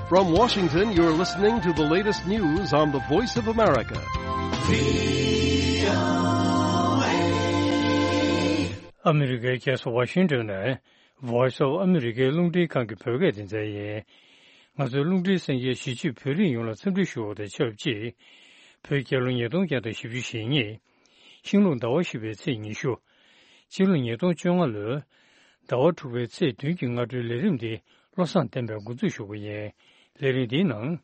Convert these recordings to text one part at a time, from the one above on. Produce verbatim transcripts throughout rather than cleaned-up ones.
From Washington, you're listening to the latest news on the Voice of America. ཨ་མི་རི་ཀའི་རྒྱལ་ས་ཝ་ཤིང་ཏོན་ནས་Voice of America རླུང་འཕྲིན་ཁང་གི་བོད་སྐད་སྡེ་ཚན་ཡིན། ང་ཚོའི་རླུང་འཕྲིན་གསན་མཁན་གཞིས་བྱེས་བོད་རིགས་ཡོངས་ལ་འཚམས་འདྲི་ཞུ་བ་དང་ཆབས་ཅིག་བོད་རྒྱལ་ལོ་ཉིས་སྟོང་བརྒྱ་དང་བཞི་བཅུ་ཞེ་གཉིས། ཤིང་ལུག་ཟླ་བ་བཞི་པའི་ཚེས་ཉི་ཤུ། སྤྱི་ལོ་ཉིས་སྟོང་བཅོ་ལྔ་ལོའི་ཟླ་བ་དྲུག་པའི་ཚེས་བདུན་གྱི་སྔ་དྲོའི་ལས་རིམ་འདི་བློ་བཟང་བསྟན་པས་འགོ་འཛུགས་ཞུ་གི་ཡིན། ལས་རིམ་འདིའི་ནང་།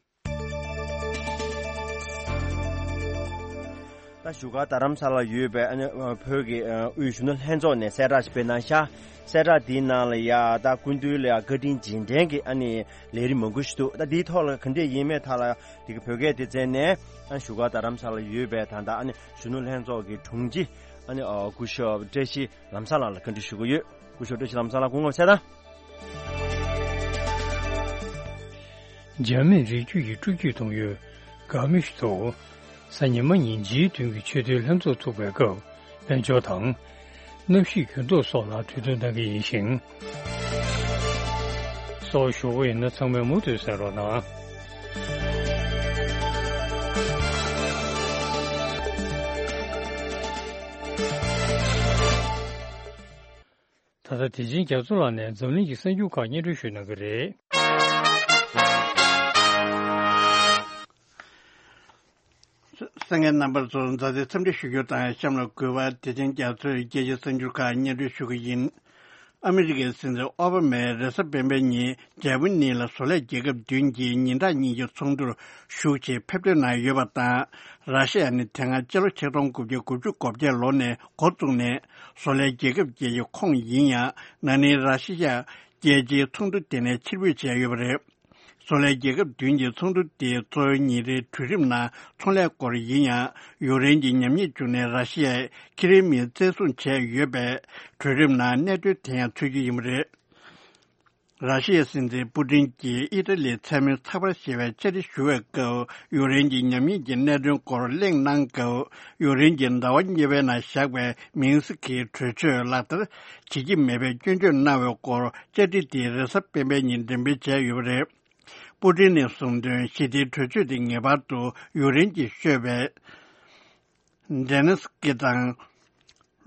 ད་བཞུགས་སྒར་རྡ་རམ་ས་ལར་ཡོད་པའི་ཨ་ནི་ཨ་བོད་ཀྱི་ཨ་དབུས་གཞོན་ནུ་ལྷན་ཚོགས་ནས་གསལ་བསྒྲགས་ཤིག་སྤེལ་གནང་ཤག་གསལ་བསྒྲགས་འདིའི་ནང་ལ་ཡ་ད་སྐུ་མདུན་ལ་ཡ་བཀའ་དྲིན་རྗེས་དྲན་གྱི་ཨ་ནི་ལས་རིམ་མང་པོ་ཞིག་འདུག་ད་འདིའི་ཐོག་ལ་ག་འདྲས་ཡིན་མེད་ཐད་ལ་འདི་གི་བོད་སྐད་སྡེ་ཚན་ནས་ཨ་བཞུགས་སྒར་རྡ་རམ་ས་ལར་ཡོད་པའི་ད་ལྟ་ཨ་ནི་གཞོན་ནུ་ལྷན་ཚོགས་ཀྱི་དྲུང་ཆེ་ཨ་ནི་ཨ་སྐུ་ཞབས་བཀྲ་ཤིས་ལམ་བཟང་ལགས་ལ་བཀའ་འདྲི་ཞུ་གི་ཡོད། སྐུ་ཞབས་བཀྲ་ཤིས་ལམ་བཟང་ལགས་སྐུ་ངོ་གསལ་བསྒྲགས། འཇར་མན་རི་རྒྱུད་ཀྱི་སྤྲོ་སྐྱིད་གཏོང་ཡུལ་གྷ་མིཤ་ཏུ་གཟའ་ཉི་མ་ཉིན་ཇིའི་མདུན་གྱི་ཆོས་དད་ལྷན་ཚོགས་ཚུགས་པའི་སྐབས་དཔལ་འབྱོར་དང་། གནམ་གཤིས་འགྱུར་ལྡོག་སོགས་ལ་གྲོས་བསྡུར་གནང་གི་ཡིན་ཞིང་། སོགས་ཞུ་གི་ཡིན་ན་ཚང་མས་མུ་མཐུད་གསན་རོགས་གནང་། ད་ལྟ་བདེ་ཆེན་རྒྱ་མཚོ་ལགས་ནས་འཛམ་གླིང་གི་གསར་འགྱུར་ཁག་སྙན་སྒྲོན་ཞུ་གནང་གི་རེད། གསན་མཁན་རྣམ་པ་ཚོ་མཛའ་བརྩེ་འཚམས་འདྲི་ཞུ་རྒྱུ་དང་གཤམ་ལ་དགོས་པ་བདེ་ཆེན་རྒྱ་མཚོས་རྒྱལ་སྤྱིའི་གསར་འགྱུར་ཁག་སྙན་སྒྲོན་ཞུ་གི་ཡིན། ཨ་མི་རི་ཀའི་སྲིད་འཛིན་ཨོ་བྷ་མས་རེས་གཟའ་སྤེན་པའི་ཉིན་འཇར་མ་ནི་ལ་བཟོ་ལས་རྒྱལ་ཁབ་བདུན་གྱི་ཉིན་གྲངས་གཉིས་ཀྱི་ཚོགས་འདུར་ཞུགས་ཆེད་ཕེབས་ཐོན་གནང་ཡོད་པ་དང་། ར་ཤི་ཡ་ནི་དེ་སྔ་སྤྱི་ལོ་ཆིག་སྟོང་དགུ་བརྒྱ་དགུ་བཅུ་གོ་བརྒྱད་ལོ་ནས་འགོ་བཙུགས་ནས་བཟོ་ལས་རྒྱལ་ཁབ་བརྒྱད་ཀྱི་ཁོངས་ཡིན་ཡང་། ན་ནིང་ར་ཤི་ཡ་རྒྱལ་སྤྱིའི་ཚོགས་འདུ་དེ་ནས་ཕྱིར་འབུད་བྱས་ཡོད་པ་རེད། བཟོ་ལས་རྒྱལ་ཁབ་བདུན་གྱི་ཚོགས་འདུ་དེའི་གཙོ་བོའི་ཉིན་རེའི་གྲོས་རིམ་ནང་ཚོང་ལས་སྐོར་ཡིན་ཡང་། ཡུཀ་རེན་གྱི་ཉམས་ཉེས་བྱུང་ནས་ར་ཤི་ཡས་ཁི་རེ་མི་བཙན་བཟུང་བྱས་ཡོད་པས། གྲོས་རིམ་ནང་གནད་དོན་དེ་ཡང་ཚུད་རྒྱུ་ཡིན་པ་རེད། ར་ཤི་ཡའི་སྲིད་འཛིན་པུ་ཏིན་གྱིས་ཨི་ཏ་ལིའི་མཚན་མོའི་ཚགས་པར་ཞེས་པའི་བཅར་འདྲི་ཞུ་བའི་སྐབས། ཡུཀ་རེན་གྱི་ཉམས་ཉེས་ཀྱི་གནད་དོན་སྐོར་གླེང་གནང་སྐབས། ཡུཀ་རེན་གྱི་ཟླ་བ་གཉིས་པའི་ནང་བཞག་པའི་མིན་སི་ཁིའི་གྲོས་ཆོད་ལག་བསྟར་བྱེད་ཀྱི་མེད་པའི་སྐྱོན་བརྗོད་གནང་བའི་སྐོར། བཅར་འདྲི་དེ་རེས་གཟའ་སྤེན་པའི་ཉིན་འགྲེམས་སྤེལ་བྱས་ཡོད་པ་རེད། པུ་ཏིན་ནས་གསུངས་དོན། ཞི་བདེའི་གྲོས་ཆོད་དེ་ངེས་པར་དུ་ཡུཀ་རེན་གྱིས་ཤོད་པའི་ཛེ་ལན་སི་ཀི་དང་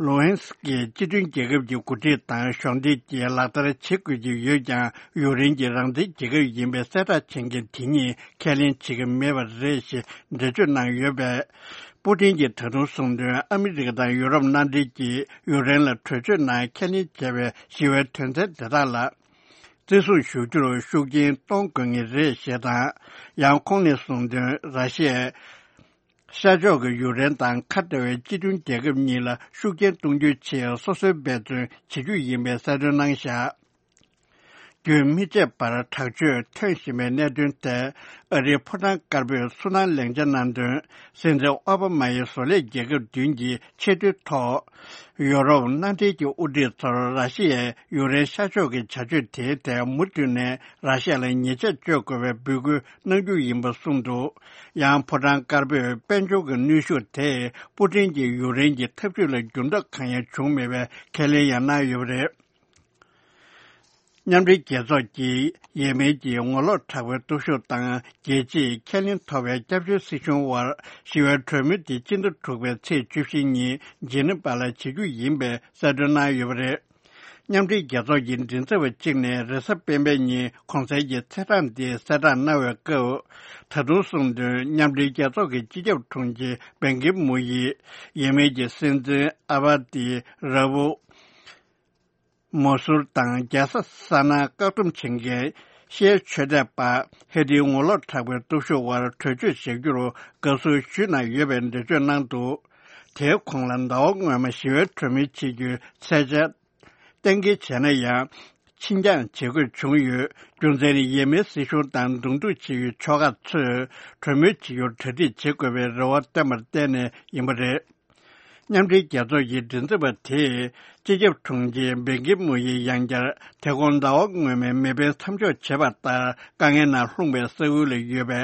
ལུ་ཧན་སི་ཀི་སྤྱི་མཐུན་རྒྱལ་ཁབ་ཀྱི་འགོ་ཁྲིད་དང་གཞོགས་འདེགས་ཀྱིས་ལག་བསྟར་བྱེད་དགོས་ཀྱི་ཡོད་ཀྱང་། ཡུཀ་རེན་གྱི་རང་བཙན་རྒྱལ་ཁབ་ཡིན་པའི་གསལ་བསྒྲགས་བྱེད་མཁན་དེ་གཉིས་ཁས་ལེན་བྱེད་ཀྱི་མེད་པ་རེད་ཞེས་འགྲེལ་བརྗོད་གནང་ཡོད་པས། པུ་ཏིན་གྱིས་ད་དུང་གསུངས་དོན། ཨ་མི་རི་ཀ་དང་ཡུ་རོབ་མནའ་འབྲེལ་གྱིས་ཡུཀ་རེན་ལ་གྲོས་ཆོད་ནང་ཁས་ལེན་བྱས་པའི་ཞི་བའི་དོན་ཚན་དེ་དག་ལ་བརྩི་སྲུང་ཞུ་རྒྱུར་ཤུགས་རྐྱེན་གཏོང་དགོས་ངེས་རེད་ཞེས་དང་། ཡང་ཁོང་ནས་གསུངས་དོན། ར་ཤི་ཡས་ཤར་ཕྱོགས་ཀྱི་ཡུཀ་རེན་དང་ཁ་བྲལ་བའི་སྤྱི་མཐུན་རྒྱལ་ཁབ་གཉིས་ལ་ཤུགས་རྐྱེན་གཏོང་རྒྱུའི་ཆེད་སོ་སོའི་འབད་བརྩོན་བྱེད་རྒྱུ་ཡིན་པའི་གསལ་སྟོན་གནང་བཞག་རྒྱུན་མི་ཆད་པར་དྲག་སྤྱོད་ཐོན་བཞིན་པའི་གནད་དོན་ཐད། ཨ་རིའི་ཕོ་བྲང་དཀར་པོས་ཚུར་སྣང་ལན་ཆ་གནང་དོན། སྲིད་འཛིན་ཨོ་བྷ་མ་ཡི་བཟོ་ལས་རྒྱལ་ཁབ་བདུན་གྱི་ཆེས་མཐོའི་ཐོག་ཡུ་རོབ་མནའ་འབྲེལ་གྱི་དབུ་ཁྲིད་ཚོར་ར་ཤི་ཡས་ཡུཀ་རེན་ཤར་ཕྱོགས་ཀྱི་བྱ་སྤྱོད་དེའི་ཐད་མུ་མཐུད་ནས་ར་ཤི་ཡ་ལ་ཉེས་ཆད་གཅོད་དགོས་པའི་འབོད་སྐུལ་གནང་རྒྱུ་ཡིན་པ་གསུངས་འདུག་ཡང་ཕོ་བྲང་དཀར་པོས་དཔལ་འབྱོར་གྱི་གནོན་ཤུགས་དེས་པུ་ཏིན་གྱི་ཡུཀ་རེན་གྱི་འཐབ་ཇུས་ལ་འགྱུར་ལྡོག་གང་ཡང་བྱུང་མེད་པའི་ཁས་ལེན་ཡང་གནང་ཡོད་པ་རེད། མཉམ་འབྲེལ་རྒྱལ་ཚོགས་ཀྱིས་ཡེ་མེན་གྱི་ངོ་ལོག་དྲག་པོའི་སྟོབས་ཤུགས་དང་རྒྱལ་སྤྱིའི་ཁས་ལེན་ཐོབ་པའི་སྐྱབས་བཅོལ་སྲིད་གཞུང་དབར་ཞི་བའི་གྲོས་མོལ་དེ་སྤྱི་ཟླ་དྲུག་པའི་ཚེས་བཅུ་བཞི་ཉིན་ཇི་ནི་ཝ་ལ་བྱེད་རྒྱུ་ཡིན་པའི་གསལ་སྟོན་གནང་ཡོད་པ་རེད། མཉམ་འབྲེལ་རྒྱལ་ཚོགས་ཀྱི་མགྲིན་ཚབ་པ་གཅིག་ནས་རེས་གཟའ་སྤེན་པའི་ཉིན་གོང་གསལ་གྱི་ཚེས་གྲངས་འདི་གསལ་བསྒྲགས་གནང་བའི་སྐབས། ད་དུང་གསུངས་དོན། མཉམ་འབྲེལ་རྒྱལ་ཚོགས་ཀྱི་སྤྱི་ཁྱབ་དྲུང་ཆེ་བན་གྷི་མུ་ཡིས་ཡེ་མེན་གྱི་སྲིད་འཛིན་ཨ་བ་ཏི་ར་བུ། མོ་སུར་དང་རྒྱལ་ས་ས་ན་བཀག་སྡོམ་བྱེད་མཁན་ཤི་ཡའི་ཆོས་དད་པ་ཧེ་ཏིའི་ངོ་ལོག་དྲག་པོའི་སྟོབས་ཤུགས་དབར་གྲོས་ཆོད་བཞག་རྒྱུར་དགའ་བསུ་ཞུས་གནང་ཡོད་པའི་འགྲེལ་བརྗོད་གནང་འདུག་དེའི་གོང་ལ་ཟླ་བ་སྔོན་མ་ཞི་བའི་གྲོས་མོལ་བྱེད་རྒྱུའི་ཚད་འཇལ་གཏན་འཁེལ་བྱས་ན་ཡང་ཕྱིར་འགྱངས་བྱེད་དགོས་བྱུང་ཡོད། རྒྱུ་མཚན་ནི་ཡེ་མེན་སྲིད་གཞུང་དང་གདོང་ཐུག་བྱེད་ཡུལ་ཕྱོགས་ཁག་ཚོས་གྲོས་མོལ་བྱེད་རྒྱུར་གྲ་སྒྲིག་བྱེད་དགོས་པའི་རེ་བ་བཏོན་པར་བརྟེན་ནས་ཡིན་པ་རེད། མཉམ་འབྲེལ་རྒྱལ་ཚོགས་ཀྱི་མགྲིན་ཚབ་པ་དེས་སྤྱི་ཁྱབ་དྲུང་ཆེ་བན་གྷི་མུ་ཡིས་ཡང་བསྐྱར་དེ་གོང་ཟླ་བ་སྔོན་མའི་མེ་འཕེན་མཚམས་འཇོག་བྱས་པ་ལྟར་དཀའ་ངལ་ནང་ལྷུང་བའི་ས་ཁུལ་ལ་ཡོད་པའི་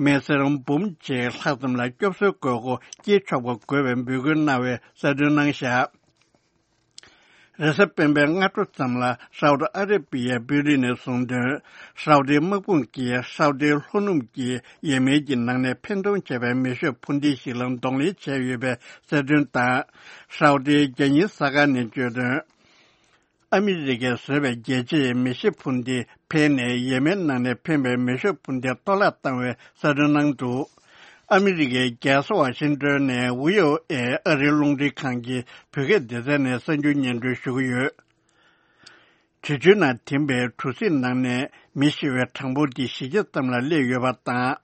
མི་སེར་འབུམ་གཅིག་ལྷག་ཙམ་ལ་སྐྱོབ་གསོའི་དགོས་མཁོ་སྐྱེས་ཆོག་པ་དགོས་པའི་འབོད་སྐུལ་གནང་བའི་གསལ་སྟོན་གནང་བཞག་རེས་གཟའ་སྤེན་པའི་སྔ་དྲོ་ཙམ་ལ་ཧྲའོ་ཏི་ཨ་ར་པི་ཡའི་དཔོན་རིགས་ནས་གསུངས་དོན། ཧྲའོ་ཏིའི་དམག་དཔུང་གིས་ཧྲའོ་ཏིའི་ལྷོ་ནུབ་ཀྱི་ཡེ་མེན་གྱི་ནང་ནས་འཕེན་གཏོང་བྱས་པའི་མེ་ཤོད་འཕུར་མདེལ་ཞིག་ལ་གདོང་ལེན་བྱས་ཡོད་པའི་གསལ་སྟོན་དང་། ཧྲའོ་ཏིའི་རྒྱལ་གཉེར་གསར་ཁང་ནས་བརྗོད་དོན། ཨ་མི་རི་ཀས་བཟོས་པའི་རྒྱལ་གཅེས་མེ་ཤོད་འཕུར་མདེལ་འཕེན་ནས་ཡེ་མེན་ནང་ནས་འཕེན་པའི་མེ་ཤོད་འཕུར་མདེལ་གཏོར་བརླག་བཏང་བའི་གསལ་སྟོན་གནང་འདུག་ཨ་མི་རི་ཀའི་རྒྱལ་ས་ཝ་ཤིང་ཏོན་ནས་བྷི་ཨོ་ཨེ་ཨ་རིའི་རླུང་འཕྲིན་ཁང་གི་བོད་སྐད་སྡེ་ཚན་ནས་གསར་འགྱུར་སྙན་སྒྲོན་ཞུ་གི་ཡོད། འབྲི་ཆུའི་ནང་ཐིམ་པའི་གྲུ་གཟིངས་ནང་ནས་མི་ཤི་བའི་གྲངས་འབོར་དེ་བཞི་བརྒྱ་ཙམ་ལ་སླེབས་ཡོད་པ་དང་།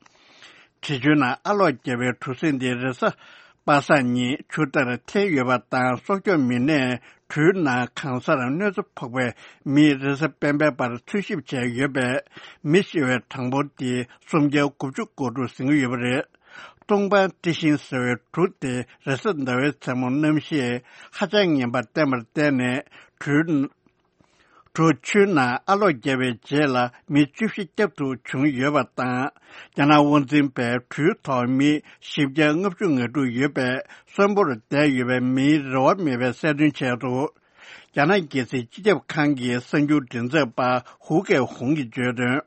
འབྲི་ཆུའི་ནང་ཨ་གློག་བརྒྱབ་པའི་གྲུ་གཟིངས་དེ་རེས་གཟའ་པ་སངས་ཉིན་ཆུ་ལྟར་འཐེན་ཡོད་པ་དང་། སྲོག་སྐྱོབ་མི་སྣས་གྲུའི་ནང་གང་སར་གནོད་འཚེ་ཕོག་པའི་མི་རེས་གཟའ་སྤེན་པའི་བར་འཚོལ་ཞིབ་བྱས་ཡོད་པས། མི་ཤི་བའི་གྲངས་འབོར་དེ་སུམ་བརྒྱ་དགུ་བཅུ་གོ་དྲུག་ཟིན་གྱི་ཡོད་པ་རེད། ཏུང་པན་ཏི་ཤིང་ཟེར་བའི་གྲུ་དེ་རེས་གཟའ་ཟླ་བའི་མཚན་མོ་གནམ་གཤིས་ཧ་ཅང་ངན་པ་བསྟན་པར་བརྟེན་ནས། གྲུའི་གྲུ་ཆུའི་ནང་ཨ་གློག་བརྒྱབ་པའི་རྗེས་ལ་མི་བཅུ་བཞི་བསྐྱབ་ཐུབ་བྱུང་ཡོད་པ་དང་། རྒྱ་ནག་དབང་འཛིན་པས་གྲུའི་ཐོག་མི་བཞི་བརྒྱ་ལྔ་བཅུ་ང་དྲུག་ཡོད་པས། གསོན་པོར་བསྡད་ཡོད་པའི་མིའི་རེ་བ་མེད་པའི་གསལ་སྟོན་བྱས་འདུག་རྒྱ་ནག་རྒྱལ་སྲིད་སྤྱི་ཁྱབ་ཁང་གི་གསར་འགྱུར་མགྲིན་ཚབ་པ་ཧུའུ་ཀའེ་ཧུང་གིས་བརྗོད་དོན།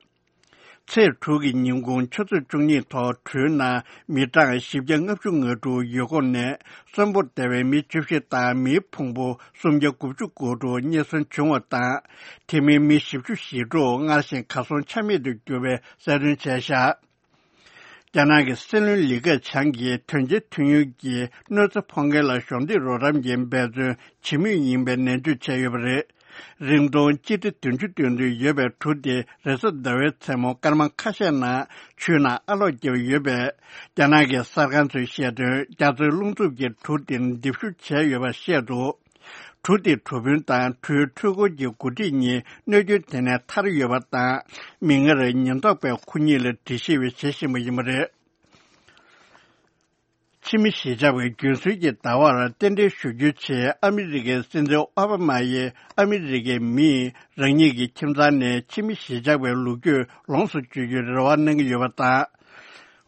ཚེས་དྲུག་གི་ཉིན་གུང་ཆུ་ཚོད་བཅུ་གཉིས་ཐོག་གྲུའི་ནང་མི་གྲངས་བཞི་བརྒྱ་ལྔ་བཅུ་ང་དྲུག་ཡོད་སྐོར་ནས། གསོན་པོར་བསྡད་པའི་མི་བཅུ་བཞི་དང་མིའི་ཕུང་པོ་སུམ་བརྒྱ་དགུ་བཅུ་གོ་དྲུག་རྙེད་སོན་བྱུང་བ་དང་། དེ་མིན་མི་བཞི་བཅུ་ཞེ་དྲུག་སྔར་བཞིན་གར་སོང་ཆ་མེད་དུ་གྱུར་བའི་གསལ་སྟོན་བྱས་བཞག་རྒྱ་ནག་གི་སྲིད་བློན་ལི་ཁེ་ཆང་གིས་དོན་རྐྱེན་ཐོན་ཡུལ་གྱི་གནོད་འཚེ་ཕོག་མཁན་ལ་གཞོགས་འདེགས་རོགས་རམ་གྱི་འབད་བརྩོན་བྱེད་མུས་ཡིན་པའི་ནན་བརྗོད་བྱས་ཡོད་པ་རེད། རིང་ཐུང་སྤྱི་ཁྲེ་བདུན་ཅུ་སྟོང་དུ་ཡོད་པའི་གྲུ་དེ་རེས་གཟའ་ཟླ་བའི་མཚན་མོ་སྐར་མ་ཁ་ཤས་ནང་ཆུའི་ནང་ཨ་གློག་བརྒྱབ་ཡོད་པས། རྒྱ་ནག་གི་གསར་ཁང་ཚོས་བཤད་དོན། རྒྱ་མཚོའི་རླུང་འཚུབ་ཀྱིས་གྲུ་དེ་རྡིབ་གཞུ་བྱས་ཡོད་པ་བཤད་འདུག་གྲུ་དེའི་གྲུ་དཔོན་དང་གྲུའི་འཕྲུལ་འཁོར་གྱི་འགོ་ཁྲིད་གཉིས་གནོད་སྐྱོན་དེ་ནས་ཐར་ཡོད་པ་དང་། མིག་སྔར་ཉེན་རྟོག་པས་ཁོ་གཉིས་ལ་འདྲི་ཞིབ་བྱེད་བཞིན་པ་ཡིན་པ་རེད། ཕྱི་མི་གཞིས་ཆགས་པའི་རྒྱུན་སྲོལ་གྱི་ཟླ་བར་རྟེན་འབྲེལ་ཞུ་རྒྱུའི་ཆེད་ཨ་མི་རི་ཀའི་སྲིད་འཛིན་ཨོ་བྷ་མ་ཡིས་ཨ་མི་རི་ཀའི་མིས་རང་ཉིད་ཀྱི་ཁྱིམ་ཚང་ནས་ཕྱི་མི་གཞིས་ཆགས་པའི་ལོ་རྒྱུས་ལོངས་སུ་སྤྱོད་རྒྱུའི་རེ་བ་གནང་གི་ཡོད་པ་དང་།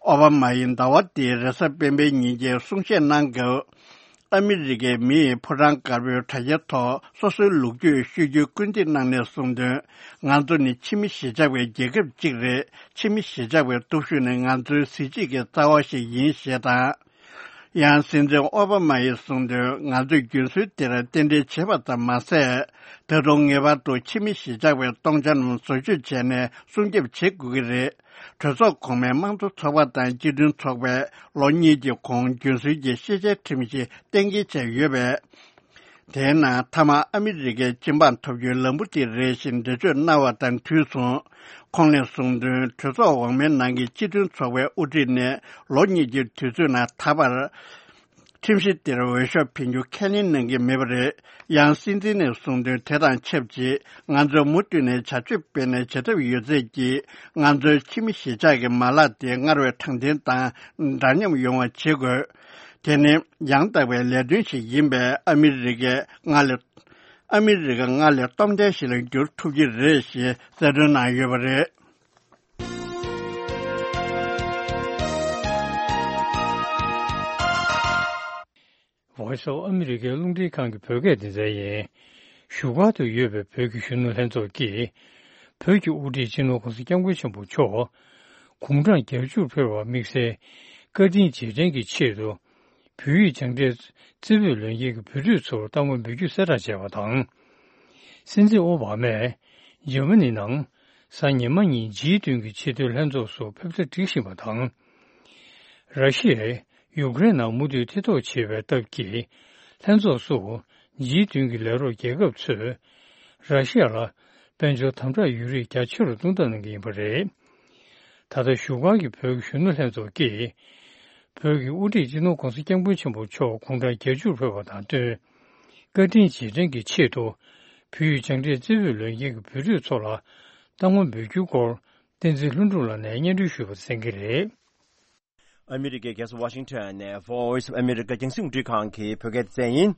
ཨོ་བྷ་མ་ཡིས་ཟླ་བ་འདིའི་རེས་གཟའ་སྤེན་པའི་ཉིན་གྱི་གསུང་བཤད་གནང་སྐབས། ཨ་མི་རི་ཀའི་མིས་ཕོ་བྲང་དཀར་པོའི་དྲ་རྒྱའི་ཐོག་སོ་སོའི་ལོ་རྒྱུས་ཤོད་རྒྱུའི་སྐུལ་འདེད་གནང་ནས་གསུངས་དོན། ང་ཚོ་ནི་ཕྱི་མི་གཞིས་ཆགས་པའི་རྒྱལ་ཁབ་ཅིག་རེད། ཕྱི་མི་གཞིས་ཆགས་པའི་སྟོབས་ཤུགས་ནི་ང་ཚོའི་གཟི་བརྗིད་ཀྱི་རྩ་བ་ཞིག་ཡིན་ཞེས་དང་། ཡང་སྲིད་འཛིན་ཨོ་བྷ་མ་ཡིས་གསུངས་དོན། ང་ཚོས་རྒྱུན་སྲོལ་འདིར་རྟེན་འབྲེལ་བྱས་པ་ཙམ་མ་ཟད། ད་དུང་ངེས་པར་དུ་ཕྱི་མི་གཞིས་ཆགས་པའི་སྟོང་ཆ་རྣམས་བཟོ་བཅོས་བྱས་ནས་སྲུང་སྐྱོབ་བྱེད་དགོས་ཀྱི་རེད། གྲོས་ཚོགས་གོང་མའི་དམངས་གཙོ་ཚོགས་པ་དང་སྤྱི་མཐུན་ཚོགས་པས་ལོ་གཉིས་ཀྱི་གོང་རྒྱུན་སྲོལ་གྱི་ཤེས་བྱའི་ཁྲིམས་ཤིག་གཏན་འཁེལ་བྱས་ཡོད་པས། དེའི་ནང་མཐའ་མ་ཨ་མི་རི་ཀའི་སྤྱི་འབངས་ཐོབ་རྒྱུའི་ལམ་བུ་དེ་རེད་ཞེས་འགྲེལ་བརྗོད་གནང་བ་དང་དུས་མཚུངས། ཁོང་ནས་གསུངས་དོན། གྲོས་ཚོགས་འོག་མའི་ནང་གི་སྤྱི་མཐུན་ཚོགས་པའི་དབུ་ཁྲིད་ནས་ལོ་གཉིས་ཀྱི་དུས་ཚོད་ནང་ད་བར་ཁྲིམས་གཞི་དེར་འོས་ཤོག་འཕེན་རྒྱུ་ཁས་ལེན་གནང་གི་མེད་པ་རེད། ཡང་སྲིད་འཛིན་ནས་གསུངས་དོན། དེ་དང་ཆབས་ཅིག་ང་ཚོས་མུ་མཐུད་ནས་བྱ་སྤྱོད་སྤེལ་ནས་བྱེད་ཐབས་ཡོད་ཚད་ཀྱིས་ང་ཚོའི་ཕྱི་མི་གཞིས་ཆགས་ཀྱི་མ་ལག་དེ་སྔར་བས་དྲང་བདེན་དང་འདྲ་མཉམ་ཡོང་བ་བྱེད་དགོས། དེ་ནི་ཡང་དག་པའི་ལས་དོན་ཞིག་ཡིན་པས། ཨ་མི་རི་ཀས་སྔར་ལས་ཨ་མི་རི་ཀ་སྔར་ལས་སྟོབས་ལྡན་ཞིག་ལ་འགྱུར་ཐུབ་ཀྱི་རེད་ཞེས་གསལ་སྟོན་གནང་ཡོད་པ་རེད། Voice of America རླུང་འཕྲིན་ཁང་གི་བོད་སྐད་སྡེ་ཚན་ཡིན། བཞུགས་སྒར་དུ་ཡོད་པའི་བོད་ཀྱི་གཞོན་ནུ་ལྷན་ཚོགས་ཀྱིས། བོད་ཀྱི་དབུ་ཁྲིད་སྤྱི་ནོར་༸གོང་ས་༸སྐྱབས་མགོན་ཆེན་པོ་མཆོག་དགུང་གྲངས་བརྒྱད་ཅུར་ཕེབས་པ་དམིགས་བསལ་བཀའ་དྲིན་རྗེས་དྲན་གྱི་ཆེད་དུ། བོད་ཡིག་སྦྱངས་འབྲས་རྩེ་ཕུད་ལོན་མཁན་གྱི་བོད་ཕྲུག་ཚོར་རྟག་དངོས་འབུལ་རྒྱུའི་གསལ་བསྒྲགས་བྱས་པ་དང་། སྲིད་འཛིན་ཨོ་བྷ་མས་འཇར་མ་ནི་ནང་གཟའ་ཉི་མ་ཉིན་ཇི་བདུན་གྱི་ཆེས་མཐོའི་ལྷན་ཚོགས་སུ་ཕེབས་གྲ་སྒྲིག་བཞིན་པ་དང་། ར་ཤི་ཡས་ཡུཀ་རེན་ནང་མུ་མཐུད་མཐིལ་རྟོགས་བྱེད་པའི་སྟབས་ཀྱིས། ལྷན་ཚོགས་སུ་ཇི་བདུན་གྱི་ལས་རོགས་རྒྱལ་ཁབ་ཚོས་ར་ཤི་ཡ་ལ་དཔལ་འབྱོར་དམ་དྲག་ཡོད་རིགས་རྒྱ་ཆེ་རུ་གཏོང་ཐབས་གནང་གི་ཡིན་པ་རེད། ད་ལྟ་བཞུགས་སྒར་གྱི་བོད་ཀྱི་གཞོན་ནུ་ལྷན་ཚོགས་ཀྱིས། བོད་ཀྱི་དབུ་ཁྲིད་སྤྱི་ནོར་༸གོང་ས་༸སྐྱབས་མགོན་ཆེན་པོ་མཆོག་དགུང་གྲངས་བརྒྱད་ཅུར་ཕེབས་པ་དང་བསྟུན། བཀའ་དྲིན་རྗེས་དྲན་གྱི་ཆེད་དུ། བོད་ཡིག་སྦྱངས་འབྲས་རྩེ་ཕུད་ལོན་མཁན་གྱི་བོད་ཕྲུག་ཚོ་ལ་རྟག་དངོས་འབུལ་རྒྱུའི་སྐོར། བསྟན་འཛིན་ལྷུན་གྲུབ་ལགས་ནས་སྙན་སྒྲོན་ཞུས་པ་གསན་གྱི་རེད། ཨ་མི་རི་ཀའི་རྒྱལ་ས་ཝ་ཤིང་ཊོན་ནས་Voice of America རྒྱང་སྲིང་རླུང་འཕྲིན་ཁང་གི་བོད་སྐད་སྡེ་ཚན་ཡིན།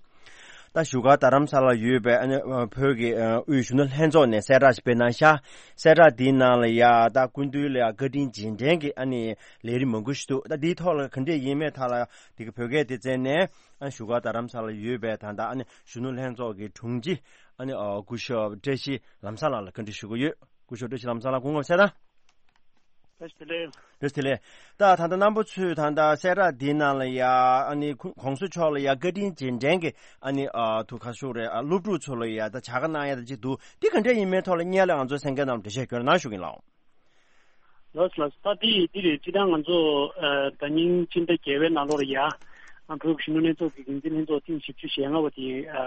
ད་བཞུགས་སྒར་རྡ་རམ་ས་ལར་ཡོད་པའི་ཨ་ནི་བོད་ཀྱི་དབུས་གཞོན་ནུ་ལྷན་ཚོགས་ནས་གསལ་བསྒྲགས་ཤིག་སྤེལ་གནང་ཤག་གསལ་བསྒྲགས་འདིའི་ནང་ལ་ཡ་ད་སྐུ་མདུན་ལ་ཡ་བཀའ་དྲིན་རྗེས་དྲན་གྱི་ཨ་ནི་ལས་རིམ་མང་པོ་ཞིག་འདུག་ད་འདིའི་ཐོག་ལ་ག་འདྲས་ཡིན་མེད་ཐད་ལ་དེ་གི་བོད་སྐད་སྡེ་ཚན་ནས་ཨ་བཞུགས་སྒར་རྡ་རམ་ས་ལར་ཡོད་པའི་ད་ལྟ་ཨ་ནི་གཞོན་ནུ་ལྷན་ཚོགས་ཀྱི་དྲུང་ཆེ་ཨ་ནི་སྐུ་ཞབས་བཀྲ་ཤིས་ལམ་བཟང་ལགས་ལ་བཀའ་འདྲི་ཞུ་གི་ཡོད། སྐུ་ཞབས་བཀྲ་ཤིས་ལམ་བཟང་ལགས་སྐུ་ངོ་གསལ་བསྒྲགས། བཀྲ་ཤིས་བདེ་ལེགས། བཀྲ་ཤིས་བདེ་ལེགས། ད་ད་ལྟ་རྣམ་པ་ཚོས་ད་ལྟ་གསལ་བསྒྲགས་འདིའི་ནང་ལ་ཡ་ཨ་ནི་ཁོ་༸གོང་ས་མཆོག་ལ་ཡ་བཀའ་དྲིན་རྗེས་དྲན་གྱི་ཨ་ནི་ཨ་ཐུགས་ཁར་ཤོག་རེད། ཨ་སློབ་ཕྲུག་ཚོ་ལ་ཡ་ད་བྱ་དགའ་གནང་ཡ་ད་ཅིག་འདུག་འདི་ག་འདྲས་ཡིན་མིན་ཐོག་ལ་སྔོན་ལ་ང་ཚོའི་གསན་མཁན་རྣམས་འགྲེལ་བཤད་སྐྱོན་གནང་ཞུ་གིན་ལགས། ལགས་ལགས། ད་འདི་འདི་རེད། སྤྱིར་བཏང་ང་ཚོ་ཨ་ཟླ་ཉིན་སྤྱི་ཟླ་བརྒྱད་པའི་ནང་ལོགས་ལ་ཡ་ཨ་བོད་ཀྱི་གཞོན་ནུ་ལྷན་ཚོགས་ཀྱི་འགན་འཛིན་ལྷན་ཚོགས་ཐེངས་བཞི་བཅུ་ཞེ་ལྔ་པ་དེ་ཨ་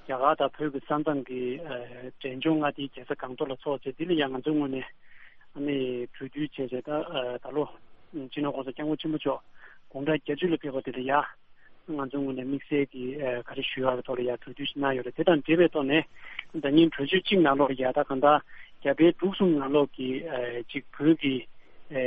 རྒྱ་གར་དང་བོད་ཀྱི་ས་མཚམས་ཀྱི་ཨ་འབྲས་ལྗོངས་མངའ་སྡེའི་རྒྱལ་ས་སྒང་ཏོག་ལ་ཚོགས་བྱས། འདི་ལ་ཡང་ང་ཚོའི་ངོས་ནས་ཨ་ནི་གྲོས་བསྡུར་བྱས་བྱས། ད་ཨ་ད་ལོ་སྤྱི་ནོར་༸གོང་ས་༸སྐྱབས་མགོན་ཆེན་པོ་མཆོག་དགུང་གྲངས་བརྒྱད་ཅུ་ལ་ཕེབས་པ་དེ་ལ་ཡ་ང་ཚོའི་ངོས་ནས་དམིགས་བསལ་གྱི་ཨ་ག་རེ་ཞུ་ཡག་གི་ཐོག་ལ་ཡ་གྲོས་བསྡུར་ཞིག་གནང་ཡོད་རེད། དེ་དང་འབྲེལ་བའི་ཐོག་ནས་ཟླ་ཉིན་གྲོས་ཆོད་གཅིག་ནང་ལོགས་ལ་ཡ་ད་གང་ལྟར་རྒྱ་བལ་འབྲུག་གསུམ་ནང་ལོགས་ཀྱི་ཨ་ཅིག་བོད་ཀྱི་ཨ་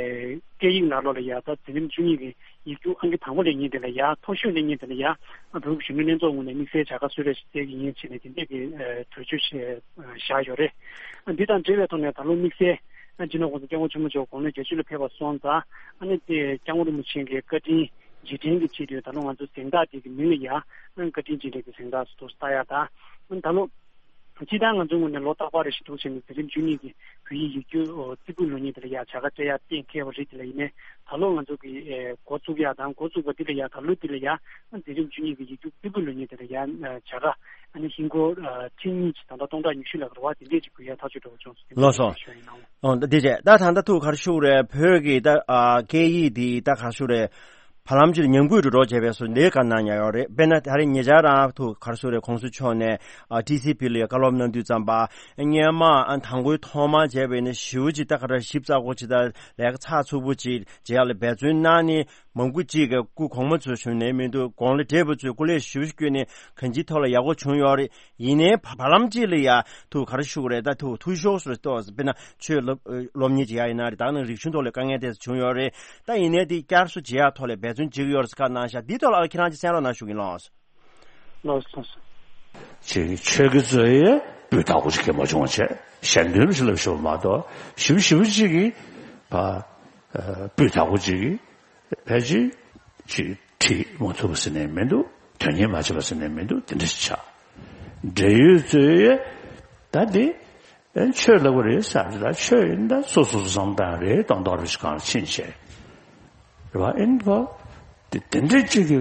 སྐད་ཡིག་ནང་ལོགས་ལ་ཡ་ད་འཛིན་རིམ་བཅུ་གཉིས་ཀྱི་ཡིག་རྒྱུགས་ཨང་ཀི་དང་པོ་སླེབས་མཁན་དེ་ལ་ཡ། མཐོ་ཤོས་སླེབས་མཁན་དེ་ལ་ཡ་ཨ་བོད་ཀྱི་གཞོན་ནུ་ལྷན་ཚོགས་ངོས་ནས་དམིགས་བསལ་བྱ་དགའ་གསོལ་རས་ཤིག་སྩལ་གྱི་ཡིན་བྱས་ནས་དེ་འདྲས་ཀྱི་ཨ་གྲོས་ཆོད་ཞིག་བཞག་ཡོད་རེད། ཨ་འདི་དང་འབྲེལ་བའི་ཐོག་ནས་ད་ལོ་དམིགས་བསལ་ཨ་སྤྱི་ནོར་༸གོང་ས་༸སྐྱབས་མགོན་ཆེན་པོ་མཆོག་དགུང་ལོ་བརྒྱད་ཅུ་ལ་ཕེབས་པ་སོང་ཙང་ཨ་ནི་དེ་སྐྱབས་མགོན་རིན་པོ་ཆེ་གི་བཀའ་དྲིན་རྗེས་དྲན་གྱི་ཆེད་དུ་ད་ལོ་ང་ཚོ་གཟེངས་རྟགས་དེ་གི་མིང་ལ་ཡ་ཨ་བཀའ་དྲིན་རྗེས་དྲན་གྱི་གཟེངས་རྟགས་སུ་ཐོག་ལྟ་ཡག་དང་། ཨ་ད་ལོ་སྤྱིར་བཏང་ང་ཚོའི་ངོས་ནས་ལོ་རྟག་པར་རེ་བཞིན་འདུག་བྱས་ནས་འཛིན་རིམ་བཅུ་གཉིས་ཀྱི་བོད་ཡིག་ཡིག་རྒྱུགས་རྩེ་ཕུད་ལོ་གཉིས་དེ་ལ་ཡ་བྱ་དགའ་སྤྲད་ཡག་གཏན་འཁེལ་བ་རེད། དེ་ལ་ཡིན་ནའི་ད་ལོ་ང་ཚོ་གི་ཨེ་འགོ་བཙུགས་ཡག་དང་འགོ་བཙུགས་པ་འདི་ལ་ཡ་ད་ལོ་འདི་ལ་ཡ་འཛིན་རིམ་བཅུ་གཉིས་ཀྱི་ཡིག་རྒྱུགས་རྩེ་ཕུད་ལོ་གཉིས་དེ་ལ་ཡ་བྱ་དགའ་ཨ་ནི་ཧིན་སྒོར་ཁྲི་གཉིས་ཀྱི་ད་ལྟ་སྟོང་ཕྲག་ཉི་ཤུ་ལ་རེ་བ་དེ་འདྲས་ཅིག་དགོས་ཡ་ཐག་གཅོད་འདྲ་བོ་བྱུང་སོང་། ལགས་སོ། ཞུ་ཡིན་ནའང་། ཨོ་ད་དེ་བྱས་ད་ད་ལྟ་ཐུགས་ག་རེ་ཞུ་དགོས་རེད། བོད་ཀྱི་ད་ཨ་སྐད་ཡིག་འདི་ད་ག་རེ་ཞུ་དགོས་རེད། བར་ལམ་ཅིག་ཉམས་རྒུད་འགྲོ་འགྲོ་བྱས་པའི་སོ་ལས་ཀ་གནང་ཡ་ཡོད་རེད། དཔེར་ན་ད་རེས་ཉེ་ཆར་རང་ཐུགས་ག་རེ་ཞུ་དགོས་རེད། གོང་ས་མཆོག་ནས་ཨ་ཊི་སི་བི་ལ་ཡ་བཀའ་སློབ་གནང་དུས་ཙམ་པ་སྔོན་མ་ཨ་དང་པོའི་ཐོག་མ་བྱས་པ་ཡིན་ན་ཞེ་པོ་ཅིག་ད་ག་རེ་ཞིབ་ཚགས་པོ་ཅིག་ད་ལས་ཀ་ཚགས་ཚུད་པོ་ཅིག་བྱེད་ཡ་ལ་འབད་བརྩོན་གནང་ནས། མང་པོ་ཅིག་གི་སྐུ་གོང་མ་ཚོས་བྱུང་ནས་མི་འདུག་གོང་ལ་བགྲེས་པ་ཚོས་སྐུ་ལས་ཞུ་བསྐྱོན་ནས་གང་ཅིའི་ཐོག་ལ་ཡག་པོ་བྱུང་ཡོད་རེད། ཡིན་ནའི་བ་བར་ལམ་ཅིག་ལ་ཡ་ཐུགས་ག་རེ་ཞུ་དགོས་རེད། ད་ཐུགས་འཐུས་ཤོར་སོང་རེད། ཏོག་ཙམ་དཔེར་ན་ཆོས་སློབ་སློབ་གཉེར་བྱེད་ཡ་ཡིན་ན་རེད། ད་ནང་རིག་གཞུང་ཐོག་ལ་དཀའ་ངལ་དེ་ཚོ་བྱུང་ཡོད་རེད། ད་ཡིན་ནའི་དེ་བསྐྱར་གསོ་བྱེད་ཡ་ཐོག་ལ་འབད་བརྩོན་བྱེད་ཀྱི་ཡོད་རེད་ཟེར་ཁ་གནང་ཤག་འདི་ཐོག་ལ་ཁྱེད་རང་ཅིག་གསན་རོགས་གནང་ཞུ་གི་ཡིན་ལགས། ལགས་སོ། ཅིག་ཆོས་ཀྱི་རྩོད་ཡས་སྤུས་དག་པོ་ཅིག་གི་མ་བྱུང་བ་བྱས་གཞན་དོན་ཞིག་ལ་ཞུ་བ་མ་གཏོགས་ཞིབ་ཞིབ་ཅིག་གིས་ཕ་སྤུས་དག་པོ་ཅིག་གིས་ཕལ་ཆེར་ཅིག་ཁྲིད་མ་ཐུབ་པ་ཟེར་ནས་མི་འདུག་དོན་གཉེར་མ་བྱས་པ་ཟེར་ནས་མི་འདུག་དེ་འདྲ་ཞིག་ཆགས། འབྲེལ་ཡོད་རྩོད་ཡས་ད་འདི་ཨེ་ཆོས་ལབ་པ་རེད་ཟེར་ད་ཆོས་ཡིན་ད་སོ་སོ་སོ་བསམ་སྟངས་རེད་གཏོང་སྟངས་རེད་ཅིག་གང་ལ་ཕྱིན་བྱས། རེད་བ། ཨིན་བ། དེ་དེ་འདྲས་ཅིག་གི་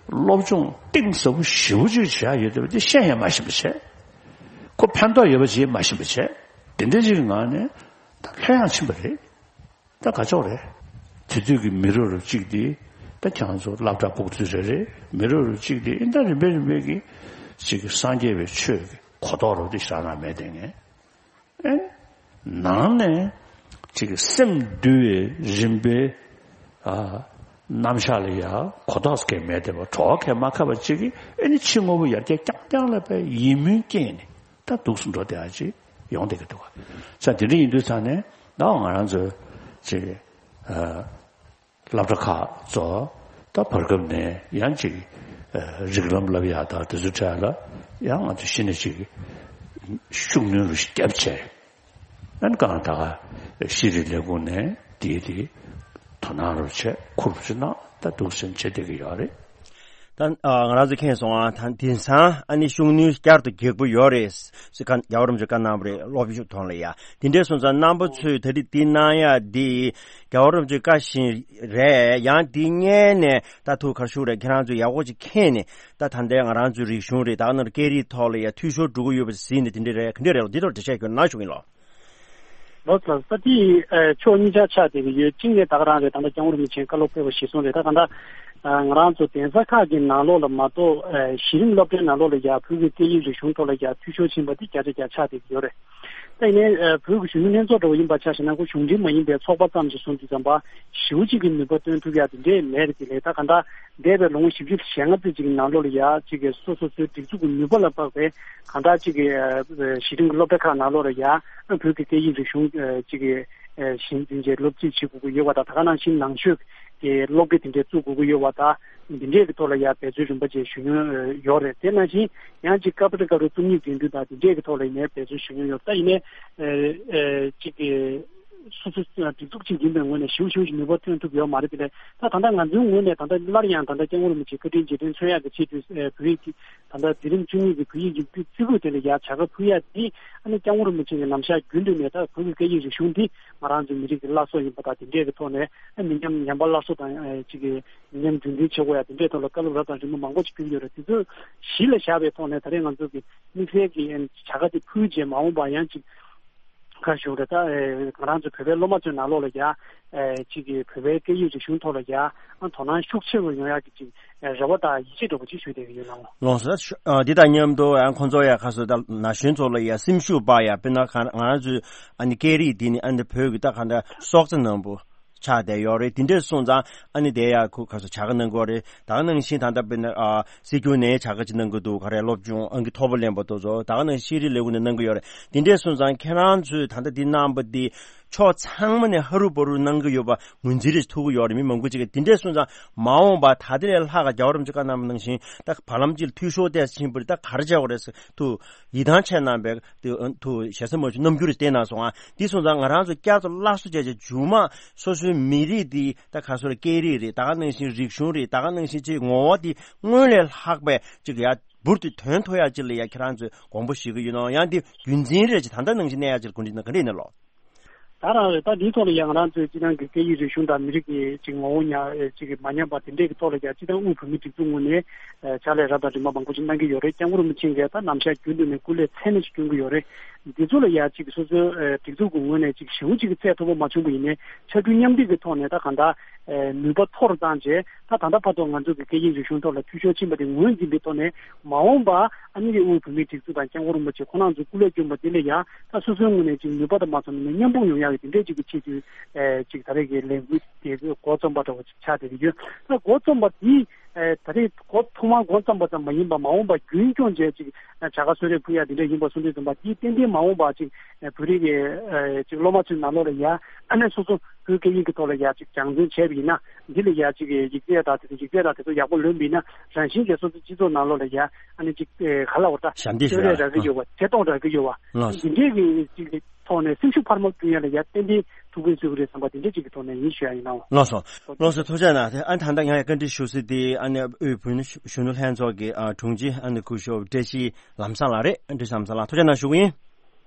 སློབ་སྦྱོང་གཏིང་ཟབ་པོ་ཞེ་པོ་ཅིག་བྱས་ཡོད་དེ་བ་དེ་ཤེས་ཡང་མ་ཤེས་པ་བྱས། ཁོ་ཕན་ཐོགས་ཡོད་པ་ཅིག་མ་ཤེས་པ་བྱས། དེ་འདྲས་ཅིག་གི་ངང་ནས་ད་ལྷོད་ཡངས་ཕྱིན་པ་རེད། ད་ག་ཅོག་རེད། དེ་དུས་ཀྱི་མི་རབས་རབས་གཅིག་དེ་ད་ཁྱེད་རང་ཚོ་སློབ་གྲྭ་ཕྲུ་གུ་ཚོ་རེད་རེད། མི་རབས་རབས་གཅིག་དེ་ཨིན་ད་རིམ་པས་རིམ་པས་ཀྱི་ཅིག་གི་སངས་རྒྱས་པའི་ཆོས་ཀྱི་གོ་རྟོགས་རབ་དེ་ཞག་ན་མེད་དེ་ངས། ཨེ། ནང་ནས་ཅིག་སེམས་འདུལ་བའི་རིམ་པའི་ཨ་རྣམ་གཞག་ལ་ཡ་གོ་རྟོགས་སྐད་མེད་དེ་བ་གྲོགས་ཁས་མ་ཁ་བ་ཅིག་གིས་ཨེ་ནི་ཕྱི་དངོས་པོ་ཡར་རྒྱས་རྐྱང་རྐྱང་ལ་བས་ཡིད་སྨོན་སྐྱེས་ནས་ད་འདུག་སུ་འགྲོ་བསྡད་ཡ་ཅིག་ཡོང་བསྡད་ཀྱི་འདུག་ག་ས་དེ་འདྲ་ཡིན་དུས་ཙང་ནས་ད་ང་རང་ཚོ་ཅིག་ཨ། སློབ་གྲྭ་ཁག་ཚོ་ད་བར་སྐབས་ནས་ཡང་ཅིག་ཨ་རིགས་ལམ་བསླབ་ཡག་དང་དེ་ཚོ་འཕྲད་ལ་ཡང་ང་ཚོ་གཞི་ནས་ཅིག་ཤུགས་སྣོན་རུ་བརྒྱབ་བྱས། ཨ་ནི་གང་ད་ག་ཤེས་རིག་ལས་ཁུངས་ནས་དེའི་དེ་དོ་སྣང་རུ་བྱས་ཁུར་རུ་ཅིག་གནང་ད་འདུག་སེམས་བྱེད་བསྡད་ཀྱི་ཡོད་རེད། ད་ང་རང་ཚོ་མཁྱེན་སོང་ཨ། ད་དེང་སང་ཨ་ནི་ཤུགས་སྣོན་བསྐྱར་དུ་རྒྱག་གི་ཡོད་རེད་ཟེར་ཁ་རྒྱལ་བ་རིན་པོ་ཆེས་བཀའ་གནང་བ་རེད། སློབ་ཞུགས་ཐོག་ལ་ཡ་དེ་འདྲས་སོང་ཙང་རྣམ་པ་ཚོས་ད་རེས་འདི་གནང་ཡ་འདི་རྒྱལ་བ་རིན་པོ་ཆེའི་བཀའ་བཞིན་རེད། ཡང་འདི་སྔོན་ནས་ད་ཐུགས་ཁར་ཞུགས་རེད། ཁྱེད་རང་ཚོས་ཡག་པོ་ཅིག་མཁྱེན་ནས་ད་ད་ལྟའི་ང་རང་ཚོའི་རིག་གཞུང་རེད། ད་ནོར་སྐད་རིགས་ཐོག་ལ་ཡ་འཐུས་ཤོར་འགྲོ་གི་ཡོད་པ་གཟིགས་ནས་དེ་འདྲས་རེད། ག་འདྲས་རེད་ལོ། འདི་ཐོག་འགྲེལ་བཤད་སྐྱོན་གནང་ཞུ་གི་ཡིན་ལོ། ལོ་ཙཱ་ས་དེ་ཕྱོགས་གཉིས་ཆར་ཆགས་བསྡད་ཀྱི་ཡོད། གཅིག་ནས་ད་ག་རང་རེད། ད་ལྟ་སྐྱབས་མགོན་རིན་པོ་ཆེའི་བཀའ་སློབ་ཕེབས་པ་གཞིར་བཟུང་རེད། ད་ག་འདྲ་ང་རང་ཚོ་གདན་ས་ཁག་གི་ནང་ལོགས་ལ་མ་གཏོགས་གཞི་རིམ་སློབ་གྲྭའི་ནང་ལོགས་ལ་ཡ་བོད་ཀྱི་སྐད་ཡིག་རིག་གཞུང་ཐོག་ལ་ཡ་འཐུས་ཤོར་ཕྱིན་པ་དེ་བརྒྱ་ཆ་བརྒྱ་ཆགས་བསྡད་ཀྱི་ཡོད་རེད། ད་ཡིན་ནའི་བོད་ཀྱི་གཞོན་ནུ་ལྷན་ཚོགས་འདྲ་བོ་ཡིན་པ་ཆ་བཞག་ན་ཁོ་གཞུང་འབྲེལ་མ་ཡིན་པའི་ཚོགས་པ་ཙམ་ཞིག་བཟུང་དུས་ཙམ་པ་ཞེ་པོ་ཅིག་གི་ནུས་པ་བཏོན་ཐུབ་ཡ་དེ་འདྲས་མེད་རེད། དེ་ལས་ད་ག་འདྲ་འདས་པའི་ལོ་ངོ་བཞི་བཅུ་ཞེ་ལྔ་ཙམ་ཅིག་གི་ནང་ལོགས་ལ་ཡ་ཅིག་གི་སོ་སོ་སོའི་སྒྲིག་འཛུགས་ཀྱི་ནུས་པ་ལ་དཔག་པའི་གང་ལྟར་གཅིག་གི་ཨ་གཞི་རིམ་གྱི་སློབ་གྲྭ་ཁག་ནང་ལོགས་ལ་ཡ་བོད་ཀྱི་སྐད་ཡིག་རིག་གཞུང་ཨ་གཅིག་གི་ཨ་གཞི་འཛིན་བྱས་སློབ་ཁྲིད་བྱེད་དགོས་ཀྱི་ཡོད་པ་དང་། ད་ག་ནང་བཞིན་ནང་ཆོས་ དེ་སློབ་གྲྭ་དེ་འདྲས་བཙུགས་དགོས་ཀྱི་ཡོད་པ་དང་། འདི་འདྲས་ཀྱི་ཐོག་ལ་ཡང་འབད་བརྩོན་རིམ་པ་བྱས་ཞུ་མྱོང་ཡོད་རེད། དེ་ནང་བཞིན་ཡང་ཅིག་ཀ་པ་ཏི་ཀ་རུ་རྩོམ་ཡིག་འགྲན་བསྡུར་དང་དེ་འདྲས་ཀྱི་ཐོག་ལ་ཡིན་ནའི་འབད་བརྩོན་ཞུ་མྱོང་ཡོད། ད་ཡིན་ནའི་ཨེ་ཨེ་ཅིག་གི་སོ་སོ་སྒྲིག་འཛུགས་ཅིག་ཡིན་པའི་ངོས་ནས་ཞེ་པོ་ཞེ་པོ་ཞིག་ནུས་པ་ཐོན་ཐུབ་ཡོད་མ་རེད། དེ་ལས་ད་ད་ལྟ་ང་ཚོའི་ངོས་ནས་ད་ལྟ་སླར་ཡང་ད་ལྟ་སྐྱབས་མགོན་རིན་པོ་ཆེ་བཀའ་དྲིན་རྗེས་དྲན་མཚོན་ཡག་གི་ཆེད་དུ་ཨེ་བོད་ཡིག་གི་ད་ལྟ་འདི་རིམ་བཅུ་གཉིས་ཀྱི་བོད་ཡིག་ཡིག་རྩིས་ཁུལ་དེ་ལ་ཡར་བྱ་དགའ་ཕུལ་ཡག་འདི་ཨ་ནི་སྐྱབས་མགོན་རིན་པོ་ཆེ་གི་ནམ་ཞག་རྒྱུན་དུ་ནས་ད་བོད་ཀྱི་སྐད་ཡིག་རིག་གཞུང་འདི་ང་རང་ཚོའི་མི་རིགས་ཀྱི་བླ་སྲོག་ཡིན་པ་དང་། དེ་འདྲའི་གི་ཐོག་ནས་ཨ་མི་ཉམས་ཉམས་པ་སླར་གསོ་དང་ཨེ་ཅིག་གི་མི་ཉམས་རྒྱུན་འཛིན་བྱེད་དགོས་ཡ་དེ་འདྲའི་ཐོག་ལ་བཀའ་སློབ་རབ་དང་རིམ་པ་མང་པོ་ཅིག་ཕུལ་གྱི་ཡོད་རེད། དེ་ཚོ་གཞི་ལ་བཞག་པའི་ཐོག་ནས་ད་རེས་ང་ཚོ་གི་དམིགས་བསལ་གྱི་ཨེ་བྱ་དགའ་དེ་ཕུལ་རྗེས་མ་འོངས་པ་ཡང་ཅིག་ག་རེ་ཞུ་དགོས་རེད། ད་ཨེ་ང་རང་ཚོ་བོད་པའི་སློབ་མ་ཚོའི་ནང་ལོགས་ལ་ཡ་ཨེ་ཅིག་གི་བོད་པའི་སྐད་ཡིག་རིག་གཞུང་ཐོག་ལ་ཡ་ཨ་དོ་སྣང་ཤུགས་ཆེ་རུ་ཡོང་ཡག་གི་ཅིག་ཨེ་རེ་བ་དང་ཡིད་ཆེས་འདྲ་པོ་ཅིག་ཞུ་བསྡད་ཀྱི་ཡོད་ལགས། ལགས་སོ། ཨ་འདི་དང་མཉམ་དུ་ཡང་ཁོང་ཚོ་ཡ་ཁ་སོ་ད་ན་གཞོན་ཚོ་ལ་ཡ་སེམས་ཤུགས་སྤར་ཡ། དཔེར་ན་ང་ང་རང་ཚོའི་ཨ་ནི་སྐད་རིགས་འདི་ནི་ཨ་ནི་བོད་ཀྱི་ད་ག་འདྲ་སྲོག་རྩ་ནང་པོ་ཆགས་བསྡད་ཡོད་རེད། དེ་འདྲས་སོང་ཙང་ཨ་ནི་དེ་ཡ་ཁུ་ཁ་སོ་བྱ་དགའ་གནང་གི་ཡོད་རེད། ད་ག་ནང་བཞིན་ད་ལྟ་དཔེར་ན་ཨ་སྲིད་སྐྱོང་ནས་བྱ་དགའ་ཅིག་གནང་གི་འདུག་ག་རེ་སློབ་སྦྱོང་ཨང་ཀི་མཐོ་པོ་ལེན་པ་དེ་ཚོ་ད་ག་ནང་བཞིན་ཤེས་རིག་ལས་ཁུངས་ནས་གནང་གི་ཡོད་རེད། དེ་འདྲས་སོང་ཙང་ཁྱེད་རང་ཚོས་ད་ལྟ་འདི་གནང་པ་འདི་ཕྱོགས་ཚང་མ་ནས་ཧ་རུ་བ་རུ་གནང་གི་ཡོད་པ་ངོས་འཛིན་རེ་ཐུབ་ཀྱི་ཡོད་རེད། མི་མང་པོ་ཅིག་གིས་དེ་འདྲས་སོང་ཙང་མ་འོངས་པ་ད་ལྟ་ལས་ལྷག་ག་རྒྱལ་བ་རིན་པོ་ཆེ་བཀའ་གནང་བ་ནང་བཞིན་ད་བར་ལམ་ཅིག་ལ་འཐུས་ཤོར་ཏོག་ཙམ་ཕྱིན་པ་རེད། ད་ག་རེ་བྱ་དགོས་རེད་ཟེར་དུ་ཡིད་ཐང་ཆད་གནང་བའི་དུ་དུ་ཞེ་ས་མ་བྱུང་རྣམ་འགྱུར་རེ་བསྟན་གནང་སོང་ང་། འདི་སོང་ཙང་ང་རང་ཚོ་བསྐྱར་དུ་སླར་གསོ་བྱས་བྱས་མཇུག་མ་སོ་སོའི་མི་རིགས་འདི་ད་ག་སོ་རེད། སྐད་རིགས་རེད། ད་ག་ནང་བཞིན་རིག་གཞུང་རེད། ད་ག་ནང་བཞིན་ཅིག་ངོ་བོ་འདི་སྔོན་ལས་ལྷག་པའི་ཅིག་ཡ་འབུར་དུ་ཐོན་ཐུབ་ཡག་ཅིག་ལ་ཡ་ཁྱེད་རང་ཚོས་དགོངས་པ་བཞེས་ཀྱི་ཡོད་ནའང་། ཡང་འདི་རྒྱུན་འཛིན་རེ་ཅིག་ད་ལྟ་ནང་བཞིན་གནས་ཡག་ཅིག་གོ་སྒྲིག་གནང་ག་རེ་ཡིན་ནའང་ལོ། ད་རང་རེད། ད་འདིའི་ཐོག་ལ་ཡང་ང་རང་ཚོའི་སྤྱི་བཏང་གི་སྐད་ཡིག་རིག་གཞུང་དང་མི་རིགས་ཀྱི་ཅིག་ངོ་བོ་ཉམས་ཨེ་ཅིག་མ་ཉམས་པ་དེ་འདྲས་ཀྱི་ཐོག་ལ་ཡང་སྤྱི་བཏང་དབུས་བོད་མིའི་སྒྲིག་འཛུགས་ངོས་ནས་ཨེ་ཕྱག་ལས་རབ་དང་རིམ་པ་མང་པོ་ཅིག་གནང་གི་ཡོད་རེད། སྐྱབས་མགོན་རིན་པོ་ཆེ་གིས་ད་ནམ་ཞག་རྒྱུན་དུ་ནས་སྐུ་ལས་ཚད་མེད་ཅིག་སྐྱོན་གྱི་ཡོད་རེད། འདི་ཚོ་ལ་ཡང་ཅིག་སོ་སོའི་ཨེ་སྒྲིག་འཛུགས་ཀྱི་ངོས་ནས་ཅིག་ཞེ་པོ་ཅིག་གི་ཚད་མཐོ་པོ་མ་བྱུང་པ་ཡིན་ནའི་ཕྱར་གྲུ་མཉམ་འདེགས་ཀྱི་ཐོག་ནས་ད་གང་ལྟར་ཨེ་ནུས་པ་མཐོ་རུ་བཏང་བྱས། ད་ད་ལྟ་བར་དུ་ང་ཚོ་གི་སྐད་ཡིག་རིག་གཞུང་ཐོག་ལ་འཐུས་ཤོར་ཕྱིན་པ་དེ་ངོས་འཛིན་པའི་ཐོག་ནས་མ་འོངས་པ་ཨ་ནི་དབུས་བོད་མིའི་སྒྲིག་འཛུགས་དང་སྐྱབས་མགོན་རིན་པོ་ཆེ་ཁོང་རྣམ་ཚོའི་སྐུ་ལས་བསྐྱོན་པ་དེ་ལ་ཡང་ད་སོ་སོའི་ངོས་ནས་ཅིག་ནུས་པ་དང་མ་ཚང་ན་མཉམ་སྤུངས་ཡོང་ཡག་གི་དེ་འདྲའི་ཅིག་གི་ཆེད་དུ་ཨེ་ཅིག་ད་རེས་ཀྱི་ལས་འགུལ་དེ་འགོ་རྩོམ་པ་འདྲ་བོ་ཅིག་ཆགས་བསྡད་ཀྱི་ཡོད། ད་འགོ་རྩོམ་པ་དེ་ཨེ་ད་རེས་འགོ་ཐོག་མར་འགོ་རྩོམ་པ་ཙམ་མ་ཡིན་པར་མ་འོངས་པ་རྒྱུན་སྐྱོང་བྱས་ཅིག་བྱ་དགའ་གསོལ་རས་ཕུལ་ཡག་དེ་འདྲ་ཡིན་པ་གསུངས་དུས་ཙམ་པ་དེ་ཏན་ཏན་མ་འོངས་པ་ཅིག་བོད་རིགས་ཀྱི་ཅིག་སློབ་མ་ཚོའི་ནང་ལོགས་ལ་ཡ་ཨ་ནེ་སོ་སོ་བོད་སྐད་ཡིག་གི་ཐོག་ལ་ཡ་ཅིག་སྦྱང་བརྩོན་བྱས་པ་ཡིན་ན། འདི་ལ་ཡ་ཅིག་ཡིག་ཚད་དང་དེ་ཚོ་ཡིག་ཚད་དང་དེ་ཚོ་ཡག་པོ་ལོན་པ་ཡིན་ན་རང་བཞིན་གྱིས་སོ་སོའི་སྤྱི་ཚོགས་ནང་ལོགས་ལ་ཡ་ཨ་ནེ་ཅིག་ག་ལ་བ་ད་ཞབས་འདེགས་ཞུ་ཡ་སྤྲོད་རེས་རག་གི་ཡོད་པ། ཆེ་མཐོང་རག་གི་ཡོད་པ། ལགས་སོ། འདི་འདྲའི་གི་ཅིག་ཐོག་ནས་སེམས་ཤུགས་འཕར་མ་བསྐྲུན་ཡ་ལ་ཡ་ཏན་ཏན་ཐུགས་ཕན་གསོས་ཀྱི་རེད་བསམ་པ་དེ་འདྲ་ཅིག་གི་ཐོག་ནས་ཡིན་ཞུ་ཡ་ཡིན་ནའོ། ལགས་སོ། ལགས་སོ། ཐུགས་རྗེ་གནང་། ཨ་ད་ལྟ་ང་ཡ་བཀའ་འདྲི་ཞུ་སྲིད་དེ་ཨ་ནི་དབུས་བོད་མི་གཞོན་ནུ་ལྷན་ཚོགས་ཀྱི་ཨ་དྲུང་ཆེ་ཨ་ནི་སྐུ་ཞབས་བཀྲ་ཤིས་ལམ་བཟང་ལགས་རེད། བཀྲ་ཤིས་ལམ་བཟང་ལགས་ཐུགས་རྗེ་གནང་ཞུ་གི་ཡིན།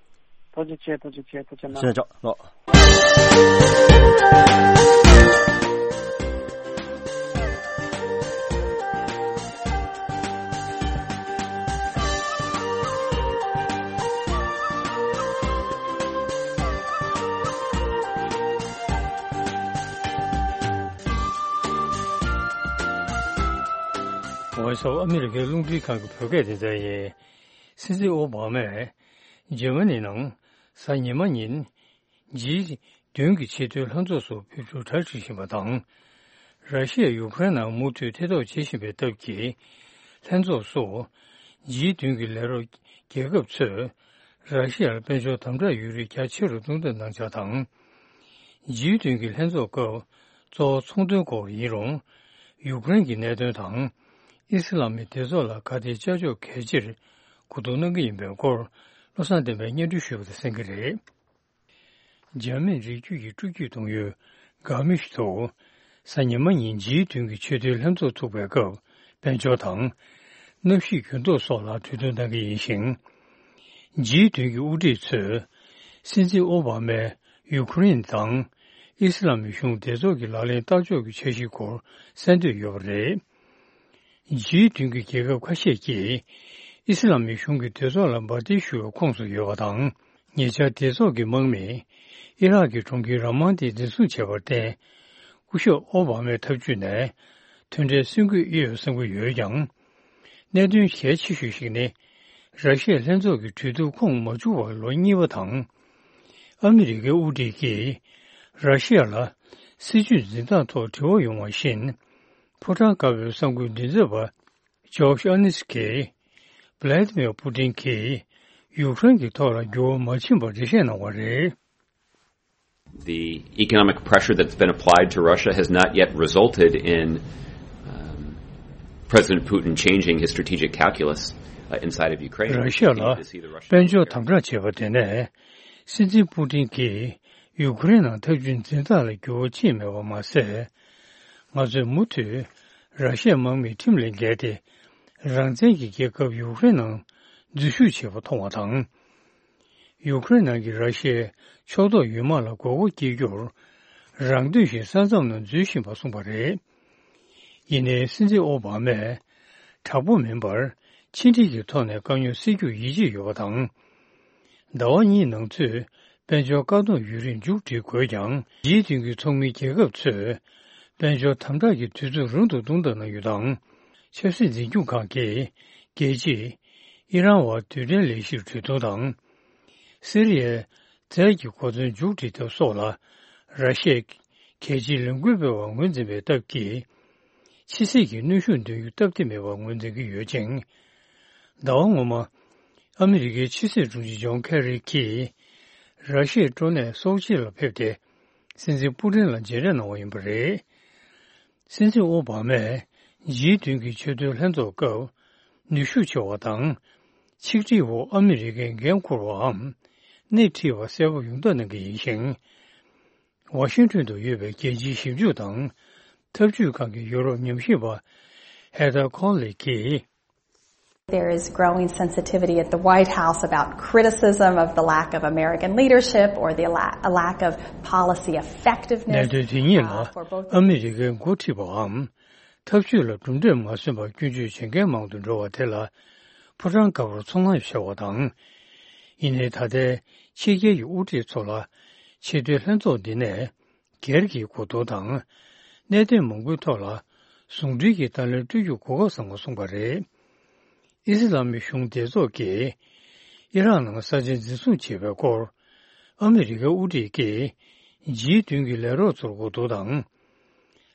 ཐུགས་རྗེ་ཆེ། ཐུགས་རྗེ་ཆེ། ཐུགས་རྗེ་གནང་། ཞེས་ཆོག་ལོ། ཝོ་ཡིས་ཨོཕ་ཨ་མི་རི་ཀའི་རླུང་འཕྲིན་ཁང་གི་བོད་སྐད་སྡེ་ཚན་ཡིན། སྲིད་འཛིན་ཨོ་བྷ་མས་འཇར་མ་ནི་ནང་གཟའ་ཉི་མ་ཉིན་ཇི་བདུན་གྱི་ཆེས་མཐོའི་ལྷན་ཚོགས་སུ་ཕེབས་རྒྱུར་གྲ་སྒྲིག་བཞིན་པ་དང་། ར་ཤི་ཡས་ཡུ་ཀེ་རེན་ནང་མུ་མཐུད་ཐེ་གཏོགས་བྱེད་བཞིན་པའི་སྟབས་ཀྱིས། ལྷན་ཚོགས་སུ་ཇི་བདུན་གྱི་ལས་རོགས་རྒྱལ་ཁབ་ཚོས་ར་ཤི་ཡར་དཔལ་འབྱོར་དམ་དྲག་ཡོད་རིགས་རྒྱ་ཆེ་རུ་གཏོང་ཐབས་གནང་འཆར་དང་། ཇི་བདུན་གྱི་ལྷན་ཚོགས་སྐབས་གཙོ་བོ་ཚོང་དོན་སྐོར་ཡིན་རུང་། ཡུཀ་རེན་གྱི་གནད་དོན་དང་། ཨི་སི་ལམ་མི་སྡེ་ཚོགས་ལ་ག་དེ་ཅ་ཅོག་གལ་ཆེར་གོ་བསྡུར་གནང་གི་ཡིན་པའི་སྐོར། བློ་བཟང་བསྟན་པས་སྙན་སྒྲོན་ཞུས་པ་དང་གསན་གྱི་རེད། འཇར་མན་རིགས་རྒྱུད་ཀྱི་སྤྲོ་སྐྱིད་གཏོང་ཡུལ་གྷ་མི་ཤི་ཏུ། གཟའ་ཉི་མ་ཉིན་ཇི་བདུན་གྱི་ཆེས་མཐོའི་ལྷན་ཚོགས་ཚུགས་པའི་སྐབས། དཔལ་འབྱོར་དང་། གནམ་གཤིས་འགྱུར་ལྡོག་སོགས་ལ་གྲོས་བསྡུར་གནང་གི་ཡིན་ཞིང་། ཇི་བདུན་གྱི་དབུ་ཁྲིད་ཚོས། སྲིད་འཛིན་ཨོ་བྷ་མས་ཡུ་ཁུ་རེན་དང་། ཨི་སི་ལམ་མི་གཞུང་སྡེ་ཚོགས་ཀྱི་ལག་ལེན་བསྟར་ཕྱོགས་ཀྱི་འཆར་གཞིའི་སྐོར་གསན་འདོད་ཡོད་པ་རེད། ཇི་བདུན་གྱི་རྒྱལ་ཁབ་ཁ་ཤས་ཀྱིས། ཨི་སི་ལམ་མི་གཞུང་གི་སྡེ་ཚོགས་ལ་འབར་མདེལ་གཞུ་བའི་ཁོངས་སུ་ཡོད་པ་དང་། ཉེ་ཆར་སྡེ་ཚོགས་ཀྱི་དམག་མིས། ཨི་རག་གི་གྲོང་ཁྱེར་ར་མཱན་ཏི་འཛིན་བཟུང་བྱས་པར་བརྟེན། སྐུ་ཞབས་ཨོ་བྷ་མའི་ཐབས་ཇུས་ནས། མཐུན་འབྲེལ་སྲུང་སྐྱོབ་ཨེ་ཡོད་བསམ་གྱི་ཡོད་ཀྱང་། གནད་དོན་གལ་ཆེ་ཤོས་ཤིག་ནི། ར་ཤི་ཡ་ལྷན་ཚོགས་ཀྱི་གྲོས་བསྡུར་ཁོངས་མ་བཅུག་པར་ལོ་གཉིས་པ་དང་། ཨ་མི་རི་ཀའི་དབུ་ཁྲིད་ཀྱིས། ར་ཤི་ཡ་ལ། སྲིད་ཇུས་འཛིན་སྟངས་ཐོག་འབྲེལ་བ་ཡོང་བ་བཞིན། ཕོ་བྲང་དཀར་པོའི་གསར་འགོད་མགྲིན་ཚབ་པ། ཇོརྗ་ཨ་ནིས་ཀྱིས། བྷ་ལ་ཏི་མིར་པུ་ཏིན་གྱིས། ཡུཀ་རེན་གྱི་ཐོག་ལ་འགྱུར་བ་མ་ཕྱིན་པར་འགྲེལ་བཤད་གནང་བ་རེད། The economic pressure that's been applied to Russia has not yet resulted in um, President Putin changing his strategic calculus uh, inside of Ukraine. ར་ཤ་ལ་དཔལ་འབྱོར་དམ་དྲག་བྱས་པ་དེ་ནས་སྲིད་འཛིན་པུ་ཏིན་གྱིས་ཡུ་ཁུ་རེན་ནང་འཐབ་ཇུས་འཛིན་སྟངས་ལ་འགྱུར་བ་ཕྱིན་མེད་པ་མ་ཟད། ང་ཚོས་མུ་མཐུད་ར་ཤའི་དམག་མིས་ཁྲིམས་ལས་འགལ་ཏེ་རང་བཙན་གྱི་རྒྱལ་ཁབ་ཡུ་ཁུ་རེན་ནང་འཛུལ་ཞུགས་བྱས་པ་མཐོང་བ་དང་། ཡུ་ཁུ་རེན་ནང་གི་ར་ཤའི་ཕྱོགས་གཏོགས་ཡུལ་དམག་ལ་མགོ་སྐོར་སྐྱེལ་རྒྱུར་རང་འདོད་བཞིན་ས་མཚམས་ནང་འཛུལ་བཞིན་པ་གསུངས་པ་རེད། ཡིན་ནའི་སྲིད་འཛིན་ཨོ་བྷ་མས་དྲག་པོ་མིན་པར་ཕྱི་འབྲེལ་གྱི་ཐོག་ནས་དཀའ་རྙོག་སེལ་རྒྱུར་ཡིད་ཆེས་ཡོད་པ་དང་། ཟླ་བ་གཉིས་ནང་ཚུད་དཔལ་འབྱོར་བཀག་སྡོམ་ཡུན་རིང་མཇུག་སྒྲིལ་དགོས་ཀྱང་། ཇིའི་བདུན་གྱི་ཚོགས་མིའི་རྒྱལ་ཁབ་ཚོས་དཔལ་འབྱོར་དམ་དྲག་གི་དུས་ཚོད་རིང་དུ་གཏོང་ཐབས་གནང་རྒྱུ་དང་། ཆབ་སྲིད་འཛིན་སྐྱོང་ཁང་གིས་རྒྱལ་སྤྱིས་ཨི་རན་བར་རྡུལ་ཕྲན་ལས་གཞིར་གྲོས་བསྡུར་དང་། སི་རི་ཡའི་རྫས་ཀྱི་གོ་མཚོན་མཇུག་སྒྲིལ་ཐབས་སོགས་ལ་ར་ཤི་ཡས་གལ་ཆེའི་ལས་འགུལ་སྤེལ་བར་ངོས་འཛིན་པའི་སྟབས་ཀྱིས། ཕྱི་སྲིད་ཀྱི་གནོན་ཤུགས་འདོན་རྒྱུ་སྟབས་བདེ་མེད་པར་ངོས་འཛིན་གྱི་ཡོད་ཅིང་། ཟླ་བ་སྔོན་མ། ཨ་མི་རི་ཀའི་ཕྱི་སྲིད་དྲུང་ཆེ་ཇོན་ཁེ་རི་གྱིས། ར་ཤི་ཡའི་སྤྲོ་གནས་སོ་ཆི་ལ་ཕེབས་ཏེ། སྲིད་འཛིན་པུ་ཏིན་ལ་མཇལ་འཕྲད་གནང་བ་ཡིན་པ་རེད། སྲིད་འཛིན་ཨོ་བྷ་མས་ཇིའི་བདུན་གྱི་ཆེས་མཐོའི་ལྷན་ཚོགས་སྐབས་ནུས་ཤུགས་ཆེ་བ་དང་། ཆིག་སྒྲིལ་འོག་ཨ་མི་རི་ཀས་འགན་འཁུར་བའམ་སྣེ་ཁྲིད་པ་གསལ་པོ་ཡོང་ཐབས་གནང་གི་ཡིན་ཞིང་། ཝ་ཤིང་ཊོན་དུ་ཡོད་པའི་རྒྱལ་སྤྱིའི་ཞིབ་འཇུག་དང་འཐབ་ཇུས་ཁང་གི་ཡུ་རོབ་ཉམས་ཞིབ་པ་ཧེ་ཐར་ཁོན་ལི་གིས། There is growing sensitivity at the White House about criticism of the lack of American leadership or the la- a lack of policy effectiveness. གནད་དོན་དེ་ཉིད་ལ་ཨ་མི་རི་ཀའི་འགོ་ཁྲིད་པའམ་འཐབ་ཇུས་ལ་གྲུབ་འབྲས་མ་སོན་པར་སྐྱོན་བརྗོད་བྱེད་མཁན་མང་དུ་འགྲོ་བ་དེ་ལ་ཕོ་བྲང་དཀར་པོར་ཚོར་སྣང་ཆེ་བ་དང་། ཡིན་ནའི་ད་ལྟའི་ཕྱི་རྒྱལ་གྱི་དབུ་ཁྲིད་ཚོ་ལ་ཆེས་མཐོའི་ལྷན་ཚོགས་འདི་ནས། སྒེར་གྱི་གོ་བསྡུར་དང་། གནད་དོན་མང་པོའི་ཐོག་ལ་ཟུང་འབྲེལ་གྱི་བརྡ་ལན་སྤྲོད་རྒྱུར་གོ་སྐབས་བཟང་པོ་བྱུང་བ་རེད། ཨི་སི་ལ་མི་གཞུང་སྡེ་ཚོགས་ཀྱིས་ཨི་རག་ནང་ས་ཆ་འཛིན་བཟུང་བྱས་པའི་སྐོར། ཨ་མི་རི་ཀའི་དབུ་ཁྲིད་ཀྱིས་ཇིའི་བདུན་གྱི་ལས་རོགས་ཚོར་གོ་བསྡུར་དང་།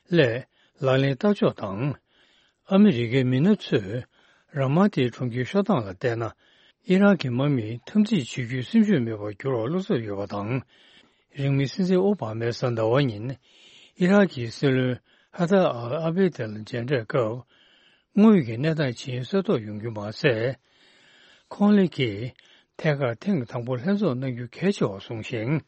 སླད་ལག་ལེན་བསྟར་ཕྱོགས་དང་། ཨ་མི་རི་ཀའི་མི་སྣ་ཚོས་ར་མ་ཏིའི་གྲོང་ཁྱེར་ཤོར་སྟངས་ལ་བལྟས་ན། ཨི་རག་གི་དམག་མིས་འཐབ་འཛིང་བྱེད་རྒྱུའི་སེམས་ཤུགས་མེད་པར་འགྱུར་བར་བློ་འཚབ་ཡོད་པ་དང་། རིང་མིན་སྲིད་འཛིན་ཨོ་བྷ་མས་གཟའ་ཟླ་བ་ཉིན་ཨི་རག་གི་སྲིད་བློན་ཧ་ཐར་ཨལ་ཨ་བེ་དེ་ལ་མཇལ་འཕྲད་སྐབས། དངོས་ཡོད་ཀྱི་གནས་སྟངས་ཇི་ཡིན་གསལ་རྟོགས་ཡོང་རྒྱུ་མ་ཟད། ཁོང་ལི་གིས་ཐད་ཀར་ཐེངས་དང་པོ་ལྷན་ཚོགས་གནང་རྒྱུ་གལ་ཆེ་བར་གསུངས་ཤིང་།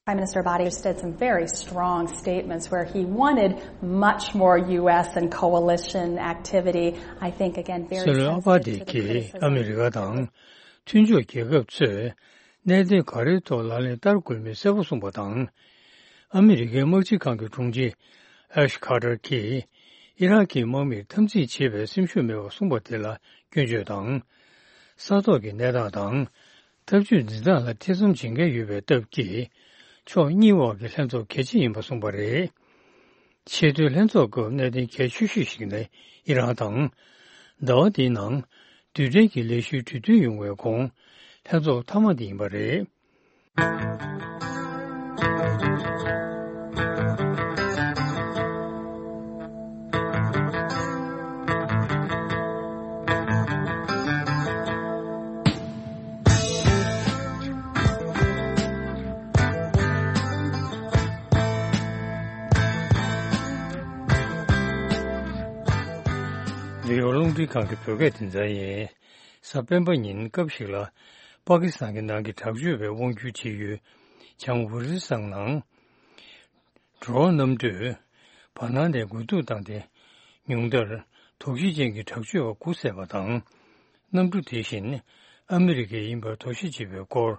Prime Minister Abadi said some very strong statements where he wanted much more U S and coalition activity. I think, again, very sensitive to the criticism. སྲིད་བློན་ཨ་བྷ་དེ་གིས་ཨ་མི་རི་ཀ་དང་མཐུན་ཕྱོགས་རྒྱལ་ཁབ་ཚོས་གནད་དོན་ག་རེའི་ཐོག་ལག་ལེན་བསྟར་དགོས་མིན་གསལ་པོ་གསུངས་པ་དང་། ཨ་མི་རི་ཀའི་དམག་སྤྱི་ཁང་གི་དྲུང་ཆེ་ཨེཤ་ཁ་ཏར་གྱིས་ཨི་རག་གི་དམག་མིར་འཐབ་འཛིང་བྱེད་པའི་སེམས་ཤུགས་མེད་པར་གསུངས་པ་དེ་ལ་སྐྱོན་བརྗོད་དང་། ས་ཐོག་གི་གནས་སྟངས་དང་། འཐབ་ཇུས་འཛིན་སྟངས་ལ་ཐེ་ཚོམ་བྱེད་མཁན་ཡོད་པའི་སྟབས་ཀྱིས། ཕྱོགས་གཉིས་དབར་གྱི་ལྷན་ཚོགས་གལ་ཆེ་ཡིན་པ་གསུངས་པ་རེད། ཆེས་མཐོའི་ལྷན་ཚོགས་སྐབས་གནད་དོན་གལ་ཆེ་ཤོས་ཤིག་ནི་ཨི་རན་དང་། ཟླ་བ་འདིའི་ནང་རྡུལ་ཕྲན་གྱི་ལས་གཞིའི་གྲོས་མཐུན་ཡོང་བའི་གོང་ལྷན་ཚོགས་མཐའ་མ་དེ་ཡིན་པ་རེད། རེད། རླུང་འཕྲིན་ཁང་གི་བོད་སྐད་སྡེ་ཚན་ཡིན། གཟའ་སྤེན་པ་ཉིན་སྐབས་ཤིག་ལ་པ་ཀི་སི་ཐན་གྱི་ནང་གི་དྲག་སྤྱོད་པའི་དབང་སྒྱུར་བྱེད་ཡུལ་བྱང་ཝ་ཟི་སང་ནང་། ཌོ་རོན་གནམ་གྲུས་བར་སྣང་ནས་རྒོལ་རྡུང་བཏང་སྟེ། ཉུང་མཐར་དོགས་གཞི་ཅན་གྱི་དྲག་སྤྱོད་པ་དགུ་བསད་པ་དང་། གནམ་གྲུ་དེ་བཞིན་ཨ་མི་རི་ཀའི་ཡིན་པར་དོགས་གཞི་བྱེད་པའི་སྐོར།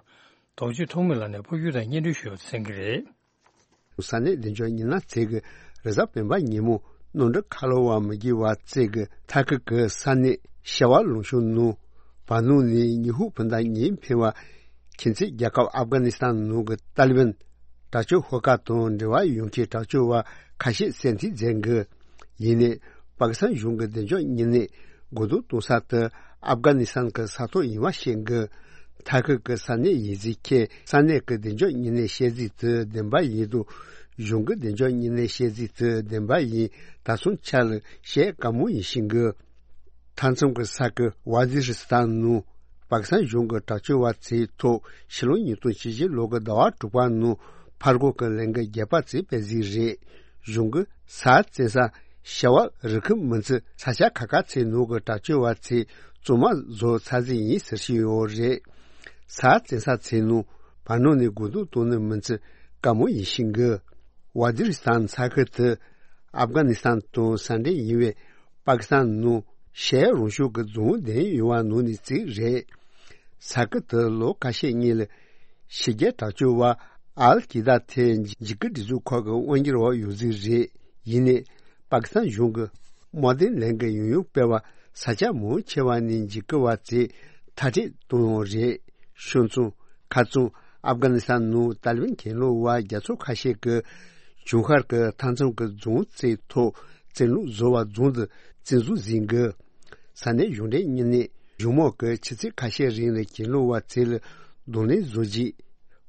རྡོ་རྗེ་ཐོགས་མེད་ལགས་ནས་ཕབ་སྒྱུར་དང་སྙན་སྒྲོན་ཞུ་བར་གསན་གྱི་རེད། ས་གནས་བདེ་འཇགས་ཉི་ན་ཚེ་གི་རེས་གཟའ་སྤེན་པ་ཉིན་མོ་ནོར་འཁྲུལ་ཁ་ལོ་བ་མི་བགྱི་བ་ཚེ་གི་ཐ་ཁི་གི་ས་གནས་ཤ་བ་ལུང་ཤུ་ནུ་བ་ནུ་ནི་ཉི་ཧུ་ཕུན་ད་ཉིན་ཕེ་བ། ཁྱིམ་མཚེས་རྒྱལ་ཁབ་ཨབ་གྷ་ནི་སི་ཐན་ནང་གི་ཏཱ་ལི་བན་དྲག་སྤྱོད་ཤོག་ཁག་དང་འབྲེལ་བ་ཡོང་མཁན་དྲག་སྤྱོད་པ་ཁ་ཤས་བསད་འཐེན་མཛད་གི། ཡིན་ནའི་པ་ཀི་སི་ཐན་གཞུང་གི་བདེ་འཇགས་ཉིན་ནས་རྒོལ་རྡུང་གཏོང་ས་དེ་ཨབ་གྷ་ནི་སི་ཐན་གི་ས་ཐོག་ཡིན་པ་བཤད་གི། ཐ་ཁི་གི་ས་གནས་ཡིན་ཟིག་ཁྱེད་ས་གནས་ཀྱི་བདེ་འཇགས་ཉིན་ནས་བཤད་ཟིག་དེ་བདེན་པ་ཡིན་དུ། གཞུང་གི་བདེ་འཇགས་ཉིན་ནས་བཤད་ཟིག་དེ་བདེན་པ་ཡིན། ད་སོང་ཆ་ལ་བཤད་དཀའ་མོ་ཡིན་ཤིང་གི། མཐའ་མཚམས་ཀྱི་ས་ཁུལ་ཝ་ཛི་རི་སི་ཐན་ནང་པ་ཀི་སི་ཐན་གཞུང་གི་དྲག་སྤྱོད་པ་ཚོའི་ཐོག་ཕྱི་ལོ་ཉིས་སྟོང་བཅུ་བཞི་ལོ་གི་ཟླ་བ་དྲུག་པ་ནང་ ཕར་སྒོ་གི་ལན་གི་བརྒྱད་པ་ཙམ་སྤེལ་ཟིག་རེད། གཞུང་གི་ས་བཙན་ས་བྱ་བ་རི་ཁུ་མི་ཚེ་ས་ཆ་ཁ་ཁ་ཚེ་ནོ་གི་དྲག་སྤྱོད་བ་ཚེ་བཙོན་མ་བཟོ་ཚར་ཟིག་ཡིན་ཟེར་ཞིག་ཡོད་རེད། ས་བཙན་ས་ཚེ་ནོ་བར་ནོ་ནས་དགོས་འདུག་གཏོང་ནི་མི་ཚེ་དཀའ་མོ་ཡིན་ཤིང་གི། ཝ་ཛི་རི་སྟན་ས་ཁུལ་དུ་ཨབ་གྷ་ནི་སྟན་དང་ས་འབྲེལ་ཡིན་པའི་པ་ཀི་སྟན་ནང་ཤར་རོང་ཤོག་གི་རྫོང་ལྡན་ཡོད་པ་ནང་ནས་གཅིག་རེད། ས་ཁུལ་དུ་ལོ་ཁ་ཤས་སྔོན་ལ་ཕྱི་རྒྱལ་དྲག་སྤྱོད་པ་ཨལ་ཀི་ད་དེ་འཇིགས་སྐུལ་སྒྲིག་འཛུགས་ཁག་གི་དབང་སྒྱུར་འོག་ཡོད་ཟིག་རེད། ཡིན་ནའི་པ་ཀི་སྟན་གཞུང་གི་དམག་དོན་ལས་འགུལ་ཡང་ཡང་སྤེལ་བ་ས་ཆ་མང་ཆེ་བ་ནས་འཇིགས་སྐུལ་བ་ཚོས་མཐར་སྐྲོད་གཏོང་ཡོད་རེད། ཤོད་མཚམས་ཁ་རྩང་ཨབ་གྷ་ནི་སྟན་ནང་ཏཱ་ལི་བན་གྱེན་ལོག་པ་རྒྱ་མཚོ་ཁ་ཤས་ཀྱིས་བྱང་ཤར་གྱི་མཐའ་མཚམས་ཀྱི་རྫོང་རྩེ་ཐོག་བཙན་ལོག་བཟོ་བ་རྫོང་དུ་བཙན་འཛུལ་ཟིན་གི། ས་གནས་གཞུང་འབྲེལ་གཉིས་ནས་གཞུང་མང་གི་ཆུ་ཚོད་ཁ་ཤས་རིང་ལ་གྱེན་ལོག་པ་ཚོ་ལ་གདོང་ལེན་བཟོ་རྒྱུ།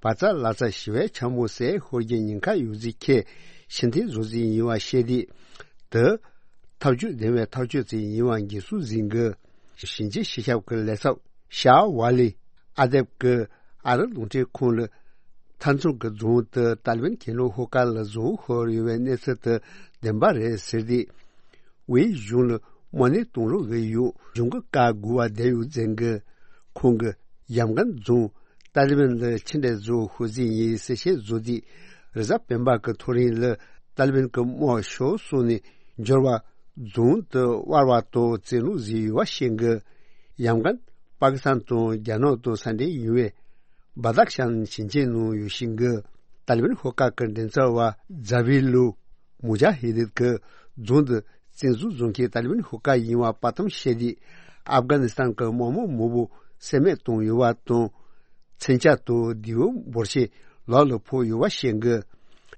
བ་ཙ་ལ་ཙ་ཞི་བའི་འཕྱང་མོ་ཟས་ཤོར་རྒྱུ་ཉེན་ཁ་ཡོད་ཟིག་ཁྱེད་ཕྱིར་འཐེན་བཟོ་ཟིག་ཡིན་པ་བཤད་དུས། དེ་ཐབས་ཇུས་ལྡན་པའི་ཐག་གཅོད་ཅིག་ཡིན་པ་འགན་སྲུང་ཟིན་གི། ཞིང་ཆེན་སྤྱི་ཁྱབ་ཀྱི་ལས་ཚབ་ཤ་ཝ་ལི་ཨ་དེབ་ཀྱིས་ཨ་རི་རླུང་འཕྲིན་ཁང་ལ་མཐའ་མཚམས་ཀྱི་རྫོང་དུ་ཏཱ་ལི་བན་གྱེན་ལོག་ཤོག་ཁག་ལ་རྫོང་ཤོར་ཡོད་པའི་གནས་ཚུལ་དེ་བདེན་པ་རེད་ཟེར་ཏེ། ཝེ་གཞུང་ལ་དམག་མི་གཏོང་རོགས་ཡོད་གཞུང་གི་བཀའ་དགོས་པ་བསྡད་ཡོད་ཟེར་གི། ཁོང་གིས་ཡམ་གན་རྫོང་ཏཱ་ལི་བན་ལ་ཕྱི་འབྲེལ་བཟོ་ཤོག་ཟིན་ཡིན་གསལ་བཤད་བཟོ་དུས། རེས་གཟའ་སྤེན་པ་གི་ཐོ་རེངས་ལ་ཏཱ་ལི་བན་གྱི་དམག་ཤོར་སོང་ནས་འབྱོར་བ། རྫོང་དུ་དབར་བ་དང་བཙན་ལུགས་བཟོས་ཡོད་པ་ཤེས་གི། ཡང་གན་པ་ཀི་སི་ཐན་དང་རྒྱ་ནག་དང་ས་འབྲེལ་ཡོད་པའི་བ་དག་ཤན་ཞིང་ཆེན་ནང་ཡོད་ཤིང་གི། ཏཱ་ལི་བན་ཤོག་ཁག་གི་མགྲིན་ཚབ་པ་ཛ་བི་ལུ་མུ་ཇ་ཧི་དིད་ཀྱིས་རྫོང་དུ་བཙན་འཛུལ་བཟོ་མཁན་ཏཱ་ལི་བན་ཤོག་ཁག་ཡིན་པ་དཔའ་གཏམ་བཤད་དུས། ཨབ་གྷ་ནི་སི་ཐན་གྱི་དམག་མི་མང་པོ་བསད་རྨས་བཏང་ཡོད་པ་དང་། མཚོན་ཆ་དང་རྡེའུ་འབོར་ཆེན་ལག་ལ་ཕོག་ཡོད་པ་བཤད་གི།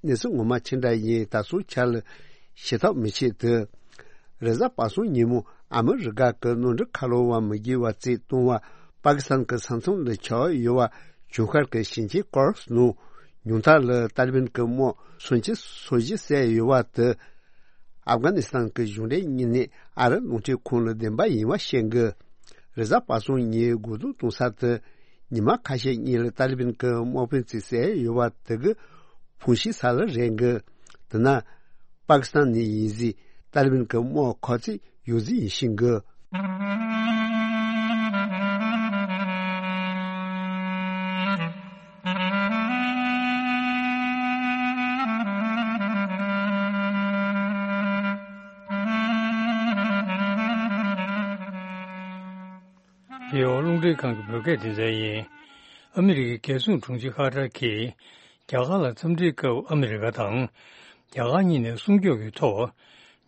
གནས་ཚུལ་ངོ་མ་ཅི་འདྲ་ཡིན་ད་སོ་ཆ་ལ་ཤེས་ཐབས་མི་བྱེད་དེ། རེས་གཟའ་པ་སངས་ཉིན་མོ་ཨ་མི་རི་ཀ་གི་ནོར་འཁྲུལ་ཁ་ལོ་བ་མི་དགེ་བ་རྩིས་གཏོང་བ་པ་ཀི་སི་ཐན་གྱི་ས་མཚམས་ལ་ཆགས་ཡོད་པ་བྱང་ཤར་གྱི་ཞིང་ཆེན་ཀོར་སི་ནང་ཉུང་མཐའ་ལ་ཏཱ་ལི་བན་གྱི་དམག་སུམ་ཅུ་སོ་བཞི་བསད་ཡོད་པ་དེ། ཨབ་གྷ་ནི་སི་ཐན་གྱི་གཞུང་འབྲེལ་གཉིས་ནས་ཨ་རི་རླུང་འཕྲིན་ཁང་ལ་བདེན་པ་ཡིན་པ་བཤད་གི། རེས་གཟའ་པ་སངས་ཉིན་སྒོ་རྡུང་གཏོང་ས་དེ་ཉི་མ་ཁ་ཤས་གཉིས་ལ་ཏཱ་ལི་བན་གྱི་དམག་དཔོན་གཅིག་བསད་ཡོད་པ་དེ་གི་ཕུང་ཤི་ས་ལ་རེད་གི། དེ་ན་པ་ཀི་སི་ཐན་ནས་ཡིན་ཟིག་ཏཱ་ལི་བན་གྱི་དམག་ཁག་ཅིག་ཡོད་ཟིག་ཡིན་ཤིང་གི། རྒྱལ་བ་རླུང་འཕྲིན་ཁང་གི་བོད་སྐད་སྡེ་ཚན་ཡིན། ཨ་མི་རི་ཀའི་རྒྱལ་སྲུང་དྲུང་ཆེ་ཁ་ཏར་གྱིས་རྒྱ་གར་ལ་འཚམས་འདྲིའི་སྐབས་ཨ་མི་རི་ཀ་དང་རྒྱ་གར་གཉིས་ནས་སྲུང་སྐྱོབ་ཀྱི་ཐོག་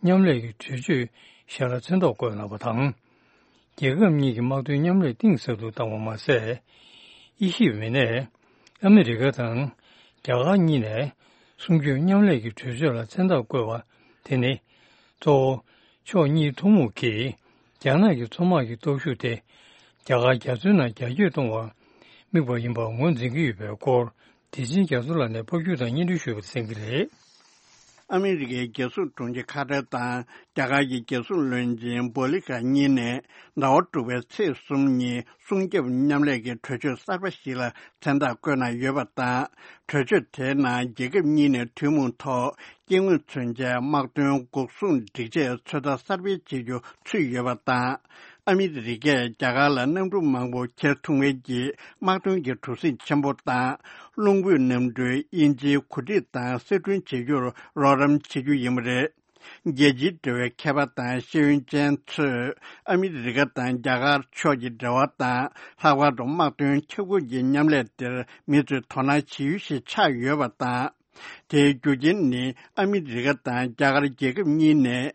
མཉམ་ལས་ཀྱི་གྲོས་ཆོད་བཞག་ལ་མཚན་རྟགས་བཀོད་གནང་བ་དང་། རྒྱལ་ཁབ་གཉིས་ཀྱི་དམག་དོན་མཉམ་ལས་གཏིང་ཟབ་ཏུ་བཏང་བ་མ་ཟད། དབྱེ་ཞིབ་མི་སྣས་ཨ་མི་རི་ཀ་དང་རྒྱ་གར་གཉིས་ནས་སྲུང་སྐྱོབ་མཉམ་ལས་ཀྱི་གྲོས་ཆོད་ལ་མཚན་རྟགས་བཀོད་པ་དེ་ནི། གཙོ་བོ་ཕྱོགས་གཉིས་ཐུན་མོང་གིས་རྒྱ་ནག་གི་མཚོ་དམག་གི་སྟོབས་ཤུགས་དེ་རྒྱ་གར་རྒྱ་མཚོའི་ནང་རྒྱ་སྐྱེད་གཏོང་བར་དམིགས་པ་ཡིན་པར་ངོས་འཛིན་གྱི་ཡོད་པའི་སྐོར། བདེ་ཆེན་རྒྱ་མཚོ་ལགས་ནས་ཕབ་སྒྱུར་དང་སྙན་སྒྲོན་ཞུས་པ་གསན་གྱི་རེད། ཨ་མི་རི་ཀའི་རྒྱལ་སྲུང་དྲུང་ཆེ་ཁ་ཏར་དང་རྒྱ་གར་གྱི་རྒྱལ་སྲུང་བློན་ཆེན་བྷོ་ལི་ཀ་གཉིས་ནས་ཟླ་བ་དྲུག་པའི་ཚེས་གསུམ་ཉིན་སྲུང་སྐྱོབ་མཉམ་ལས་ཀྱི་གྲོས་ཆོད་གསར་པ་ཞིག་ལ་མཚན་རྟགས་བཀོད་གནང་ཡོད་པ་དང་། གྲོས་ཆོད་དེའི་ནང་རྒྱལ་ཁབ་གཉིས་ནས་ཐུན་མོང་ཐོག་སྐྱེ་དངོས་མཚོན་ཆའི་དམག་དོན་འགོག་སྲུང་སྒྲིག་ཆས་ཚོད་ལྟ་གསར་སྤེལ་བྱེད་རྒྱུ་ཚུད་ཡོད་པ་དང་། ཨ་མི་རི་ཀས་རྒྱ་གར་ལ་གནམ་གྲུ་མང་པོ་འཁྱེར་ཐུབ་མཁན་གྱི་དམག་དོན་གྱི་གྲུ་གཟིངས་ཆེན་པོ་དང་། རླུང་འཕུད་གནམ་གྲུའི་དབྱིན་ཇིའི་གོ་སྒྲིག་དང་གསར་སྐྲུན་བྱེད་རྒྱུར་རོགས་རམ་བྱེད་རྒྱུ་ཡིན་པ་རེད། རྒྱལ་སྤྱིའི་འབྲེལ་བའི་མཁས་པ་དང་ཤེས་ཡོན་ཅན་ཚོས་ཨ་མི་རི་ཀ་དང་རྒྱ་གར་ཕྱོགས་ཀྱི་འབྲེལ་བ་དང་། ལྷག་པར་དུ་དམག་དོན་ཁྱབ་ཁོངས་ཀྱི་མཉམ་ལས་དེར་མི་ཚོས་དོ་སྣང་བྱེད་ཡུལ་ཞིག་ཆགས་ཡོད་པ་དང་། དེའི་རྒྱུ་རྐྱེན་ནི་ཨ་མི་རི་ཀ་དང་རྒྱ་གར་རྒྱལ་ཁབ་གཉིས་ནས་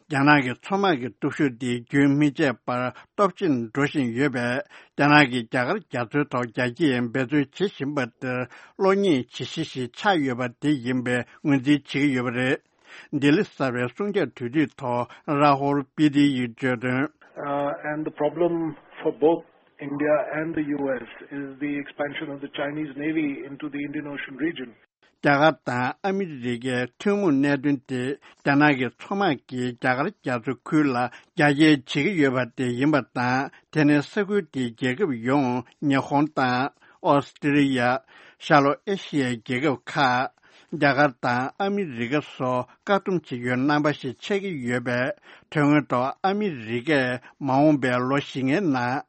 རྒྱ་ནག་གི་མཚོ་དམག་གི་སྟོབས་ཤུགས་དེ་རྒྱུན་མི་ཆད་པར་སྟོབས་ཆེན་འགྲོ་བཞིན་ཡོད་པས། རྒྱ་ནག་གིས་རྒྱ་གར་རྒྱ་མཚོའི་ཐོག་རྒྱ་སྐྱེད་འབད་བརྩོན་བྱེད་བཞིན་པ་དེར་གློག་བརྙན་ཇི་ཞིག་ཞིག་ཆགས་ཡོད་པ་དེ་ཡིན་པའི་ངོས་འཛིན་བྱེད་ཀྱི་ཡོད་པ་རེད། ལྡི་ལི་གསར་པའི་གསུང་བཤད་དུས་དེབ་ཐོག་ར་ཧོར་པི་ཏི་ཡིས་བརྗོད་དོན། Uh, and the problem for both India and the U S is the expansion of the Chinese Navy into the Indian Ocean region. རྒྱ་གར་དང་ཨ་མི་རི་ཀའི་ཐུན་མོང་གནད་དོན་དེ་རྒྱ་ནག་གི་མཚོ་དམག་གིས་རྒྱ་གར་རྒྱ་མཚོ་ཁུལ་ལ་རྒྱ་སྐྱེད་བྱེད་ཀྱི་ཡོད་པ་དེ་ཡིན་པ་དང་། དེ་ནི་ས་ཁུལ་དེའི་རྒྱལ་ཁབ་ཡོངས་ཉི་ཧོང་དང་ཨོ་སི་ཀྲི་ལི་ཡ། ཤར་ལྷོ་ཨེ་ཤི་ཡའི་རྒྱལ་ཁབ་ཁག་རྒྱ་གར་དང་ཨ་མི་རི་ཀ་སོགས་བཀག་སྡོམ་བྱེད་རྒྱུའི་རྣམ་པ་ཞིག་ཆགས་ཀྱི་ཡོད་པས། དོན་དངོས་ཐོག་ཨ་མི་རི་ཀས་མ་འོངས་པའི་ལོ་བཞི་ལྔའི་ནང་།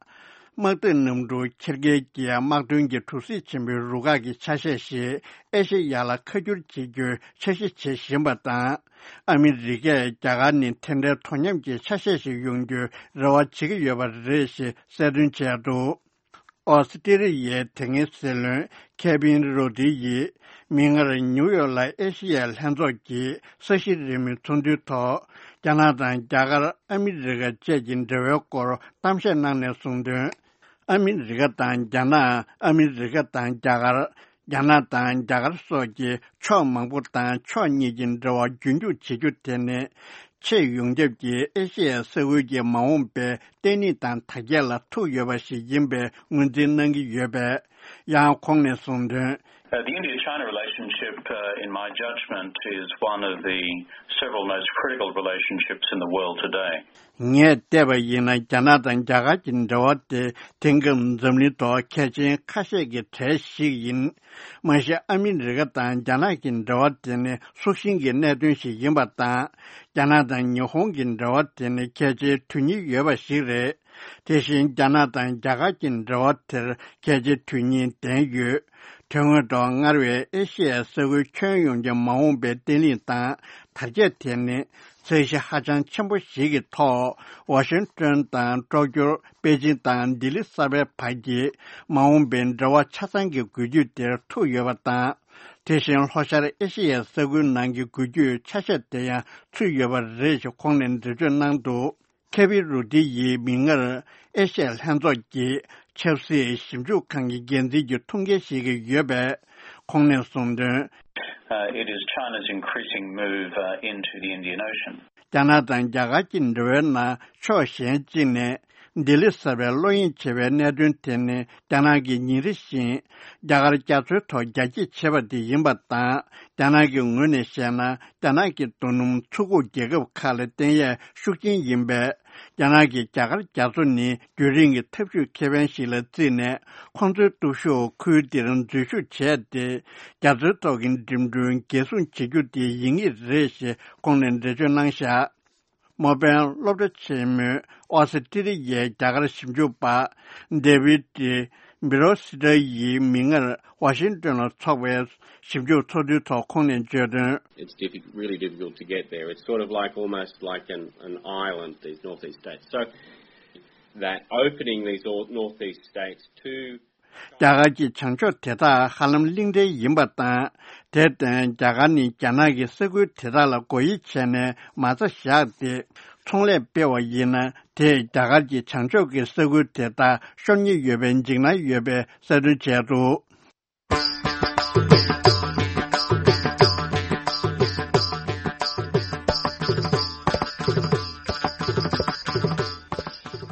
དམག་འཐབ་གནམ་གྲུ་འཁྱེར་མཁན་གྱི་དམག་དོན་གྱི་གྲུ་གཟིངས་ཆེན་པོའི་རུ་ཁག་གི་ཆ་ཤས་ཤིག་ཨེ་ཤེ་ཡ་ལ་ཁ་བསྒྱུར་བྱེད་རྒྱུའི་འཆར་གཞི་བྱེད་བཞིན་པ་དང་། ཨ་མི་རི་ཀས་རྒྱ་གར་ནི་དེ་འདྲའི་དོ་མཉམ་གྱི་ཆ་ཤས་ཤིག་ཡོང་རྒྱུའི་རེ་བ་བྱེད་ཀྱི་ཡོད་པ་རེད་ཞེས་གསལ་སྟོན་བྱས་འདུག་ཨོ་སི་ཀྲི་ལི་ཡའི་དེ་སྔའི་སྲིད་བློན་ཁེ་བིན་རོ་ཏི་ཡིས་མིག་སྔར་ནིའུ་ཡོག་ལ་ཨེ་ཤེ་ཡའི་ལྷན་ཚོགས་ཀྱི་ས་གཞི་རིམ་པའི་ཚོགས་འདུའི་ཐོག་རྒྱ་ནག་དང་རྒྱ་གར་ཨ་མི་རི་ཀ་བཅས་ཀྱི་འབྲེལ་བའི་སྐོར་གཏམ་བཤད་གནང་ནས་གསུངས་དོན། ཨ་མི་རི་ཀ་དང་རྒྱ་ནག་ཨ་མི་རི་ཀ་དང་རྒྱ་གར། རྒྱ་ནག་དང་རྒྱ་གར་སོགས་ཀྱི་ཕྱོགས་མང་པོ་དང་ཕྱོགས་གཉིས་ཀྱི་འབྲེལ་བ་རྒྱུན་འཁྱོངས་བྱེད་རྒྱུ་དེ་ནི། ཆེས་ཡོངས་ཁྱབ་ཀྱིས་ཨེ་ཤེ་ཡ་ས་ཁུལ་གྱི་མ་འོངས་པའི་བརྟན་ལྷིང་དང་དར་རྒྱས་ལ་ཐུག་ཡོད་པ་ཞིག་ཡིན་པའི་ངོས་འཛིན་གནང་གི་ཡོད་པས། ཡང་ཁོང་ནས་གསུངས་དོན། Uh, the India-China relationship, uh, in my judgment, is one of the several most critical relationships in the world today. ངས་བལྟས་པ་ཡིན་ན། རྒྱ་ནག་དང་རྒྱ་གར་གྱི་འབྲེལ་བ་དེ་དེང་སྐབས་འཛམ་གླིང་ཐོག་གལ་ཆེན་ཁ་ཤས་ཀྱི་གྲས་ཤིག་ཡིན། མ་གཞི་ཨ་མི་རི་ཀ་དང་རྒྱ་ནག་གི་འབྲེལ་བ་དེ་ནི་སྲོག་ཤིང་གི་གནད་དོན་ཞིག་ཡིན་པ་དང་། རྒྱ་ནག་དང་ཉི་ཧོང་གི་འབྲེལ་བ་དེ་ནི་གལ་ཆེའི་དོན་སྙིང་ཡོད་པ་ཞིག་རེད། དེ་བཞིན་རྒྱ་ནག་དང་རྒྱ་གར་གྱི་འབྲེལ་བ་དེར་གལ་ཆེའི་དོན་སྙིང་ལྡན་ཡོད། དོན་དངོས་ཐོག་སྔར་བས་ཨེ་ཤེ་ཡའི་ས་ཁུལ་ཁྱོན་ཡོངས་ཀྱི་མ་འོངས་པའི་བརྟན་ལྷིང་དང་དར་རྒྱས་དེ་ནི། ཚད་གཞི་ཧ་ཅང་ཆེན་པོ་ཞིག་གི་ཐོག་ཝ་ཤིང་ཏོན་དང་ཀྲོ་ཀྱོ། པེ་ཅིང་དང་ལྡི་ལི་གསར་པའི་བར་གྱི་མ་འོངས་པའི་འབྲེལ་བ་ཆ་ཚང་གི་འགུལ་སྐྱོད་དེར་ཐུག་ཡོད་པ་དང་། དེ་བཞིན་ལྷོ་ཤར་ཨེ་ཤེ་ཡའི་ས་ཁུལ་ནང་གི་འགུལ་སྐྱོད་ཆ་ཤས་དེ་ཡང་ཚུད་ཡོད་པ་རེད་ཞེས་ཁོང་ནས་འགྲེལ་བརྗོད་གནང་འདུག་ཁེ་བི་རུ་ཏི་ཡིས་མིག་སྔར་ཨེ་ཤེ་ཡ་ལྷན་ཚོགས་ཀྱི་ཆབ་སྲིད་ཞིབ་འཇུག་ཁང་གི་འགན་འཛིན་གྱི་ཐུགས་འགན་བཞེས་ཀྱི་ཡོད་པས། ཁོང་ནས་གསུངས་དོན། Uh, it is China's increasing move, uh, into the Indian Ocean. རྒྱ་ནག་དང་རྒྱ་གར་གྱི་འབྲེལ་བའི་ནང་ཕྱོགས་གཞན་གཅིག་ནས་ལྡི་ལི་གསར་པའི་བློ་གཡེང་བྱེད་པའི་གནད་དོན་དེ་ནི། རྒྱ་ནག་གིས་ཉིན་རེ་བཞིན་རྒྱ་གར་རྒྱ་མཚོའི་ཐོག་རྒྱ་སྐྱེད་བྱེད་པ་དེ་ཡིན་པ་དང་། རྒྱ་ནག་གི་ངོས་ནས་བཤད་ན། རྒྱ་ནག་གི་རྡོ་སྣུམ་ཚུར་འགུག་རྒྱལ་ཁབ་ཁག་ལ་བརྟེན་ཡས་ཤུགས་ཆེན་ཡིན་པས། རྒྱ་ནག་གིས་རྒྱ་གར་རྒྱ་མཚོ་ནི་རྒྱུན་རིང་གི་འཐབ་ཇུས་ཁེ་ཕན་ཞིག་ལ་བརྩིས་ནས། ཁོང་ཚོའི་སྟོབས་ཤུགས་ཁུལ་འདིར་འཛུལ་ཞུགས་བྱས་ཏེ། རྒྱ་མཚོའི་ཐོག་གི་འགྲིམ་འགྲུལ་འགན་སྲུང་བྱེད་རྒྱུ་དེ་ཡིན་ངེས་རེད་ཞེས་ཁོང་ནས་འགྲེལ་བརྗོད་གནང་བཞག་སྨོ་པའི་སློབ་གྲྭ་ཆེན་མོས་ཨོ་སི་ཀྲི་ལི་ཡའི་རྒྱ་གར་ཞིབ་འཇུག་པ་ཌེ་བིད་ཏི་བི་རོ་སི་ཏྲ་ཡིས་མིག་སྔར་ཝ་ཤིང་ཏོན་ལ་འཚོགས་པའི་ཞིབ་འཇུག་ཚོགས་འདུའི་ཐོག་ཁོང་ནས་བརྗོད་དོན། It's diffi- really difficult to get there. It's sort of like, almost like an, an island, these northeast states. So that opening these all northeast states to རྒྱ་གར་གྱི་བྱང་ཕྱོགས་དེ་དག་ཧ་ལམ་གླིང་ཕྲན་ཡིན་པ་དང་། དེར་བརྟེན་རྒྱ་གར་ནི་རྒྱ་ནག་གི་ས་ཁུལ་དེ་དག་ལ་སྒོ་དབྱེ་བྱས་ནས་མ་རྩ་བཞག་སྟེ། ཚོང་ལས་སྤེལ་བ་ཡིན་ན། དེས་རྒྱ་གར་གྱི་བྱང་ཕྱོགས་ཀྱི་ས་ཁུལ་དེ་དག་ཤོར་ཉེན་ཡོད་པའི་འཇིགས་སྣང་ཡོད་པའི་གསལ་སྟོན་བྱས་འདུག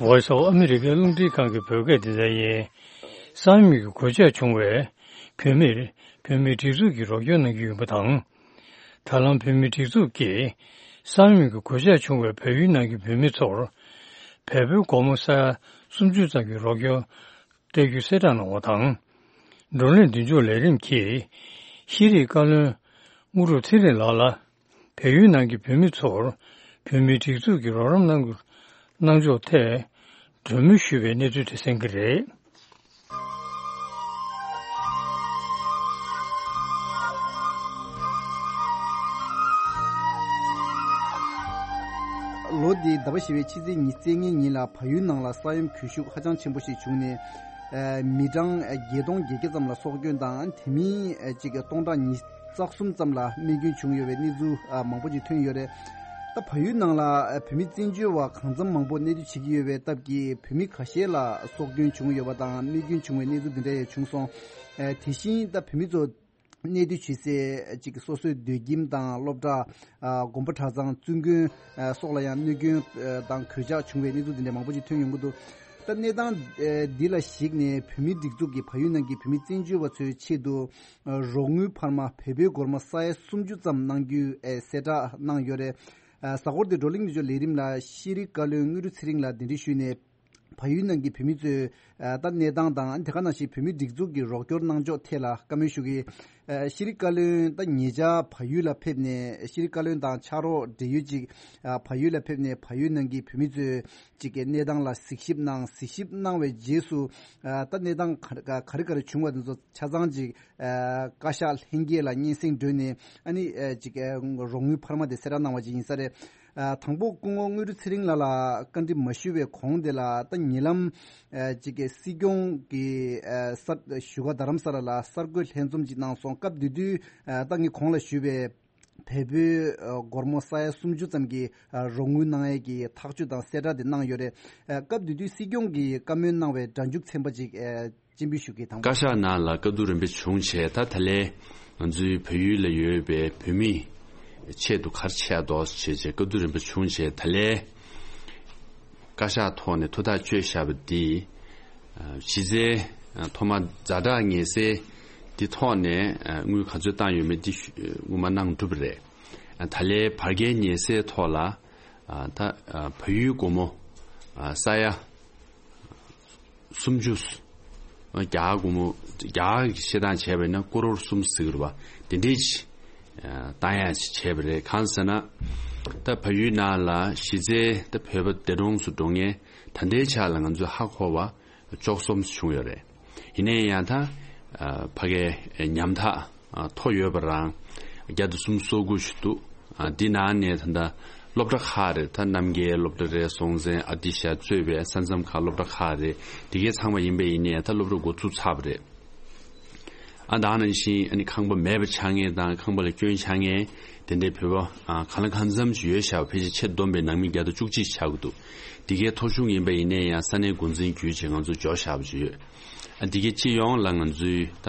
Voice of America རླུང་འཕྲིན་ཁང་གི་བོད་སྐད་སྡེ་ཚན་ཡིན། ས་ཡོམ་གྱི་གོད་ཆག་བྱུང་བའི་བོད་མིར་བོད་མིའི་སྒྲིག་འཛུགས་ཀྱིས་རོགས་སྐྱོར་གནང་གི་ཡོད་པ་དང་། ད་ལམ་བོད་མིའི་སྒྲིག་འཛུགས་ཀྱིས་ས་ཡོམ་གྱི་གོད་ཆག་བྱུང་བའི་བལ་ཡུལ་ནང་གི་བོད་མི་ཚོར་བལ་པོའི་སྒོར་མོ་ས་ཡ་སུམ་ཅུ་ཙམ་གྱི་རོགས་སྐྱོར་སྤྲད་རྒྱུ་གསལ་བསྒྲགས་གནང་བ་དང་། བགྲོ་གླེང་མདུན་སྐྱོད་ལས་རིམ་གྱིས་ཤེས་རིག་བཀའ་བློན་དངོས་གྲུབ་ཚེ་རིང་ལགས་ལ། བལ་ཡུལ་ནང་གི་བོད་མི་ཚོར་བོད་མིའི་སྒྲིག་འཛུགས་ཀྱི་རོགས་རམ་གནང་གནང་ཕྱོགས་ཐད་གྲོས་མོལ་ཞུས་པའི་གནས་ཚུལ་དེ་གསན་གྱི་རེད། ལོ་འདིའི་ཟླ་བ་བཞི་པའི་ཕྱི་ཚེས་ཉི་ཤུ་རྩ་ལྔའི་ཉིན་ལ་བལ་ཡུལ་ནང་ལ་ས་ཡོམ་གྱོང་ཤུགས་ཧ་ཅང་ཆེན་པོ་ཞིག་བྱུང་ནས། ཨ། མི་གྲངས་བརྒྱད་སྟོང་བརྒྱད་བརྒྱ་ཙམ་ལ་སྲོག་སྐྱོན་དང་། དེ་མིན་ཨ་ཅིག་སྟོང་ཕྲག་ཉི་ཤུ་རྩ་གསུམ་ཙམ་ལ་རྨས་སྐྱོན་བྱུང་ཡོད་པའི་གནས་ཚུལ་ཨ་མང་པོ་ཅིག་ཐོན་ཡོད་རེད། ད་བལ་ཡུལ་ནང་ལ་ཨ་བོད་མི་བཙན་བྱོལ་བ་གང་འཚམ་མང་པོ་གནས་སྡོད་བྱེད་ཀྱི་ཡོད་པའི་སྟབས་ཀྱིས། བོད་མི་ཁ་ཤས་ལ་སྲོག་སྐྱོན་བྱུང་ཡོད་པ་དང་། རྨས་སྐྱོན་བྱུང་བའི་གནས་ཚུལ་འདི་འདྲ་ཡང་བྱུང་སོང་། ཨ་དེ་བཞིན་ད་བོད་མི་ཚོ་གནས་སྡོད་བྱེད་སའི་ཅིག་སོ་སོའི་སྡོད་ཁྱིམ་དང་། སློབ་གྲྭ། ཨ་དགོན་པ་གྲྭ་ཚང་། བཙུན་དགོན། ཨ་སོགས་ལ་ཡང་གནོད་སྐྱོན་ཨ་དང་གོད་ཆག་བྱུང་བའི་གནས་ཚུལ་འདི་འདྲ་མང་པོ་ཅིག་ཐོན་ཡོང་གི་འདུག་ད་གནས་སྟངས་ཨ་འདི་ལ་གཞིགས་ནས། བོད་མིའི་སྒྲིག་འཛུགས་ཀྱིས་བལ་ཡུལ་ནང་གི་བོད་མི་བཙན་བྱོལ་བ་ཚོའི་ཆེད་དུ་ཨ་རོགས་དངུལ་འཕར་མ་བལ་པོའི་སྒོར་མོ་ས་ཡ་སུམ་ཅུ་ཙམ་གནང་རྒྱུའི་ཨ་གསལ་བསྒྲགས་གནང་ཡོད་རེད། ཨ་གཟའ་འཁོར་འདིའི་བགྲོ་གླེང་མདུན་སྐྱོད་ལས་རིམ་ལ་ཤེས་རིག་བཀའ་བློན་དངོས་གྲུབ་ཚེ་རིང་ལགས་གདན་འདྲེན་ཞུས་ནས། བལ་ཡུལ་ནང་གི་བོད་མི་ཚོའི་ད་གནས་སྟངས་དང་དེ་ག་ནང་བཞིན་བོད་མི་སྒྲིག་འཛུགས་ཀྱི་རོགས་སྐྱོར་གནང་ཕྱོགས་ཐད་ལ་བཀའ་མོལ་ཞུ་གི། ཤེས་རིག་བཀའ་བློན་ད་ཉེ་ཆར་བལ་ཡུལ་ལ་ཕེབས་ནས་ཤེས་རིག་བཀའ་བློན་དང་ཕྱག་རོགས་འབྲེལ་ཡོད་ཅིག་བལ་ཡུལ་ལ་ཕེབས་ནས་བལ་ཡུལ་ནང་གི་བོད་མི་ཚོའི་ཅིག་གི་གནས་སྟངས་ལ་གཟིགས་ཞིབ་གནང་། གཟིགས་ཞིབ་གནང་བའི་རྗེས་སུ་ད་གནས་སྟངས་ག་རེ་ག་རེ་བྱུང་བ་དེ་ཚོ་ཆ་ཚང་ཅིག་བཀའ་ཤག་ལྷན་རྒྱས་ལ་སྙན་སེང་སྒྲོན་ནས་ཨ་ནི་ཅིག་རོགས་དངུལ་འཕར་མ་དེ་གསལ་བསྒྲགས་གནང་བ་ཅིག་ཡིན་ས་རེད། དང་པོ་སྐུ་ངོ་དངོས་གྲུབ་ཚེ་རིང་ལགས་ལ་བཀའ་འདྲི་མ་ཞུ་བའི་གོང་དེ་ལ་ད་ཉེ་ལམ་ཅིག་གི་སྲིད་སྐྱོང་གི་ས་བཞུགས་སྒར་རྡ་རམ་ས་ལ་ལ་གསར་འགོད་ལྷན་འཛོམས་ཅིག་གནང་སོང་། སྐབས་དེ་དུས་ད་ངས་གོང་ལ་ཞུས་པའི་བལ་པོའི་སྒོར་མོ་ས་ཡ་སུམ་ཅུ་ཙམ་གྱི་རོགས་དངུལ་གནང་ཡས་ཀྱི་ཐག་གཅོད་དང་གསལ་བསྒྲགས་དེ་གནང་ཡོད་རེད། སྐབས་དེ་དུས་སྲིད་སྐྱོང་གིས་བཀའ་མོལ་གནང་བའི་སྒྲ་འཇུག་ཚན་པ་ཅིག་སྤྱན་འབུལ་ཞུ་གི་དང་པོ། བཀའ་ཤག་ནང་ལ་བཀའ་བསྡུར་རིམ་པ་བྱུང་བྱས། ད་ད་ལན་ང་ཚོའི་བལ་ཡུལ་ལ་ཡོད་པའི་བོད་མིའི་ཆེད་དུ་ག་རེ་བྱས་འདུག་ཟེར་བྱས་བཀའ་བསྡུར་རིམ་པ་བྱུང་བྱས། ད་ལན་བཀའ་ཤག་ཐོག་ནས་ཐུགས་ཐག་གཅོད་བཞག་པ་འདི་གཞི་རྩའི་ཐོག་མ་ཛ་དྲག་ངེས་གསལ་འདི་ཐོག་ནས་དངུལ་ག་ཚོད་བཏང་ཡོད་མེད་འདི་སྔོན་མ་གནང་གྲུབ་པ་རེད། ད་ལན་བར་བརྒལ་ཉེས་སེལ་ཐོག་ལ་ད་བལ་ཡུལ་སྒོར་མོ་ས་ཡ་སུམ་ཅུ། རྒྱ་གར་སྒོར་མོ་རྒྱ་གར་གྱི་བཤད་སྟངས་བྱས་པ་ཡིན་ན་ཀོ་རོར་གསུམ་ཟེར་གྱི་རེད་པ། དེ་འདྲས་ཅིག་བཏང་ཡག་ཅིག་བྱས་པ་རེད། གང་ཟེར་ན་ད་བལ་ཡུལ་ནང་ལ་གཞི་རྩའི་ད་བོད་པ་འདས་གྲོངས་སུ་འགྲོ་མཁན་ད་ལྟའི་ཆ་ལ་ང་ཚོས་ཧ་གོ་བ་བཅུ་གསུམ་བྱུང་ཡོད་རེད། ཡིན་ན་ཡང་ད་ཕ་གའི་ཉམ་ཐག་མཐོ་ཡོད་པ་རང་བརྒྱ་དང་སུམ་ཅུ་སོ་དགུ་ཞིག་འདུག། འདི་ནང་ནས་ད་ལྟ་སློབ་གྲྭ་ཁག་རེད། ད་རྣམ་རྒྱལ་སློབ་གྲྭ་རེད། སྲོང་བཙན་ཨ་ཏི་ཤ་གཙོས་པའི་ས་མཚམས་ཁག་སློབ་གྲྭ་ཁག་རེད། དེ་གའི་ཚང་མ་ཡིན་པ་ཡིན་ནའི་ད་སློབ་གྲྭ་འགོ་བཙུགས་ཚར་བ་རེད། ཨ་ད་ནང་བཞིན་ཨ་ནི་ཁང་པ་མེད་པ་ཆགས་མཁན་དང་ཁང་པ་ལ་སྐྱོན་ཆགས་མཁན་དེ་འདྲའི་བོད་པ་གང་ལ་གང་འཚམ་ཞིག་ཡོད་ཤག། ཕལ་ཆེར་ཆེད་བསྡོམས་པའི་ནང་མི་བརྒྱ་དང་བཅུ་གཅིག་ཆགས་ཀྱི་འདུག། དེ་གའི་ཐོ་གཞུང་ཡིན་པ་ཡིན་ནའི་ཡང་ས་གནས་འགོ་འཛིན་བརྒྱུད་བྱས་ང་ཚོ་འབྱོར་བཞག་པ་ཅིག་ཡོད། ཨ་དེ་གའི་སྤྱི་ཡོངས་ལ་ང་ཚོའི་ད་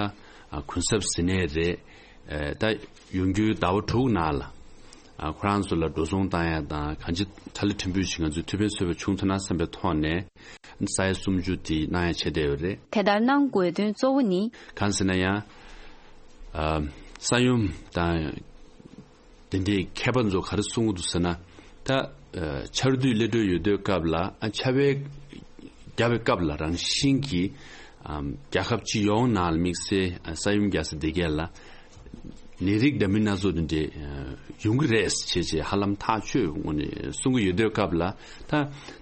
གུན་གསབ་ཟེར་ནའི་རེད། ད་ཡོང་རྒྱུའི་ཟླ་བ་དྲུག་ནང་ལ་ཁོ་རང་ཚོ་ལ་འགྲོ་སོང་བཏང་ཡ་དང་གང་ཅི་གྲ་ལ་ཕྲན་བུ་ཞིག་ང་ཚོས་ཐུགས་ཕན་གསོས་པ་བྱུང་ཐུབ་ན་བསམ་པའི་ཐོག་ནས་ས་ཡ་སུམ་ཅུ་དེ་གནང་ཡ་བྱས་བསྡད་ཡོད་རེད། དེ་ལྟར་གནང་དགོས་དོན་གཙོ་བོ་ནི། གང་ཟེར་ན་ཡང་ས་ཡོམ་དང་དེ་འདྲའི་མཁས་པ་ཚོ་ག་རེ་གསུང་གི་འདུག་ཟེར་ན། ད་ཆར་དུས་སླེབས་འགྲོ་ཡོད་དུས་སྐབས་ལ་ཨ་ཆར་པའི་བརྒྱབ་པའི་སྐབས་ལ་རང་བཞིན་གྱིས་རྒྱལ་ཁབ་སྤྱི་ཡོངས་ནང་ལ་དམིགས་བསལ་ས་ཡོམ་རྒྱག་ས་དེ་གས་ལ་ནད་རིགས་འདྲ་མིན་སྣ་ཚོགས་དེ་འདྲས་ཡོང་གི་རེད་བྱས་བྱས་ཧ་ལམ་ཐག་ཆོད་ངོས་ནས་གསུང་གི་ཡོད་དུས་སྐབས་ལ། ད་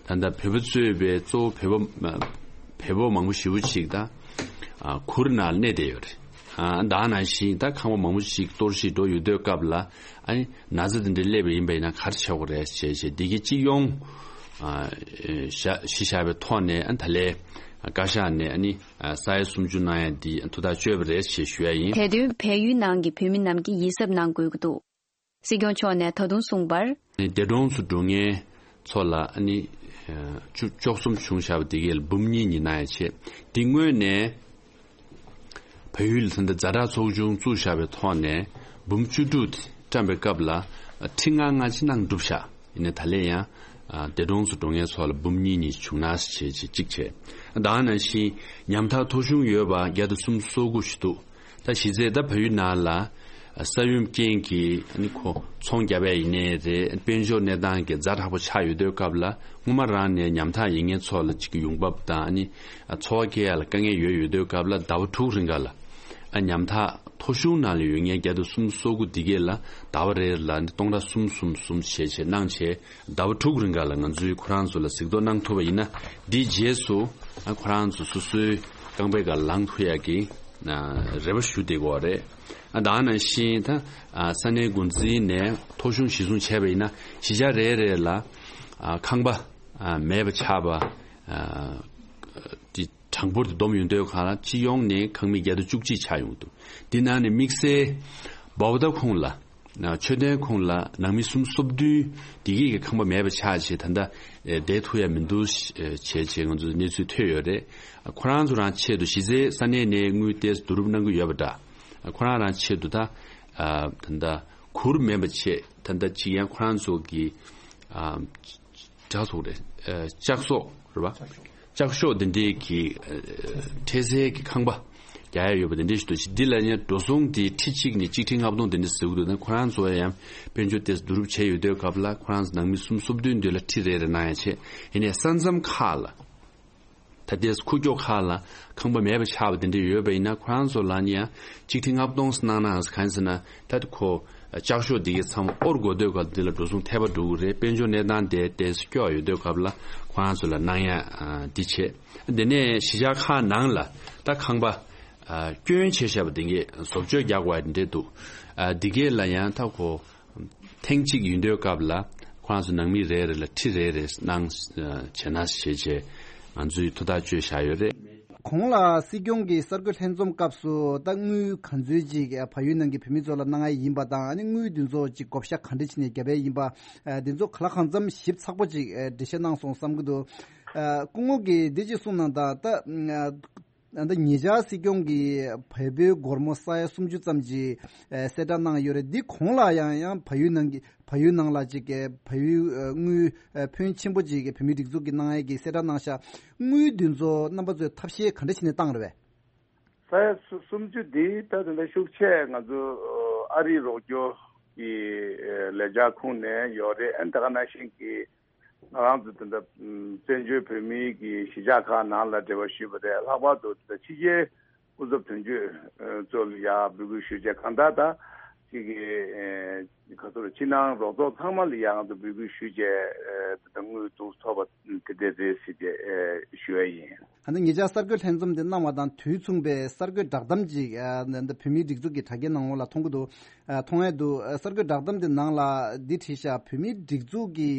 ད་ལྟ་བོད་པ་གཙོས་པའི་གཙོ་བོ་བོད་པ་བོད་པ་མང་པོ་ཞེ་པོ་ཅིག་ད་གུར་ནང་གནས་བསྡད་ཡོད་རེད། ཨ་ད་ནང་བཞིན་ད་ཁང་པ་མང་པོ་ཞིག་གཏོར་བཤིག་འགྲོ་ཡོད་དུས་སྐབས་ལ་ཨ་ནི་ན་ཚ་དེ་འདྲ་སླེབས་པ་ཡིན་པ་ཡིན་ན་ག་རེ་བྱེད་དགོས་རེད་ཞེས་བྱས་འདི་གའི་སྤྱི་ཡོངས་ཨ་ཨེ་བཞག་གཞི་བཞག་པའི་ཐོག་ནས་ཨ་ད་ལས་བཀའ་ཤག་ནས་ཨ་ནི་ཨ་ས་ཡ་སུམ་ཅུ་གནང་ཡ་འདི་ཐུགས་ཐག་གཅོད་པ་རེད་ཞེས་ཞུ་ཡ་ཡིན། དེ་དོན་བལ་ཡུལ་ནང་གི་བོད་མི་རྣམས་ཀྱིས་ཡིད་གཟབ་གནང་དགོས་ཀྱི་འདུག། སྲིད་སྐྱོང་མཆོག་ནས་ད་དུང་གསུངས་པར། འདས་གྲོངས་སུ་འགྲོ་མཁན་ཚོ་ལ་ཨ་ནི་བཅུ་བཅུ་གསུམ་བྱུང་བཞག་པ་དེ་གའི་ལ་འབུམ་གཉིས་གཉིས་གནང་ཡ་བྱས། འདི་སྔོན་ནས་བལ་ཡུལ་ད་ལྟ་ཛ་དྲག་ཚོགས་ཆུང་བཙུགས་བཞག་པའི་ཐོག་ནས་འབུམ་བཅུ་དྲུག་བཀྲམ་པའི་སྐབས་ལ་ཁྲི་ལྔ་ལྔ་ཅིག་གནང་གྲུབ་བཞག། ཡིན་ནའི་ད་ལན་ཡང་འདས་གྲོངས་སུ་འགྲོ་མཁན་ཚོ་ལ་འབུམ་གཉིས་གཉིས་བྱུང་ན་ཞེས་བྱས་གཅིག་བྱས། ད་ནང་བཞིན་ཉམ་ཐག་ཐོ་གཞུང་ཡོད་པ་བརྒྱ་དང་སུམ་ཅུ་སོ་དགུ་ཞིག་འདུག། ད་གཞི་རྩའི་ད་བལ་ཡུལ་ནང་ལ་ས་ཡོམ་རྐྱེན་གྱིས་ཨ་ནི་ཁོ་ཚོང་བརྒྱབ་པ་ཡིན་ནའི་རེད། དཔལ་འབྱོར་གནས་སྟངས་ཀྱི་ཛ་དྲག་པོ་ཆགས་ཡོད་དུས་སྐབས་ལ་སྔོན་མ་རང་ནས་ཉམ་ཐག་ཡིན་མཁན་ཚོ་ལ་གཅིག་གི་ཡོང་འབབ་དང་ཨ་ནི་འཚོ་བ་སྐྱེལ་ཡ་ལ་དཀའ་ངལ་ཡོད་ཡོད་དུས་སྐབས་ལ་ཟླ་བ་དྲུག་རིང་ག་ལ་ཨ་ཉམ་ཐག་ཐོ་གཞུང་ནང་ལ་ཡོད་མཁན་བརྒྱ་དང་སུམ་ཅུ་སོ་དགུ་འདི་གས་ལ་ཟླ་བ་རེ་ལ་ཨ་ནི་སྟོང་ཕྲག་གསུམ་གསུམ་གསུམ་བྱས་བྱས་གནང་བྱས། ཟླ་བ་དྲུག་རིང་ག་ལ་ང་ཚོས་ཁོ་རང་ཚོ་ལ་གཟིགས་རྟོག་གནང་ཐུབ་པ་ཡིན་ན། འདིའི་རྗེས་སུ་ཨ་ཁོ་རང་ཚོ་སོ་སོའི་རྐང་པའི་སྒང་ལངས་ཐུབ་ཡག་གི་ཨ་རེ་བ་ཞུ་བསྡད་ཀྱི་ཡོད་རེད། ཨ་ད་ནང་བཞིན་ད་ཨ་ས་གནས་འགོ་འཛིན་ནས་ཐོ་གཞུང་གཞི་བཟུང་བྱས་པ་ཡིན་ན་གཞིས་ཆགས་རེ་རེ་ལ་ཨ་ཁང་པ་ཨ་མེད་པ་ཆགས་པ་ཨ་དེ་གྲངས་འབོར་དེ་བསྡོམས་ཡོང་དུས་གང་ལ་སྤྱི་ཡོངས་ནས་ཁང་མིག་བརྒྱ་དང་བཅུ་གཅིག་ཆགས་ཡོང་འདུག། འདི་ནང་ནས་དམིགས་བསལ་བྷོ་ཊ་ཁོངས་ལ། ཆོས་ལྡན་ཁོངས་ལ་ནང་མི་སུམ་ཅུ་སོ་བདུན་འདི་གི་ཁང་པ་མེད་པ་ཆགས་བྱས་ད་ལྟ་བསྡད་ཐུབ་ཡ་མི་འདུག་བྱས་བྱས་ང་ཚོ་གནས་ཚུལ་ཐོས་ཡོད་རེད། ཁོ་རང་ཚོ་རང་ཆེད་དུ་གཞི་རྩའི་ས་གནས་ནས་དངུལ་ཏོག་ཙམ་བསྡུ་རུབ་གནང་གི་ཡོད་པ་འདྲ། ཁོ་རང་རང་ཆེད་དུ་ད་ད་ལྟ་གུར་མེད་པ་བྱས་ད་ལྟ་ཅིག་ཡང་ཁོ་རང་ཚོ་གི་གྲྭ་ཚོགས་རེད། ཨ་ལྕགས་ཟོག་རེད་པ། ལྕགས་ཤོག་འདི་འདྲའི་གི་ཨ་འཕྲལ་སེལ་གྱི་ཁང་པ་རྒྱག་ཡ་ཡོད་པ་འདི་འདྲའི་ཞིག་འདུག་ཅིག། འདི་ལ་ཡང་འགྲོ་སོང་འདི་ཁྲི་གཅིག་ནས་གཅིག་ཁྲི་ལྔ་སྟོང་འདི་འདྲ་ཟེར་གི་འདུག་ན་ཁོ་རང་ཚོ་ཡང་དཔལ་འབྱོར་ཏོག་ཙམ་བསྡུ་རུབ་བྱས་ཡོད་དུས་སྐབས་ལ་ཁོ་རང་ཚོ་ནང་མི་སུམ་ཅུ་སོ་བདུན་འདི་ལ་ཁྲི་རེ་རེ་གནང་ཡ་བྱས། ཡིན་ནའི་ས་མཚམས་ཁག་ལ་ ད་ལྟའི་ཁུག་ཀྱོག་ཁག་ལ་ཁང་པ་མེད་པ་ཆགས་པ་དེ་འདྲ་ཡོད་པ་ཡིན་ན། ཁོ་རང་ཚོ་ལ་ནི་ཡང་གཅིག་ཁྲི་ལྔ་སྟོང་གནང་ན་གང་ཟེར་ན། ད་ཁོ་ལྕགས་ཤོག་འདི་གའི་ཚང་མ་དབོར་དགོས་དུས་སྐབས་འདི་ལ་འགྲོ་སོང་ཐལ་བ་འགྲོ་གི་རེད། དཔལ་འབྱོར་གནས་སྟངས་དེ་ཏོག་ཙམ་སྐྱོ་ཡོད་དུས་སྐབས་ལ་ཁོ་རང་ཚོ་ལ་གནང་ཡ་འདི་བྱས། དེ་ནས་གཞིས་ཆགས་ཁག་ནང་ལ་ད་ཁང་པ་སྐྱོན་བྱས་བཞག་པ་དེ་གའི་བཟོ་བཅོས་རྒྱག་དགོས་ཡ་འདི་འདྲ་འདུག་ཨ། འདི་གའི་ལ་ཡང་ད་ཁོ་ཐེངས་གཅིག་ཡིན་དུས་སྐབས་ལ་ཁོ་རང་ཚོ་ནང་མི་རེ་རེ་ལ་ཁྲི་རེ་རེ་གནང་བྱས་ན་ཞེས་བྱས་ང་ཚོས་ཐུགས་ཐག་གཅོད་བཞག་ཡོད་རེད། གོང་ལ་སྲིད་སྐྱོང་གིས་གསར་འགོད་ལྷན་འཛོམས་སྐབས་སུ་ད་དངུལ་ག་ཚོད་ཅིག་བལ་ཡུལ་ནང་གི་བོད་མི་ཚོ་ལ་གནང་ཡ་ཡིན་པ་དང་། ཨ་ནི་དངུལ་འདི་ཚོ་ཅིག་བགོ་བཤའ་ག་འདྲ་བྱས་ནས་བརྒྱབ་ཡ་ཡིན་པ། ཨ། འདི་ཚོ་གང་ལ་གང་འཚམ་ཞིབ་ཚགས་པོ་ཅིག་ཨ། འགྲེལ་བཤད་གནང་སོང་བསམ་གྱི་འདུག་ཨ། སྐུ་ངོ་གིས་འདི་ཅིག་གསུངས་གནང་དང་། ད་ད་ལྟ་ཉེ་ཆར་སྲིད་སྐྱོང་གིས་བལ་པོའི་སྒོར་མོ་ས་ཡ་སུམ་ཅུ་ཙམ་གྱི་ཨ་གསལ་བསྒྲགས་གནང་ཡོད་རེད། འདི་གོང་ལ་ཡང་ཡང་བལ་ཡུལ་ནང་གི་བལ་ཡུལ་ནང་ལ་ཅིག་གི་བལ་ཡུལ་ཨ་དངུལ་ཨ་ཕོན་ཆེན་པོ་ཅིག་གི་བོད་མིའི་སྒྲིག་འཛུགས་ཀྱི་གནང་ཡས་ཀྱི་གསལ་བསྒྲགས་གནང་ཤག་དངུལ་འདི་ཚོ་རྣམ་པ་ཚོས་ཐབས་ཤེས་ག་འདྲ་བྱས་ནས་བཏང་རེད་པས། ས་ཡ་སུ་སུམ་ཅུ་འདི་ད་དེ་འདྲ་ཤུགས་ཆེ་ང་ཚོ་ཨ་རིའི་རོགས་སྐྱོར་གྱི་ལས་འཆར་ཁུངས་ནས་ཡོད་རེད། ཨ་ནི་ད་ག་ནང་བཞིན་གྱི་ང་རང་ཚོ་དེ་འདྲ་བཙན་བྱོལ་བོད་མིའི་གི་གཞིས་ཆགས་ཁག་ནང་ལ་འབྲེལ་བ་ཞུས་པ་རེད། ལྷག་པར་དུ་ཕྱི་རྒྱལ་སྐུ་ཚབ་དོན་གཅོད་ཚོ་ལ་ཡང་འབོད་སྐུལ་ཞུས་བྱས། གང་ལྟར་ད་ཅིག་གི་ག་ཚོད་ཕྱི་ནང་རོགས་ཚོགས་ཚང་མ་ལ་ཡང་ང་ཚོ་འབོད་སྐུལ་ཞུས་བྱས་དེ་འདྲ་དངུལ་བསྡུ་ཐུབ་པ་དེ་འདྲ་རེད་ཟེར་བྱས་ཞུ་ཡ་ཡིན། ད་ལྟ་ཉེ་ཆར་གསར་འགོད་ལྷན་འཛོམས་དེ་གནང་བ་དང་དུས་མཚུངས་པའི་གསར་འགོད་བསྒྲགས་གཏམ་ཅིག་ཨ་འདི་བོད་མིའི་སྒྲིག་འཛུགས་ཀྱི་དྲ་རྒྱའི་ནང་ལོགས་ལ་མཐོང་གི་འདུག་ཨ། མཐོང་ཡས་འདུག་ཨ། གསར་འགོད་བསྒྲགས་གཏམ་དེ་ནང་ལ་འདི་བྲིས་ཤག་བོད་མིའི་སྒྲིག་འཛུགས་ཀྱི་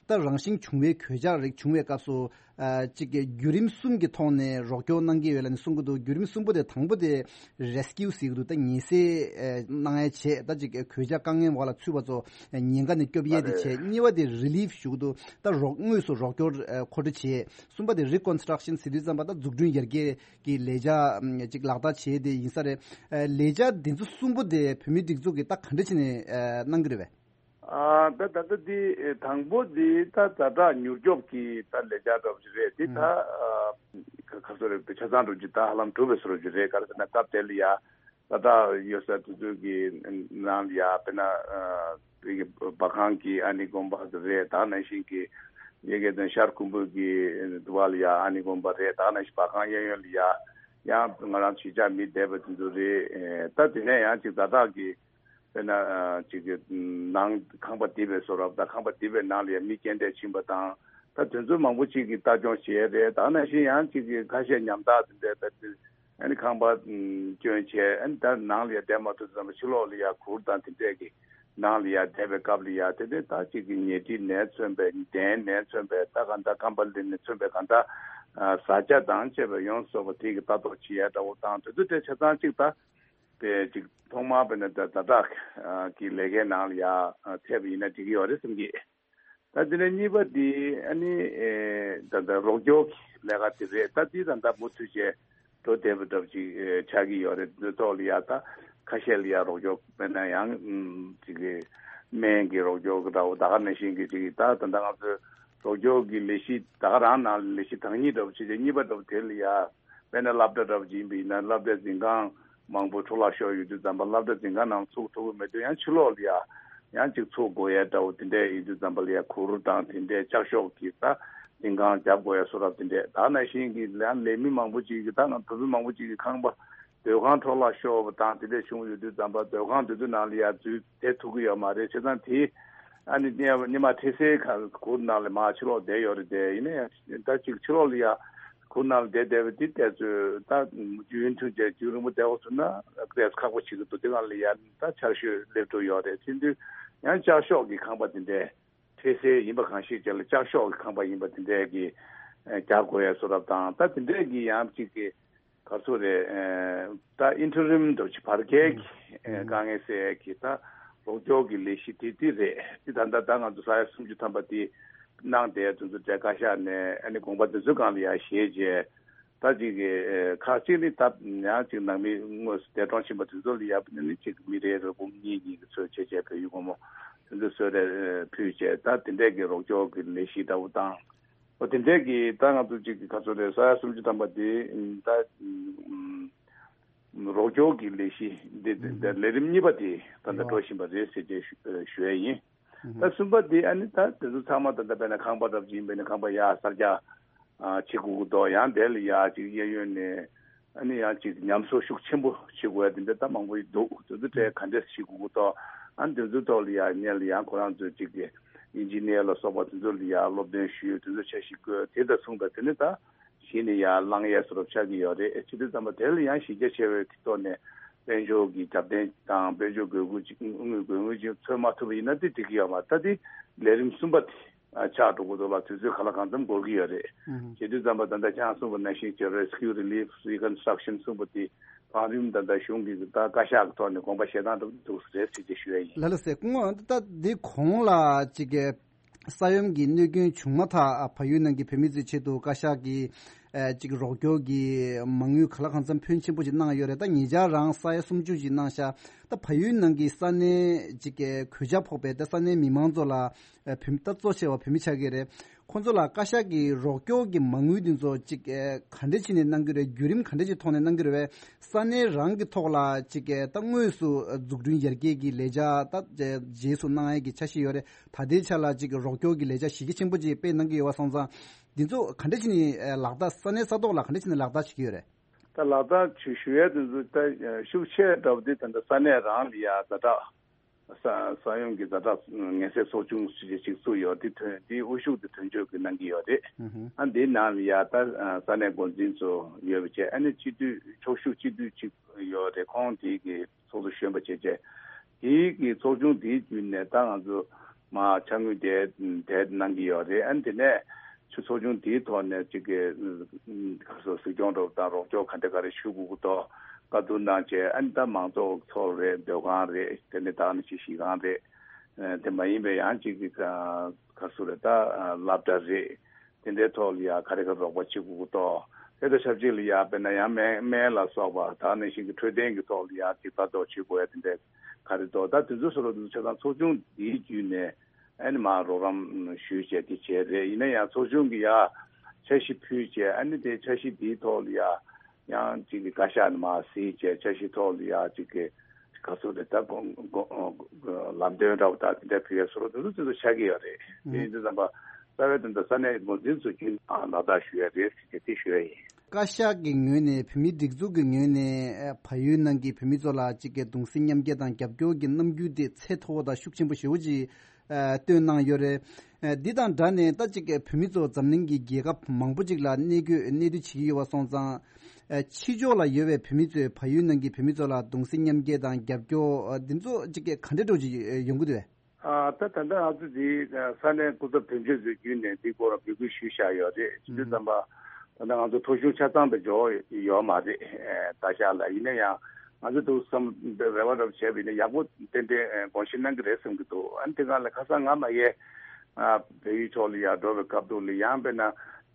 ད་རང་བཞིན་བྱུང་བའི་གོད་ཆག་རིགས་བྱུང་བའི་སྐབས་སུ། ཨ། གཅིག་གི་བརྒྱུད་རིམ་གསུམ་གྱི་ཐོག་ནས་རོགས་སྐྱོར་གནང་གི་ཡོད་ལབ་ནས་གསུང་གི་འདུག་བརྒྱུད་རིམ་གསུམ་པོ་དེ་དང་པོ་དེ་རེ་སི་ཀིའུ་ཟེར་གི་འདུག་ད་ཉེན་སེལ་ཨ་གནང་ཡས་བྱས། ད་གཅིག་གི་གོད་ཆག་དཀའ་ངལ་འོག་ལ་ཚུད་པ་ཚོ་ཉེན་ཁ་ནས་སྐྱོབ་ཡས་དེ་བྱས། གཉིས་པ་དེ་རི་ལིབ་ཞུ་གི་འདུག་ད་རོགས་དངོས་སུ་རོགས་སྐྱོར་ཨ་མཁོ་སྤྲོད་བྱས། གསུམ་པ་དེ་རི་ཀོན་སི་ཊྲག་ཤན་ཟེར་དུས་ཙམ་པ་ད་འཛུགས་སྐྲུན་ཡར་རྒྱས་ཀྱི་ལས་འཆར་ཅིག་ལག་བསྟར་བྱས་དེ་ཡིན་ས་རེད། ཨ། ལས་འཆར་འདི་ཚོ་གསུམ་པོ་དེ་བོད་མིའི་སྒྲིག་འཛུགས་ཀྱིས་ད་ག་འདྲ་བྱས་ནས་ཨ་གནང་གི་རེད་པས། ཨ། ད་ད་ལྟ་འདི་དང་པོ་འདི་ད་ཛ་དྲག་མྱུར་སྐྱོབ་ཀྱི་ད་ལས་འཆར་འདྲ་པོ་ཅིག་རེད། འདི་ད་ཨ་ག་ཚོད་རེད། ཆ་ཚང་འདྲ་པོ་ཅིག་ད་ཧ་ལམ་གྲུབ་པའི་བཟོ་འདྲ་ཅིག་རེད། ག་རེ་ཟེར་ན་སྐབས་དེ་ལ་ཡ་ཛ་དྲག་ཡོད་ས་དེ་ཚོ་གི་ནང་ལ་ཡ་དཔེར་ན་ཨ་བོད་ཀྱི་བ་གང་གི་ཨ་ནི་དགོན་པ་དེ་རེད། ད་ག་ནང་བཞིན་གྱི་ཡ་གི་དེ་ཤར་ཁུམ་བུ་གི་དུ་བ་ལ་ཡ་ཨ་ནི་དགོན་པ་རེད། ད་ག་ནང་བཞིན་བ་གང་གཡས་གཡོན་ལ་ཡ་ཡང་ང་རང་གཞིས་ཆགས་མི་བསྡད་པ་དེ་ཚོ་རེད། ད་དེ་ནས་ཡང་ཅིག་ཛ་དྲག་གི་དཔེར་ན་ཅིག་གི་ནང་ཁང་པ་རྡིབ་པའི་བཟོ་འདྲ། ད་ཁང་པ་རྡིབ་པའི་ནང་ལ་ཡང་མི་རྐྱེན་འདས་ཕྱིན་པ་དང་། ད་དེ་ཚོ་མང་པོ་ཅིག་གིས་ལྟ་སྐྱོང་བྱས་རེད། ད་ག་ནང་བཞིན་ཡང་ཅིག་གི་ཁ་ཤས་ཉམ་ཐག་དེ་འདྲས་ད་དེ་ཨ་ནི་ཁང་པ་སྐྱོན་བྱས། ཨ་ནི་ད་ནང་ལ་ཡང་བསྡད་མ་ཐུབ་ཙམ་པ་ཕྱི་ལོགས་ལ་ཡང་གུར་དང་དེ་འདྲས་ཀྱི་ནང་ལ་ཡང་བསྡད་པའི་སྐབས་ལ་ཡང་དེ་འདྲས་ད་ཅིག་གི་ཉལ་ཁྲི་ནས་མཚོན་པའི་གདན་ནས་མཚོན་པའི་ད་ག་འདྲ་ཁང་པ་ལས་ནས་མཚོན་པའི་ག་འདྲ་བཟའ་བཅའ་དང་བཅས་པའི་ཡོངས་སུ་རྫོགས་པ་དེ་གི་ལྟ་རྟོག་བྱེད་ཡ་འདྲ་བོ་དང་དེ་ཚོ་དེ་ཆ་ཚང་གཅིག་ད། དེ་གཅིག་ཐོག་མར་དཔེར་ན་ཛ་ཛ་དྲག་གི་ལས་ཀའི་ནང་ལ་ཡ་ཕེབས་པ་ཡིན་ན་འགྲིག་གི་ཡོད་རེད་བསམ་གི། ད་དེ་ནས་གཉིས་པ་འདི་ཨ་ནི་ད་ལྟ་རོགས་སྐྱོར་གྱི་ལས་ཀ་དེ་རེད། ད་འདི་ད་ལྟ་མུ་མཐུད་བྱས་འགྲོ་བསྡད་པ་འདྲ་པོ་ཅིག་ཆགས་ཀྱི་ཡོད་རེད། འདི་ཐོག་ལ་ཡ་ད་ཁ་ཤས་ལ་ཡ་རོགས་སྐྱོར་དཔེར་ན་ཡང་ཅིག་གི་སྨན་གྱི་རོགས་སྐྱོར་འདྲ་བོ། ད་ག་ནང་བཞིན་གྱི་ཅིག་ད་ད་ལྟ་ང་ཚོའི་རོགས་སྐྱོར་གྱི་ལས་གཞི་ད་ག་རང་ནང་ལས་གཞི་དང་ཉིད་འདྲ་པོ་བྱས་ཏེ་གཉིས་པ་འདྲ་པོ་དེ་ལ་ཡ་དཔེར་ན་སློབ་གྲྭ་འདྲ་པོ་ཅིག་ཡིན་པ་ཡིན་ན་སློབ་གྲྭའི་འཛིན་ཁང་མང་པོ་འཕྲོ་བརླག་ཤོར་ཡོད་དུས་ཙམ་པ་སློབ་གྲྭ་འཛིན་ཁང་ནང་ཚུགས་ཐུབ་ཀྱི་མེད་དུས་ཡང་ཕྱི་ལོགས་ལ་ཡ་ཡང་ཅིག་ཚུགས་དགོས་ཡ་འདྲ་པོ་དེ་འདྲས་ཡིན་དུས་ཙམ་པ་ལ་ཡ་གུར་དང་དེ་འདྲས་ལྕགས་ཤོག་གི་ད་འཛིན་ཁང་རྒྱབ་དགོས་ཡ་བཟོ་འདྲ་པོ་དེ་འདྲས། ད་ག་ནང་བཞིན་གྱི་ཡང་ལས་མི་མང་པོ་ཅིག་གི་ད་ང་བོད་མི་མང་པོ་ཅིག་གི་ཁང་པ་སྡོད་ཁང་འཕྲོ་བརླག་ཤོར་བ་དང་དེ་འདྲས་བྱུང་ཡོད་དུས་ཙམ་པ་སྡོད་ཁང་དེ་ཚོའི་ནང་ལ་ཡ་འཛུལ་བསྡད་ཐུབ་ཀྱི་ཡོད་མ་རེད། བྱས་ཙང་དེ་ཨ་ནི་སྔོན་མ་འཕྲལ་སེལ་གུར་ནང་ལ་མར་ཕྱི་ལོགས་བསྡད་ཡོད་རེད་དེ། ཡིན་ན་ཡང་ད་ཅིག་ཕྱི་ལོགས་ལ་ཡ་གུར་ནང་ལ་བསྡད་བསྡད་པ་དེ་དེ་ཚོས་ད་རྒྱུན་མཐུད་བྱས་རྒྱུན་རིང་པོ་བསྡད་འོ་ཟེར་ན་ཏོག་ཙམ་ཁག་པོ་བྱེད་ཀྱི་འདུག་དེ་སྒང་ལ་ཡ་ད་ཆར་ཞོད་སླེབས་འགྲོ་ཡོད་རེད། དེ་དུས་ཡང་ལྕགས་ཤོག་གི་ཁང་པ་དེ་འདྲས་འཕྲལ་སེལ་ཡིན་པ་གང་ཞིག་བྱས་ལ་ལྕགས་ཤོག་གི་ཁང་པ་ཡིན་པ་དེ་འདྲས་ཀྱི་རྒྱག་དགོས་ཡ་བཟོ་འདྲ་དང་། ད་དེ་འདྲས་ཀྱི་ཡང་ཅིག་གི་ག་ཚོད་རེད། ད་ཨིན་ཊི་རིམ་འདྲ་ཅིག་བར་བརྒལ་གྱི་དཀའ་ངལ་སེལ་ཡས་ཀྱི་ད་རོགས་སྐྱོར་གྱི་ལས་གཞི་དེ་དེ་རེད། དེ་ད་ལྟ་ད་ང་ཚོ་ས་ཡ་སུམ་ཅུ་ཐམ་པ་དེ་གནང་བསྡད་དེ་ཚོ་གྲས་བཀའ་ཤག་ནས་ཨ་ནི་དགོངས་པ་དེ་ཚོའི་སྒང་ལ་ཡ་བཞེས་བྱས། ད་ཅིག་གི་ཁག་ཅིག་ནི་ད་ཡང་ཅིག་ནང་མི་དངོས་སུ་འདས་གྲོངས་ཕྱིན་པ་དེ་ཚོ་ལ་ཡ་ནི་ཅིག་མི་རེ་རེ་འབུམ་གཉིས་གཉིས་ཀྱི་ཚོད་བྱས་བྱས་བོད་ཡིག་སྒོར་མོ་དེ་ཚོ་གསོལ་རས་ཕུལ་བྱས། ད་དེ་འདྲས་ཀྱི་རོགས་སྐྱོར་གྱི་ལས་གཞི་འདྲ་བོ་དང་། འོ་དེ་འདྲས་ཀྱི་ད་ང་ཚོ་གཅིག་གི་ག་ཚོད་རེད། ས་ཡ་སུམ་ཅུ་ཐམ་པ་དེ་ད་རོགས་སྐྱོར་གྱི་ལས་གཞི་འདི་འདི་ལས་རིམ་གཉིས་པ་དེ་ད་ལྟ་འགྲོ་བཞིན་པ་རེད་ཟེར་བྱས་ཞུ་ཞུ་ཡས་ཡིན། ད་གསུམ་པ་དེ་ཨ་ནི་ད་དེ་ཚོ་ཚང་མ་ད་ལྟ་དཔེར་ན་ཁང་པ་འདྲ་པོ་ཅིག་ཡིན་པས་ན་ཁང་པ་ཡར་གསར་རྒྱག་ བྱེད་དགོས་ཀྱི་འདུག་ཡང་དེ་ལ་ཡ་ཅིག་གཡས་གཡོན་ནས་ཨ་ནི་ཡང་ཅིག་ཉམས་གསོ་ཤུགས་ཆེན་པོ་བྱེད་དགོས་ཡ་དེ་འདྲ་ད་མང་པོ་ཡི་འདུག་དེ་ཚོ་གྲས་ག་འདྲས་བྱེད་དགོས་ཀྱི་འདུག་ཨ་ནི་དེ་ཚོའི་ཐོག་ལ་ཡ་ཉེ་ལ་ཡང་ཁོ་རང་ཚོས་ཅིག་གི་ཨིན་ཇི་ནི་ཡར་ལ་སོགས་པ་དེ་ཚོ་ལ་ཡ་སློབ་སྟོན་ཞུས། དེ་ཚོ་འཆར་གཞི་བཀོད། དེ་དང་མཚུངས་པ་དེ་ནི་ད་གཞི་ནས་ཡར་བསླང་ཡས་བཟོ་འདྲ་ཆགས་ཀྱི་ཡོད་རེད། བྱེད་དུས་ཙམ་པ་དེ་ལ་ཡང་གཞི་རྒྱ་ཆེ་བའི་ཐོག་ནས་དཔལ་འབྱོར་གྱི་རྒྱབ་རྟེན་དང་དཔལ་འབྱོར་དགོས་མཁོ་ཅིག་དངུལ་དགོས་དངུལ་ཅིག་འཚོལ་མ་ཐུབ་པ་ཡིན་ན་དེ་འགྲིག་གི་ཡོད་མ་རེད། ད་དེ་ལས་རིམ་གསུམ་པ་དེ་ཆགས་འགྲོ་གི་འདུག་ལ། དུས་ཚོད་ག་ལ་གང་འཚམ་འགོར་གྱི་ཡོད་རེད། བྱེད་དུས་ཙམ་པ་ད་ལྟ་ཁྱེད་རང་གསུངས་པ་ནང་བཞིན་གྱི་Rescue Relief Reconstruction གསུངས་པ་དེ་བང་རིམ་ད་ལྟ་གཞུང་གིས་ད་བཀའ་ཤག་གི་ཐོག་ནས་དགོངས་པ་བཞེས་སྟངས་འགྲོ་གི་འདུག་རེད་ཟེར་ཅེས་ཞུ་ཡ་ཡིན། ལ་ལ་སེ་སྐུ་ངོ་ད་འདི་གོང་ལ་ཅིག་གི་ས་ཡོམ་གྱི་གནོད་སྐྱོན་བྱུང་མ་ཐག་བལ་ཡུལ་ནང་གི་བོད་མི་ཚོའི་ཆེད་དུ་བཀའ་ཤག་གིས་ཨ་ཅིག་རོགས་སྐྱོར་གྱི་མ་དངུལ་ག་ལ་གང་འཚམ་ཕོན་ཆེན་པོ་ཞིག་གནང་ཡོད་རེད། ད་ཉེ་ཆར་རང་ས་ཡ་སུམ་ཅུ་ཞིག་གནང་ཤག་ད་བལ་ཡུལ་ནང་གི་ས་གནས་ཅིག་གི་གོད་ཆག་ཕོག་པའི་ད་ས་གནས་མི་མང་ཚོ་ལ་ཨ་བོད་མི་ད་གཙོ་ཆེ་བ་བོད་མི་ཆགས་ཀྱི་རེད། ཁོང་ཚོ་ལ་བཀའ་ཤག་གིས་རོགས་སྐྱོར་གྱི་མ་དངུལ་འདི་ཚོ་ཅིག་ཨ་ག་འདྲ་བྱས་ནས་གནང་གི་རེད། བརྒྱུད་རིམ་ག་འདྲ་ཅིག་ཐོག་ནས་གནང་གི་རེད་བས། ས་གནས་རང་གི་ཐོག་ལ་ཅིག་ཨ་ད་དངོས་སུ་འཛུགས་སྐྲུན་ཡར་རྒྱས་ཀྱི་ལས་འཆར་ད་རྗེས་སུ་གནང་ཡས་ཀྱི་འཆར་གཞི་ཡོད་རེད། ད་ལྟའི་ཆ་ལ་ཅིག་རོགས་སྐྱོར་གྱི་ལས་འཆར་གཞི་རྒྱ་ཆེན་པོ་ཅིག་སྤེལ་གནང་གི་ཡོད་པ་སོང་ཙང་། འདི་ཚོ་ག་འདྲ་བྱས་ནས་ཨ་ལག་བསྟར་ས་གནས་ས་ཐོག་ལ་ག་འདྲ་བྱས་ནས་ལག་བསྟར་བྱེད་ཀྱི་ཡོད་རེད། ད་ལག་བསྟར་ཞུ་ཞུ་ཡས་དེ་ཚོ་ད་ཤུགས་ཆེ་འདྲ་བོ་དེ་ད་ལྟ་ས་གནས་རང་ལ་ཡ་ཛ་དྲག་ས་ས་ཡོམ་གྱི་ཛ་དྲག་ངལ་སེལ་ཚོགས་ཆུང་ཞིག་ཅིག་བཙུགས་ཡོད། དེ་ཐོན་དེའི་དབུ་བཞུགས་དེ་དོན་གཅོད་ཀྱིས་གནང་གི་ཡོད་རེད། ཨུ་ཧུ། ཨ་འདིའི་ནང་ལ་ཡ་ད་ས་གནས་འགོ་འཛིན་ཚོ་ཡོད་པ་བྱས། ཨ་ནི་སྤྱི་འཐུས་ཕྱོགས་བཞུགས་སྤྱི་འཐུས་གཅིག་ཡོད་རེད། ཁོང་དེ་གི་ཚོགས་གཙོ་གཞོན་པ་བྱས་བྱས། དེའི་གི་ཚོགས་ཆུང་དེའི་བརྒྱུད་ནས་ད་ང་ཚོ་མ་ཕྱག་དངུལ་དེ་དེ་གནང་གི་ཡོད་རེད། ཨ་ནི་དེ་ནས་ཆུ་ཚོགས་ཆུང་དེའི་ཐོག་ནས་ཅིག་གི་ཁ་སོ་གཟིགས་སྐྱོང་འགྲོ་དང་རོགས་སྐྱོར་ག་འདྲ་ག་རེ་ཞུ་དགོས་ཀྱི་འདུག་བཀའ་བསྡུར་གནང་བྱས། ཨ་ནི་ད་མང་ཚོགས་ཚོགས་རེད། སྡོད་ཁང་རེད། དེ་ནས་ད་ནི་ཅིག་གཞིས་ཁང་རེད། དེ་མ་ཡིན་པའི་ཡང་ཅིག་གི་ཁ་སོ་རེད། ད་སློབ་གྲྭ་རེད། དེ་འདྲའི་ཐོག་ལ་ཡ་ག་རེ་ག་རོགས་པ་བྱེད་དགོས་ཀྱི་འདུག་དེ་དང་ཆབས་ཅིག་ལ་ཡ་དཔེར་ན་ཡང་སྨན་སྨན་ལ་སོགས་པ་ད་ནང་བཞིན་གྱི་འཕྲོད་བསྟེན་གྱི་ཐོག་ལ་ཡ་ཅིག་ལྟ་རྟོག་བྱེད་དགོས་ཡ་དེ་འདྲའི་ག་རེ་འདུག་ད་དེ་ཚོ་སོགས་ལ་དེ་ཚོ་ཆ་ཚང་ཚོགས་ཆུང་འདིའི་བརྒྱུད་ནས་ཨ་ནི་མར་རོགས་རམ་ཞུས་བྱས་དེ་བྱས་རེད། ཡིན་ན་ཡང་ཚོགས་ཆུང་གི་ཡ་འཆར་གཞི་ཕུལ་བྱས། ཨ་ནི་དེ་འཆར་གཞི་འདིའི་ཐོག་ལ་ཡ་ཡང་ཅིག་གི་བཀའ་ཤག་ནས་མར་གཟིགས་བྱས། འཆར་གཞི་ཐོག་ལ་ཡ་ཅིག་གི་ག་ཚོད་རེད། ད་དགོངས་དགོངས་ལམ་སྟོན་འདྲ་བོ་དང་དེ་འདྲ་ཕུལ་ཡ་བཟོ་འདྲ་དེ་ཚོ་དེ་ཚོ་ཆགས་ཀྱི་ཡོད་རེད། དེ་ཡིན་དུས་ཙམ་པ་རྩ་བའི་དོན་དུ་ས་གནས་འགོ་འཛིན་ཚོ་རྒྱུན་ལག་བསྟར་ཞུ་ཡ་རེད་ཟེར་གྱི་དེ་ཞུ་ཡ་ཡིན། བཀའ་ཤག་གི་ངོས་ནས་བོད་མིའི་སྒྲིག་འཛུགས་ཀྱི་ངོས་ནས་ཨ་བལ་ཡུལ་ནང་གི་བོད་མི་ཚོ་ལ་གཅིག་གི་གདུང་སེམས་མཉམ་སྐྱེད་དང་རྒྱབ་སྐྱོར་གྱི་རྣམ་འགྱུར་དེ་ཚད་མཐོ་བོ་དང་ཤུགས་ཆེན་པོ་ཞེ་པོ་ཅིག་ཨ་སྟོན་གནང་ཡོད་རེད། ཨ་འདི་དང་སྦྲགས་ནས་ད་གཅིག་གི་བོད་མི་ཚོ་འཛམ་གླིང་གི་རྒྱལ་ཁབ་མང་པོ་ཅིག་ལ་གནས་སྐོས་གནས་སྡོད་བྱེད་ཀྱི་ཡོད་པ་སོང་ཙང་། ཨ་ཕྱི་ཕྱོགས་ལ་ཡོད་པའི་བོད་མི་ཚོས་བལ་ཡུལ་ནང་གི་བོད་མི་ཚོ་ལ་གདུང་སེམས་མཉམ་སྐྱེད་དང་རྒྱབ་སྐྱོར་ཨ་འདི་ཚོ་གཅིག་གི་ག་འདྲ་འདྲ་ཅིག་ཡོང་གི་འདུག་གས། ཨ་ད་ད་ལྟ་ང་ཚོ་འདི་ས་གནས་སྐུ་ཚབ་དོན་གཅོད་ཚོའི་བརྒྱུད་ནས་འདི་སྐོར་ལ་འབོད་སྐུལ་ཞུས་བཞག་ཡོད་རེད། བྱེད་དུས་ཙམ་པ་ད་ལྟ་ང་ཚོ་ཐོ་གཞུང་ཆ་ཚང་དུ་འབྱོར་ཡོད་མ་རེད། ད་ཤག་ལ་ཡིན་ན་ཡང་ང་ཚོ་འདུག་བསམ་རེ་བ་རབ་བྱས་པ་ཡིན་ན་ཡག་པོ་ཏན་ཏན་དགོངས་བཞེས་གནང་གི་རེད་བསམ་གྱི་འདུག་ཨ་ནི་དེ་སྒང་ལ་ཁ་སང་ང་མ་ཡེ་བལ་ཡུལ་ཕྱོགས་ལ་ཡར་འགྲོ་བའི་སྐབས་དུས་ལ་ཡང་དཔེར་ན་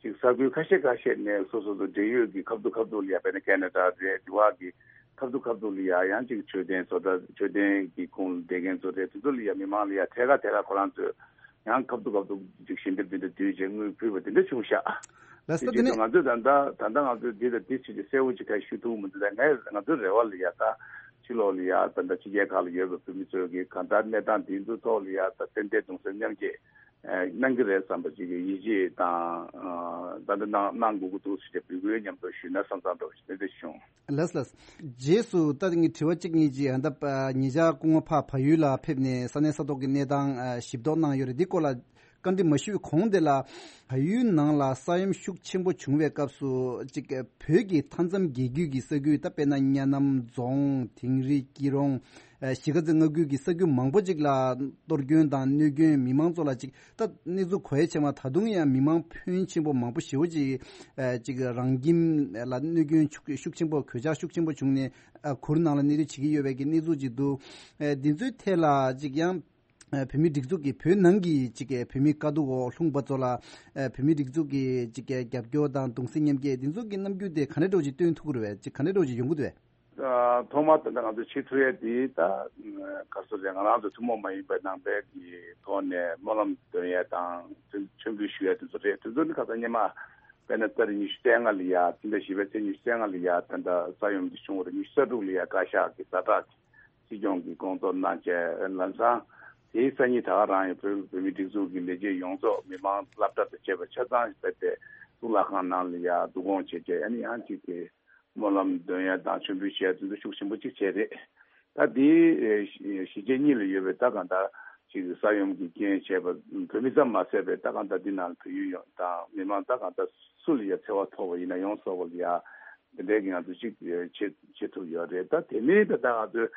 ཅིག་ས་ཁུལ་ཁ་ཤས་ཁ་ཤས་ནས་སོ་སོ་སོ་འབྲེལ་ཡོད་ཀྱི་ཁ་ཐུག་ཁ་ཐུག་ལ་ཡ་དཔེར་ན་ཁེ་ན་ཌ་རེད། དེ་བ་གི་ཁ་ཐུག་ཁ་ཐུག་ལ་ཡ་ཡང་ཅིག་མཆོད་རྟེན་བཟོ་གྲྭ་མཆོད་རྟེན་གྱི་ཁོངས་ལ་བསྡད་མཁན་ཚོ་རེད། དེ་ཚོ་ལ་ཡ་མི་མང་ལ་ཡ་ཐད་ཀ་ཐད་ཀ་ཁོ་རང་ཚོས་ཡང་ཁ་ཐུག་ཁ་ཐུག་ཅིག་ཞལ་འདེབས་དེ་འདྲ་བསྡུས་བྱས་དངུལ་ཕུལ་བ་དེ་འདྲ་བྱུང་ཤག་ལགས་སོ། དེ་དེ་ནི་ནས་ང་ཚོས་ད་ལྟ་ད་ལྟ་ང་ཚོས་འདི་དང་འདི་བྱེད་ཀྱི་གསལ་བོ་ཅིག་ག་ཞུ་ཐུབ་མི་འདུག་ད་ངས་ང་ཚོའི་རེ་བ་ལ་ཡ་ད་ཕྱི་ལོགས་ལ་ཡ་ད་ལྟ་ཕྱི་རྒྱལ་ཁག་ལ་ཡོད་པའི་བོད་མི་ཚོས་ཀྱི་གང་ལྟར་གནས་སྟངས་འདི་ཚོ་ཐོག་ལ་ཡ་ད་ཏན་ཏན་གདུང་སེམས་མཉམ་སྐྱེད་གནང་གི་རེད་བསམ་པ་ཅིག་གི་ཡིད་ཆེས་དང་ད་ལྟ་གནང་གནང་དགོས་ཀྱི་འདུག་ཟེར་ཏེ་འབོད་སྐུལ་མཉམ་དུ་ཞུས་ན་བསམ་བསམ་འདྲ་བོ་ཞིག་དེ་འདྲ་བྱུང་། ལགས་ལགས། རྗེས་སུ་ད་ངས་དྲི་བ་གཅིག་གཉིས་ཅིག་ཨ་ད་ཉེ་ཆར་སྐུ་ངོ་ཕར་བལ་ཡུལ་ལ་ཕེབས་ནས་ས་གནས་ས་ཐོག་གི་གནས་སྟངས་ཞིབ་རྟོག་གནང་ཡོད་རེད། འདི་སྐོར་ལ་བཀའ་འདྲི་མ་ཞུས་གོང་དེ་ལ་བལ་ཡུལ་ནང་ལ་ས་ཡོམ་ཤུགས་ཆེན་པོ་བྱུང་བའི་སྐབས་སུ་ཅིག་བོད་ཀྱི་མཐའ་མཚམས་རྒྱལ་རྒྱུད་ཀྱི་ས་ཁུལ་ད་དཔེར་ན་གཉའ་ནམ་རྫོང་དིང་རི་སྐྱིད་རོང་། གཞིས་ཀ་རྩེ་མངའ་ཁུལ་གྱི་ས་ཁུལ་མང་པོ་ཅིག་ལ་གཏོར་སྐྱོན་དང་གནོད་སྐྱོན་མི་མང་ཚོ་ལ་ཅིག་ད་གནས་ཚུལ་གོ་ཡ་ཆེ་མ་ད་དུང་ཡང་མི་མང་ཕོན་ཆེན་པོ་མང་པོ་ཞེ་པོ་ཅིག་ཅིག་རང་ཁྱིམ་ལ་གནོད་སྐྱོན་ཤུགས་ཤུགས་ཆེན་པོ་གོད་ཆག་ཤུགས་ཆེན་པོ་བྱུང་ནས་གུར་ནང་ལ་གནས་སྡོད་བྱེད་ཀྱི་ཡོད་པའི་གི་གནས་ཚུལ་ཅིག་འདུག་འདི་ཚོའི་ཐད་ལ་ཅིག་ཡང་བོད་མིའི་སྒྲིག་འཛུགས་ཀྱི་བོད་ནང་གི་ཅིག་བོད་མིའི་དཀའ་སྡུག་འོག་ལྷུང་པ་ཚོ་ལ་བོད་མིའི་སྒྲིག་འཛུགས་ཀྱི་ཅིག་རྒྱབ་སྐྱོར་དང་གདུང་སེམས་མཉམ་སྐྱེད་འདི་ཚོ་གི་རྣམ་འགྱུར་དེ་ག་འདྲ་འདྲ་བོ་ཅིག་སྟོན་ཐུབ་ཀྱི་རེད་པས། ཅིག་ག་འདྲ་འདྲ་བོ་ཅིག་ཡོང་གི་འདུག་པས། ཐོག་མར་ད་ལྟ་ང་ཚོ་བྱེད་ཐུབ་ཡས་འདི་ད་ག་རེ་ཟེར་ང་རང་ཚོ་ཐུན་མོང་མ་ཡིན་པའི་ནང་པའི་གི་ཐོག་ནས་སྨོན་ལམ་འདོན་ཡས་དང་མཆོད་མཆོད་འབུལ་ཞུ་ཡས་དེ་ཚོ་རེད། དེ་ཚོ་ནི་ཁ་སང་སྔོན་མ་དཔེར་ན་ཏ་རིག་ཉི་ཤུ་རྩ་ལྔ་ལ་ཡ་ཕྱི་ཟླ་བཞི་པའི་ཚེས་ཉི་ཤུ་རྩ་ལྔ་ལ་ཡ་ད་ལྟ་ས་ཡོམ་འདི་བྱུང་བ་རེད། ཉི་ཤུ་རྩ་དྲུག་ལ་ཡ་བཀའ་ཤག་གི་ཛ་དྲག་སྲིད་སྐྱོང་གི་སྐོང་ཚོགས་གནང་བྱས་ལམ་སང་དེའི་སང་ཉིན་ད་ག་རང་ཡང་བོད་བོད་མིའི་སྒྲིག་འཛུགས་ཀྱི་ལས་བྱེད་ཡོངས་རྫོགས་མི་མང་སློབ་གྲྭ་དང་བཅས་པ་ཆ་ཚང་ཞིག་ཕེབས་ཏེ་ གཙུག་ལག་ཁང་ནང་ལ་ཡ་བསྡུ་སྐོང་བྱས་བྱས་ཨ་ནི་ཡང་ཅིག་གི་སྨོན་ལམ་འདོན་ཡ་དང་མཆོད་འབུལ་བྱས་དེ་ཚོ་ཤུགས་ཆེན་པོ་ཅིག་བྱས་རེད། ད་དེའི་གཞིས་བྱེས་གཉིས་ལ་ཡོད་པའི་ད་གང་ལྟར་ཅིག་ས་ཡོམ་གྱི་རྐྱེན་བྱས་པ་བོད་མི་ཙམ་མ་ཟད་པའི་ད་གང་ལྟར་འདི་ནང་བོད་ཡུལ་ཡོངས་དང་མི་མང་ད་གང་ལྟར་སུ་ལ་ཡ་འཚེ་བ་ཐོགས་པ་ཡིན་ན་ཡོངས་རྫོགས་པ་ལ་ཡ་དེ་འདྲའི་གི་ང་ཚོ་ཅིག་བྱེད་བྱེད་ཐུབ་ཡོད་རེད། ད་དེ་མིན་ད་ད་ང་ཚོའི་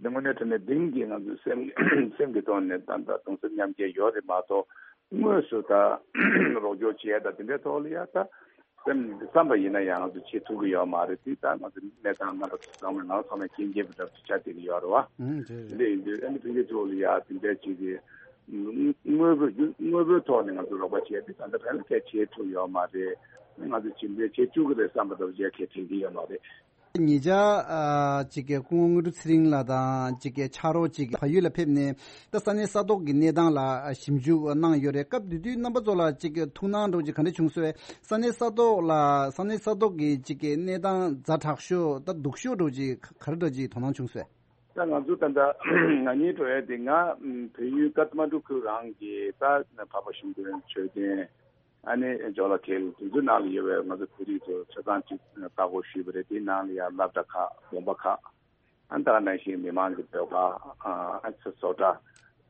དངོས་གནས་དྲང་གནས་གཏིང་གི་ང་ཚོའི་སེམས་སེམས་ཀྱི་ཐོག་ནས་ད་ད་གདུང་སེམས་མཉམ་སྐྱེད་ཡོད་རེད་མ་གཏོགས། དངོས་སུ་ད་རོགས་སྐྱོར་བྱས་ད་དེ་འདྲའི་ཐོག་ལ་ཡ་ད་སེམས་བསམ་པ་ཡིན་ན་ཡང་ང་ཚོ་བྱེད་ཐུབ་ཀྱི་ཡོད་མ་རེད། དེ་ད་ང་ཚོ་གནས་སྟངས་རྣམ་པ་ཚོ་ཚང་མ་ང་ཚང་མས་མཁྱེན་མཁྱེན་པ་འདྲ་པོ་ཆགས་བསྡད་ཀྱི་ཡོད་རེད་བ། ཨང་། དེ་རེད། དེ་འདྲ་ཡིན་དུས་ཨ་ནི་ཕན་ཆད་ཚོ་ལ་ཡ་དེ་འདྲ་ཅིག་གི་དངོས་པོ་དངོས་པོའི་ཐོག་ནས་ང་ཚོ་རོགས་པ་བྱས་ཏེ་ད་ལྟ་ཕན་ལ་གལ་ཆེ་ཐུབ་ཡོད་མ་རེད། ང་ཚོ་ཇི་འདྲའི་བྱེད་བཅུག་གི་རེད་བསམ་པ་འདྲ་པོ་ཅིག་གལ་དྲན་གྱི་ཡོད་མ་རེད། ཉེ་ཆར་ཨ་ཅིག་གི་སྐུ་ངོ་དངོས་གྲུབ་ཚེ་རིང་ལགས་དང་ཅིག་གི་ཕྱག་རོགས་ཅིག་བལ་ཡུལ་ལ་ཕེབས་ནས་ད་ས་གནས་ས་ཐོག་གི་གནས་སྟངས་ལ་ཞིབ་འཇུག་གནང་ཡོད་རེད། སྐབས་དེ་དུས་རྣམ་པ་ཚོ་ལ་ཅིག་གི་ཐུགས་སྣང་འདྲ་བོ་ཅིག་ག་འདྲ་བྱུང་སོང་། ས་གནས་ས་ཐོག་ལ་ས་གནས་ས་ཐོག་གི་ཅིག་གི་གནས་སྟངས་ཛ་དྲག་ཤོས་ད་སྡུག་ཤོས་འདྲ་བོ་ཅིག་ག་རེ་འདྲ་བོ་ཅིག་དོ་སྣང་བྱུང་སོང་། ད་ང་ཚོ་ད་ལྟ་ང་གཉིས་འགྲོ་ཡས་དེ་ང་བལ་ཡུལ་ཀ་ཐ་མན་གྲུ་ཁུལ་རང་གི་ད་འཕགས་པ་གཞུང་དོན་མཆོད་རྟེན། ཨ་ནི་ཇོ་ལ་ཁེལ་དེ་ཚོའི་ནང་ལ་ཡོད་པའི་ང་ཚོ་བོད་རིགས་ཚོ་ཆ་ཚང་གཅིག་ལྟ་སྐོར་ཞུས་པ་རེད། དེའི་ནང་ལ་ཡང་སློབ་གྲྭ་ཁག་དགོན་པ་ཁག་ཨ་ནི་ད་ག་ནང་བཞིན་མི་མང་གི་སྡོད་ཁང་ཨ་ནི་བཟོ་གྲྭ་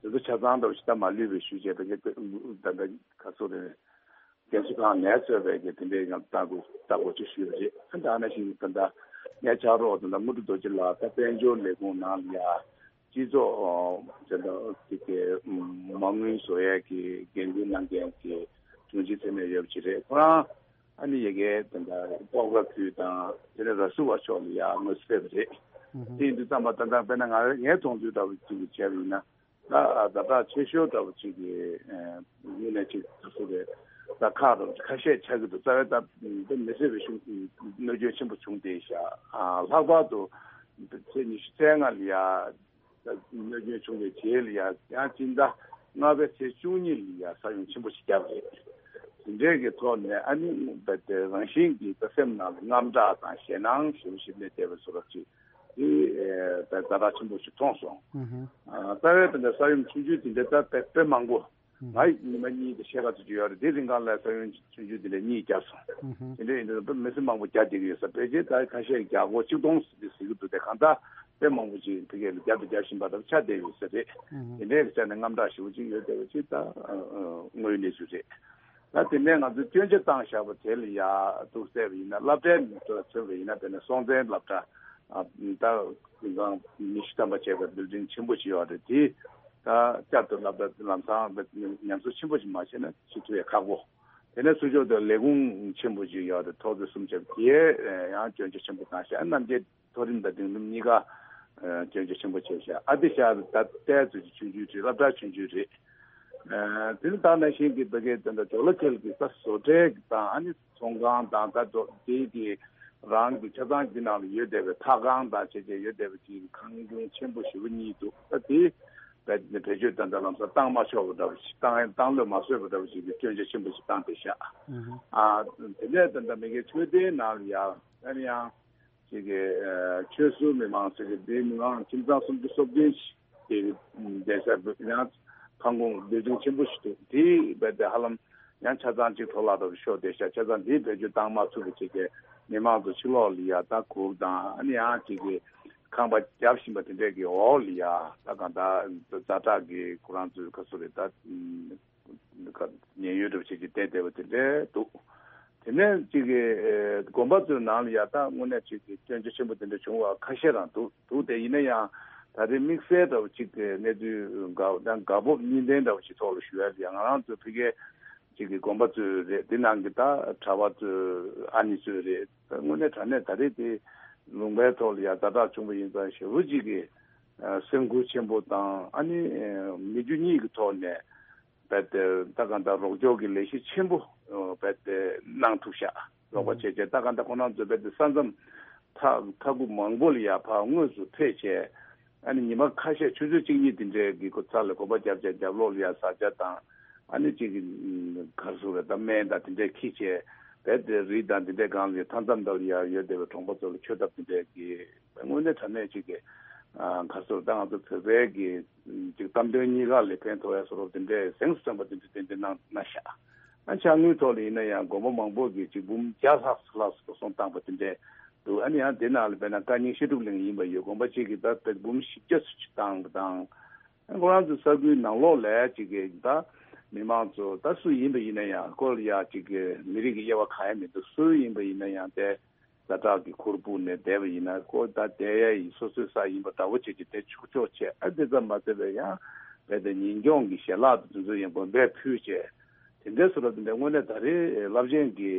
དེ་ཚོ་ཆ་ཚང་འདྲ་བོ་ཞིག་ད་མ་ལུས་པའི་ཞུས་བྱས་པའི་ད་ལྟ་ག་ཚོད་རེད། རྒན་གསོ་ཁང་ནས་གཙོས་པའི་གི་དེ་འདྲའི་ཡང་ལྟ་སྐོར་ལྟ་སྐོར་ཅིག་ཞུས་པ་རེད། ཨ་ནི་ད་ག་ནང་བཞིན་ད་ལྟ་ངའི་ཕྱག་རོགས་དེ་འདྲ་དངོས་གྲུབ་རྡོ་རྗེ་ལགས་ད་དཔལ་འབྱོར་ལས་ཁུངས་ནང་ལ་ཡ། སྤྱི་ཚོགས་ཨོ་དེ་འདྲ་དེ་གའི་མ་དངུལ་བཟོ་ཡས་ཀྱི་འགན་འཛིན་གནང་མཁན་གྱི་དྲུང་ཆེ་ཚེ་མེད་ཡོད་པ་ཅིག་རེད། ཁོ་རང་ཨ་ནི་ཡ་གིའི་དེ་འདྲ་སྤོག་ར་ཁུལ་དང་དེ་ནས་ར་སུ་བ་ཕྱོགས་ལ་ཡ་དངོས་སུ་ཕེབས་པ་རེད། དེ་ཡིན་དུས་ཙམ་པ་ད་ལྟ་དཔེར་ན་ང་ངས་མཐོང་ཚུལ་འདྲ་བོ་ཅིག་བྱས་པ་ཡིན་ན་ད་ཛ་དྲག་ཆེ་ཤོས་འདྲ་བོ་ཅིག་གི་ངོས་ནས་ཅིག་ད་སུ་རེད། ད་ཁག་འདྲ་བོ་ཁ་ཤས་ཆགས་ཀྱི་འདུག་རྩ་བའི་ད་དེ་མི་སྲིད་པའི་ཤུགས་གནོད་སྐྱོན་ཆེན་པོ་བྱུང་བསྡད་ཤག་ལྷག་པར་དུ་ཚེས་ཉི་ཤུ་རྩ་ལྔ་ལ་ཡ། གནོད་སྐྱོན་བྱུང་བའི་རྗེས་ལ་ཡང་ཡང་སྤྱི་ཟླ་ལྔ་པའི་ཚེས་བཅུ་གཉིས་ལ་ཡང་ས་ཡོམ་ཆེན་པོ་ཞིག་བརྒྱབ་རེད། དེ་འདྲའི་གི་ཐོག་ནས་ཨ་ནི་རྦད་དེ་རང་བཞིན་གྱིས་ད་སེམས་ནང་ལ་དངངས་སྐྲག་དང་ཞེད་སྣང་ཞེ་པོ་ཞིག་སླེབས་བསྡད་པའི་བཟོ་འདྲ་ཅིག་དེ་ད་ཛ་དྲག་ཆེན་པོ་ཞིག་མཐོང་སོང་། ཨ་རྩ་བའི་དེ་འདྲ་ས་ཡོམ་ཆུང་ཆུང་དེ་འདྲ་ད་དཔེ་དཔེ་མང་པོ་ང་ཡི་ཉི་མ་གཉིས་དང་ཕྱེད་ཀ་ཙམ་ཅིག་ཡོད་རེད། དེ་རིང་གང་ལ་ས་ཡོམ་ཆུང་ཆུང་དེ་འདྲ་གཉིས་བརྒྱབ་སོང་། དེ་འདྲ་ཡིན་དུས་མི་སེར་མང་པོ་རྒྱག་བསྡད་ཀྱི་ཡོད་ས། ཕལ་ཆེར་ད་ཁ་ཤས་རྒྱག་སྒོ་ཆིག་སྟོང་ཟེར་གྱི་འདུག་དེ་གང་ལྟར་དཔེ་མང་པོ་ཅིག་ཕ་གི་ལ་རྒྱབ་དང་རྒྱག་བཞིན་པ་འདྲ་ཆགས་བསྡད་ཡོད་ས་རེད། དེ་འདྲའི་ཆ་ནས་དངངས་སྐྲག་ཞེ་པོ་ཅིག་ཡོད་བསྡད་པ་ཅིག་ད་དངོས་ཡོད་གནས་ཚུལ་རེད། ད་དེ་ནས་ང་ཚོས་སྐྱོན་ཆ་བཏང་བཞག་པ་དེ་ལ་ཡ་འདུག་བལྟས་པ་ཡིན་ན་སློབ་གྲྭའི་ནང་དུ་མཚོན་པ་ཡིན་ན་དཔེར་ན་སྲོང་བཙན་སློབ་གྲྭ་ད་ཉི་ཤུ་ཐམ་པ་བྱས་པའི་བིལ་ཌིང་ཆེན་པོ་ཞིག་ཡོད་རེད། དེ་ད་བསྐྱར་དུ་སློབ་གྲྭ་ལམ་སང་ཉམས་གསོ་ཆེན་པོ་ཞིག་མ་བྱས་ན་བྱེད་ཐུབ་ཡ་ཁག་པོ། དེ་ནས་ཚུར་ཕྱོགས་དུ་ལས་ཁུངས་ཆེན་པོ་ཞིག་ཡོད་རེད། ཐོག་བརྩེགས་གསུམ་བྱས་པ་དེ་ཡང་སྐྱོན་ཆ་ཆེན་པོ་བཏང་ཤག་རྣམ་རྒྱལ་མཐོ་རིམ་དང་འབྲིང་རིམ་གཉིས་ཀ་སྐྱོན་ཆ་ཆེན་པོ་བྱས་ཤག་ཨ་ཏི་ཤ་ད་ལྟའི་ཚོད་ཀྱི་ཆུང་ཆུང་རེད། སློབ་གྲྭ་ཆུང་ཆུང་རེད། དེ་ནི་ད་ནང་བཞིན་གྱི་ད་གའི་དེ་འདྲ་ཇོ་ལ་ཁེལ་གྱི་ས་བཟོ་གྲྭའི་དང་ཨ་ནི་ཚོང་ཁང་དང་ད་དེ་གི་རང་གི་ཆ་ཚང་གི་ནང་ལ་ཡོད་བསྡད་པའི་ཐག་ཁང་དང་བྱས་བྱས་ཡོད་བསྡད་པ་ཅིག་ཁང་ཁྱུང་ཆེན་པོ་ཞེ་པོ་གཉིས་འདུག་ད་དེ་བེད་བེད་སྤྱོད་ད་ལྟ་ལམ་སང་བཏང་མ་ཆོག་པ་འདྲ་བོ་ཞིག་བཏང་བཏང་ལོས་མ་བཟོད་པ་འདྲ་བོ་ཞིག་གི་སྐྱོན་ཆ་ཆེན་པོ་ཞིག་བཏང་བསྡད་ཤག་ཨ་དེ་ནས་ད་ལྟ་མི་སྒེར་ཆོས་སྡེའི་ནང་ལ་ཡང་ཨ་ནི་ཡང་ཅིག་གི་ཆོས་ཟུར་མི་མང་ཟེར་གི་དེའི་མི་མང་ཁྱིམ་ཚང་སུམ་ཅུ་སོ་བདུན་ཞིག་གི་བསྡད་ས་ཡང་ཁང་ཁུངས་བིལ་ཌིང་ཆེན་པོ་ཞིག་འདུག་དེ་བས་དེ་ཧ་ལམ་ཡང་ཆ་ཚང་གཅིག་འཕྲོ་བརླག་འདྲ་བོ་ཤོར་བསྡད་ཤག་ཆ་ཚང་དེ་བེད་སྤྱོད་བཏང་མ་ཐུབ་པ་བྱས་ཏེ་མི་མང་ཚོ་ཕྱི་ལོགས་ལ་ཡ་ད་གུར་དང་ཨ་ནི་ཡང་ཅིག་གི་ཁང་པ་བརྒྱབ་བཞིན་པ་དེ་འདྲས་ཀྱི་འོག་ལ་ཡ་ད་གང་ལྟར་ཛ་དྲག་གི་ཁོ་རང་ཚོའི་ཁ་སོ་རེད་ད། ཉེན་གཡོལ་འདྲ་བོ་བྱེད་ཀྱི་བསྡད་བསྡད་པ་དེ་འདྲས་འདུག་དེ་ནས་ཅིག་གི་དགོན་པ་ཚོའི་ནང་ལ་ཡ་ད་དངོས་གནས་ཅིག་གི་སྐྱོན་ཆ་ཆེན་པོ་དེ་འདྲ་བྱུང་བ་ཁ་ཤས་རང་འདུག་འདུག་དེ་ཡིན་ན་ཡང་ད་རེས་དམིགས་བསལ་འདྲ་བོ་ཅིག་གི་གནས་ཚུལ་འགའ་ཡང་དགའ་སྤོབས་གཉིས་ལྡན་འདྲ་བོ་ཞིག་ཐོག་ལ་ཞུ་ཡ་ཡ་ང་རང་ཚོ་ཕ་གིའི་ཅིག་གི་དགོན་པ་ཚོའི་རེད། དེ་ནང་གི་ད་གྲྭ་པ་ཚོའི་ཨ་ནི་ཚོའི་རེད། ད་དངོས་གནས་དྲང་གནས་ད་རེས་དེ་ལུང་པའི་ཐོག་ལ་ཡ་ཛ་དྲག་བྱུང་བ་ཡིན་ཙང་ཞེ་པོ་ཅིག་གི་སེམས་ཁུར་ཆེན་པོ་དང་ཨ་ནི་མི་རྒྱུ་གཉིས་ཀྱི་ཐོག་ནས། རྦད་དེ་ད་གང་ལྟར་རོགས་སྐྱོར་གྱི་ལས་གཞི་ཆེན་པོ་རྦད་དེ་གནང་ཐུབ་ཤག་རོགས་པ་བྱས་བྱས་ད་གང་ལྟར་ཁོ་རང་ཚོ་རྦད་དེ་ས་མཚམས་མཐའ་མཐའ་ཁུག་མང་པོ་ལ་ཡ་ཕར་དངོས་སུ་ཕེབས་བྱས་ཨ་ནི་ཉི་མ་ཁ་ཤས་ཆུ་ཚོད་གཅིག་གཉིས་དེ་འདྲའི་གི་ཁོ་ཚ་ལ་གོམ་པ་རྒྱབ་བྱས་རྒྱབ་ལོགས་ལ་ཡ་ཟ་ཆ་དང་ཨ་ནི་གཅིག་གི་གར་སོང་རེད་ད་སྨན་དང་དེ་འདྲའི་འཁྱེར་བྱས་རྦད་དེ་རི་དང་དེ་འདྲའི་སྒང་ལ་ཡ་མཐའ་མཚམས་འདྲ་ལ་ཡ་ཡོད་བསྡད་པའི་གྲོང་པ་ཚོ་ལ་མཆོད་ཐབས་དེ་འདྲའི་གི་དངོས་གནས་དྲང་གནས་ཅིག་གི་གར་སོང་ད་ང་ཚོ་བོད་པའི་གི་ཅིག་གཏམ་དོན་གཉིས་ཀ་ལ་ཕན་ཐོགས་ཡ་བཟོ་འདྲ་དེ་འདྲའི་གཟེངས་སུ་ཐོན་པ་དེ་འདྲ་ཏན་ཏན་གནང་གནང་ཤག་ཨ་ཕྱག་དངུལ་ཐོག་ལ་ཡིན་ན་ཡང་དགོན་པ་མང་པོ་གི་ཅིག་འབུམ་བརྒྱ་ལྷག་ཙམ་ལྷག་ཙམ་གསོ་སྐྱོང་བཏང་པ་དེ་འདྲས་འདུག་ཨ་ནི་ཡང་དེ་ནང་ལ་དཔེར་ན་བཀའ་རྙིང་བཤད་སྒྲུབ་གླིང་ཡིན་པ་ཡོད། དགོན་པ་གཅིག་གིས་ད་དཔེ་འབུམ་བཞི་བརྒྱ་ཙམ་ཅིག་བཏང་པ་དང་། ཁོ་རང་ཚོའི་ས་ཁུལ་ནང་ལོགས་ལ་ཅིག་གི་ད་མི་མང་ཚོ་ད་སུ་ཡིན་པ་ཡིན་ན་ཡང་ཁོ་ལ་ཡ་ཅིག་གི་མི་རིགས་ཀྱི་དབྱེ་བ་གང་ཡང་མི་འདུག་སུ་ཡིན་པ་ཡིན་ན་ཡང་དེ་ཛ་དྲག་གི་ཁུར་སྤུངས་ནས་བསྡད་པ་ཡིན་ན་ཁོ་ད་བསྡད་ཡ་ཡི་སོ་སོའི་ས་ཡིན་པ་འདྲ་བོ་བྱས་ཀྱི་དེ་ཆོག་ཆོག་བྱས། ཨ་དེ་ཙམ་མ་ཟད་པའི་ཡང་རྦད་དེ་ཉིན་གྱོང་གི་ཞལ་ལག་དེ་ཚོ་ཡང་དགོན་པས་ཕུལ་བྱས། དེ་འདྲའི་བཟོ་འདྲ་དེ་འདྲ་དངོས་གནས་ད་རེས་རླབས་ཆེན་གྱི་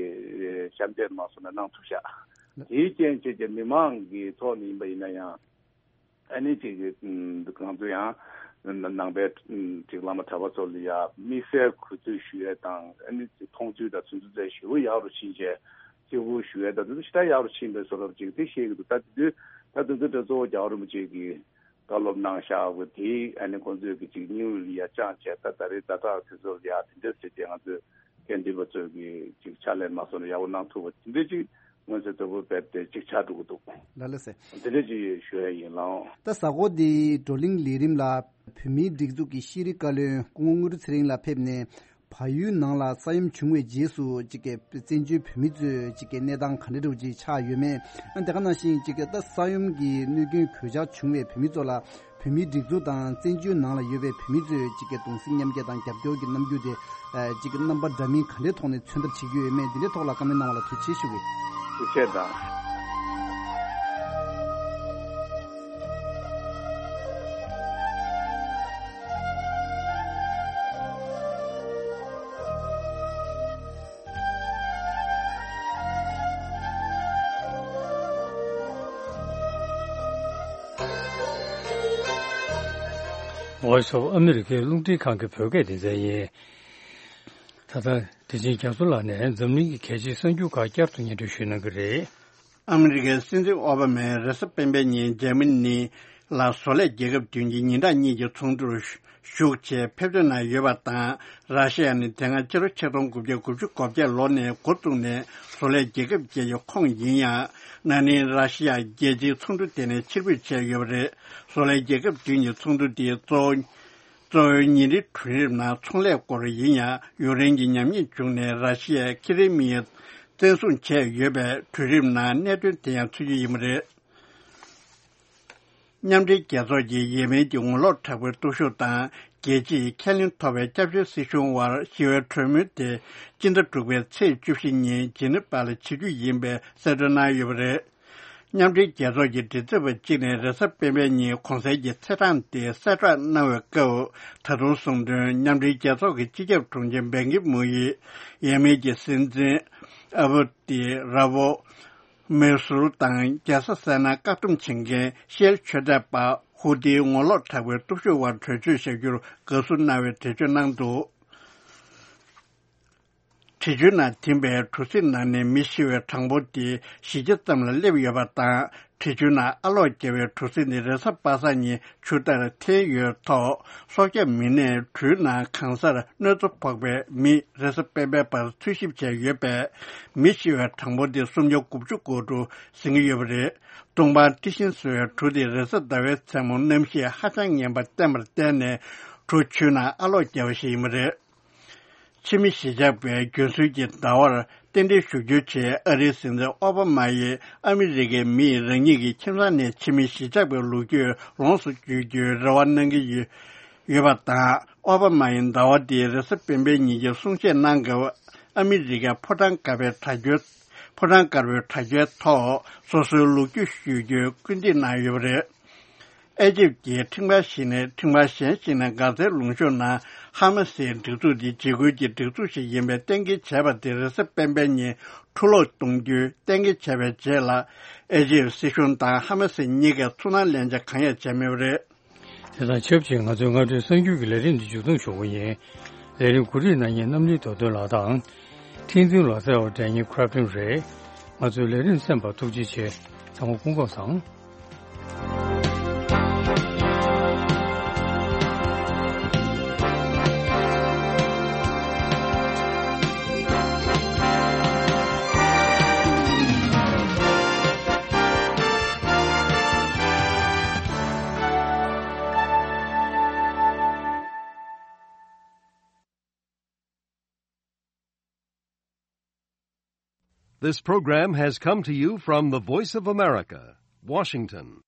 ཞབས་འདེགས་མ་སོང་ན་གནང་ཐུབ་ཤག་དེའི་རྐྱེན་བྱས་ཀྱི་མི་མང་གི་ཐོག་ནས་ཡིན་པ་ཡིན་ན་ཡང་། ཨ་ནི་ཅིག་གི་ང་ཚོ་ཡང་ནང་པའི་ཅིག་བླ་མ་གྲྭ་པ་ཚོ་ལ་ཡ་དམིགས་བསལ་གུས་བཏུད་ཞུ་ཡས་དང་། ཨ་ནི་ཅིག་མཐོང་ཚུལ་དང་ཚུལ་འཛིན་ཚད་ཞེ་པོ་ཡག་རུ་ཕྱིན་བྱས་བརྩི་བཀུར་ཞུ་ཡས་དང་དེ་ཚོ་ཞེ་དྲག་ཡག་རུ་ཕྱིན་པའི་བཟོ་འདྲ་ཅིག་དེ་ཤེས་ཀྱི་འདུག་ད་དེ་དུས་ད་དེ་ཚོ་དེ་གཙོ་བོ་རྒྱལ་བ་རིན་པོ་ཆེ་གིས་བཀའ་སློབ་གནང་བཞག་པ་དེ་ཨ་ནི་ཁོང་ཚོས་ཀྱི་ཅིག་སྙིང་ལ་ཡ་བཅངས་བྱས་ད་ད་རེས་ཛ་དྲག་དེ་ཚོ་ལ་ཡ་དེ་འདྲ་ཟེར་བྱས་ང་ཚོས་དགེ་འདུན་པ་ཚོས་ཀྱི་ཅིག་ཕྱག་ལས་མ་སོང་ན་ཡག་པོ་གནང་ཐུབ་པ་དེ་འདྲ་ཅིག་མངོན་གསལ་དོད་པོ་རྦད་དེ་ཅིག་ཆགས་འགྲོ་གི་འདུག་ལགས་ལགས་སེ། དེ་འདྲ་ཅིག་ཞུ་ཡ་ཡིན་ལགས། ད་གཟའ་འཁོར་འདིའི་བགྲོ་གླེང་ལས་རིམ་ལ་བོད་མིའི་སྒྲིག་འཛུགས་ཀྱི་ཤེས་རིག་བཀའ་བློན་སྐུ་ངོ་དངོས་གྲུབ་ཚེ་རིང་ལགས་ཕེབས་ནས་བལ་ཡུལ་ནང་ལ་ས་ཡོམ་བྱུང་བའི་རྗེས་སུ་ཅིག་གི་བཙན་བྱོལ་བོད་མི་ཚོའི་ཅིག་གི་གནས་སྟངས་ག་འདྲ་འདྲ་བོ་ཅིག་ཆགས་ཡོད་མེད། ཨ་དེ་ག་ནང་བཞིན་ཅིག་གི་ད་ས་ཡོམ་གྱི་གནོད་སྐྱོན་གོད་ཆག་བྱུང་བའི་བོད་མི་ཚོ་ལ་བོད་མིའི་སྒྲིག་འཛུགས་དང་བཙན་བྱོལ་ནང་ལ་ཡོད་པའི་བོད་མི་ཚོས་གཅིག་གི་གདུང་སེམས་མཉམ་སྐྱེད་དང་རྒྱབ་སྐྱོར་གྱི་རྣམ་འགྱུར་དེ་གཅིག་གི་རྣམ་པ་འདྲ་མིན་ག་འདྲའི་ཐོག་ནས་མཚོན་ཐབས་བྱེད་ཀྱི་ཡོད་མེད་འདི་འདྲའི་ཐོག་ལ་བཀའ་མོལ་གནང་བ་ལ་ཐུགས་རྗེ་ཆེ་ཞུ་གི། ཐུགས་རྗེ་ཆེ་དང་། Voice of America རླུང་འཕྲིན་ཁང་གི་བོད་སྐད་སྡེ་ཚན་ཡིན། ད་ལྟ་དེ་བཞིན་རྒྱ་མཚོ་ལགས་ནས་འཛམ་གླིང་གི་གལ་ཆེའི་གསར་འགྱུར་ཁག་བསྐྱར་དུ་སྙན་སྒྲོན་ཞུ་གནང་གི་རེད། ཨ་མི་རི་ཀའི་སྲིད་འཛིན་ཨོ་བྷ་མས་རེས་གཟའ་སྤེན་པའི་ཉིན་འཇར་མ་ནི་ལ་བཟོ་ལས་རྒྱལ་ཁབ་བདུན་གྱི་ཉིན་གྲངས་གཉིས་ཀྱི་ཚོགས་འདུར་ཞུགས་ཆེད་ཕེབས་འདོད་གནང་ཡོད་པ་དང་། ར་ཤི་ཡ་ནི་དེ་སྔ་ཕྱི་ལོ་ཆིག་སྟོང་དགུ་བརྒྱ་དགུ་བཅུ་གོ་བརྒྱད་ལོ་ནས་འགོ་བཙུགས་ནས་བཟོ་ལས་རྒྱལ་ཁབ་ཅིག་གི་ཁོངས་ཡིན་ཡང་། ན་ནིང་ར་ཤི་ཡ་རྒྱལ་སྤྱིའི་ཚོགས་འདུ་དེ་ནས་ཕྱིར་འབུད་བྱས་ཡོད་པ་རེད། བཟོ་ལས་རྒྱལ་ཁབ་བདུན་གྱི་ཚོགས་འདུ་དེའི་གཙོ་བོ་གཙོ་བོའི་ཉིན་རེའི་གྲོས་རིམ་ནང་ཚོང་ལས་སྐོར་ཡིན་ཡང་། ཡུཀ་རེན་གྱི་ཉམས་ཉེས་བྱུང་ནས་ར་ཤི་ཡའི་ཁེ་རི་མི་ཡ་བཙན་བཟུང་བྱས་ཡོད་པའི་གྲོས་རིམ་ནང་གནད་དོན་དེ་ཡང་ཚུད་རྒྱུ་ཡིན་པ་རེད། མཉམ་འབྲེལ་རྒྱལ་ཚོགས་ཀྱི་ཡེ་མེན་གྱི་ངོ་ལོག་དྲག་པོའི་སྟོབས་ཤུགས་དང་། རྒྱལ་སྤྱིའི་ཁས་ལེན་ཐོབ་པའི་སྐྱབས་བཅོལ་སྲིད་གཞུང་དབར་ཞི་བའི་གྲོས་མོལ་དེ་སྤྱི་ཟླ་དྲུག་པའི་ཚེས་བཅུ་བཞི་ཉིན་ཇི་ནི་ཝ་ལ་བྱེད་རྒྱུ་ཡིན་པའི་གསལ་སྟོན་གནང་ཡོད་པ་རེད། མཉམ་འབྲེལ་རྒྱལ་ཚོགས་ཀྱི་མགྲིན་ཚབ་པ་གཅིག་ནས་རེས་གཟའ་སྤེན་པའི་ཉིན་གོང་གསལ་གྱི་ཚེས་གྲངས་དེ་གསལ་བསྒྲགས་གནང་བའི་སྐབས། ད་དུང་གསུངས་དོན། མཉམ་འབྲེལ་རྒྱལ་ཚོགས་ཀྱི་སྤྱི་ཁྱབ་དྲུང་ཆེ་བན་ཀི་མུན་ཡིས་ཡེ་མེན་གྱི་སྲིད་འཛིན་ཨ་བུ་ཏི་ར་བོ་མེ་སུར་དང་རྒྱལ་ས་སེ་ན་བཀག་སྡོམ་བྱེད་མཁན་ཤེལ་ཆོས་དད་པ་ཧུ་ཏིའི་ངོ་ལོག་དྲག་པོའི་སྟོབས་ཤུགས་དབར་གྲོས་ཆོད་བཞག་རྒྱུར་དགའ་བསུ་གནང་བའི་འགྲེལ་བརྗོད་གནང་འདུག་འགྲེལ་བརྗོད་ནང་འཐེན་པའི་གྲུ་གཟིངས་ནང་ནས་མི་ཤི་བའི་གྲངས་འབོར་དེ་བཞི་བརྒྱ་ཙམ་ལ་སླེབས་ཡོད་པ་དང་། འགྲེལ་བརྗོད་ནང་ཨ་ལོག་རྒྱབ་པའི་གྲུ་གཟིངས་དེ་རེས་གཟའ་པ་སངས་ཉིན་ཆུ་ལྟར་འཐེན་ཡོད་ཐོག་སྲོག་སྐྱོབ་མི་སྣས་གྲུའི་ནང་གང་སར་གནོད་འཚེ་ཕོག་པའི་མི་རེས་གཟའ་སྤེན་པའི་བར་འཚོལ་ཞིབ་བྱས་ཡོད་པས། མི་ཤི་བའི་གྲངས་འབོར་དེ་སུམ་བརྒྱ་དགུ་བཅུ་གོ་དྲུག་ཟིན་གྱི་ཡོད་པ་རེད། ཏུང་པང་ཏི་ཤིན་ཟེར་བའི་གྲུ་དེ་རེས་གཟའ་ཟླ་བའི་མཚན་མོ་གནམ་གཤིས་ཧ་ཅང་ངན་པ་བསྟན་པར་བརྟེན་ནས་གྲུ་ཆུའི་ནང་ཨ་ལོག་བརྒྱབ་པ་ཞིག་ཡིན་པ་རེད། ཕྱི་མི་གཞིས་ཆགས་པས་རྒྱུན་སྲོལ་གྱི་ཟླ་བར་རྟེན་འབྲེལ་ཞུ་རྒྱུའི་ཆེད་ཨ་རིའི་སྲིད་འཛིན་ཨོ་བྷ་མ་ཡིས་ཨ་མི་རི་ཀའི་མིས་རང་ཉིད་ཀྱི་ཁྱིམ་ཚང་ནས་ཕྱི་མི་གཞིས་ཆགས་པའི་ལོ་རྒྱུས་ལོངས་སུ་སྤྱོད་རྒྱུའི་རེ་བ་གནང་གི་ཡོད་ཡོད་པ་དང་། ཨོ་བྷ་མ་ཡིས་ཟླ་བ་འདིའི་རེས་གཟའ་སྤེན་པའི་ཉིན་གྱི་གསུང་བཤད་གནང་སྐབས། ཨ་མི་རི་ཀའི་ཕོ་བྲང་དཀར་པོའི་དྲ་རྒྱའི་ཕོ་བྲང་དཀར་པོའི་དྲ་རྒྱའི་ཐོག་སོ་སོའི་ལོ་རྒྱུས་ཞུ་རྒྱུའི་སྐུལ་འདེད་གནང་ཡོད་པ་རེད། ཨེ་ཇིབ་ཀྱིས་ཁྲིམས་ཁང་ཞིག་ནས་ཁྲིམས་ཁང་གཞན་ཞིག་ནས་གྷ་ཛའི་ལུང་གཤོང་ནང་ཧ་མ་སིའི་སྒྲིག་འཛུགས་འདི་འཇིགས་སྐུལ་གྱི་སྒྲིག་འཛུགས་ཤིག་ཡིན་པའི་གཏན་འཁེལ་བྱས་པ་དེ་རེས་གཟའ་སྤེན་པའི་ཉིན་འཁྲུ་སློག་གཏོང་རྒྱུའི་གཏན་འཁེལ་བྱས་པའི་རྗེས་ལ། ཨེ་ཇིབ་སྲིད་གཞུང་དང་ཧ་མ་སི་གཉིས་ཀས་ཚོར་སྣང་ལེན་བྱ་གང་ཡང་བྱས་མེད་པ་རེད། དེ་དང་ཆབས་ཅིག་ང་ཚོའི་སྔ་དྲོའི་གསར་འགྱུར་གྱི་ལས་རིམ་འདི་མཇུག་སྡོམ་ཞུ་གི་ཡིན། ལས་རིམ་གོ་སྒྲིག་གནང་མཁན་རྣམ་གླིང་རྡོ་དོན་ལགས་དང་། ཁྲིན་ཏུའུ་ལགས་གསལ་བར་སྒྲོན་མཁན་ཁྲ་ཕིན་རེད། ང་ཚོའི་ལས་རིམ་གསན་པར་ཐུགས་རྗེ་ཆེ། ཚང་མ་སྐུ་ཁམས་བཟང་། This program has come to you from the Voice of America, Washington.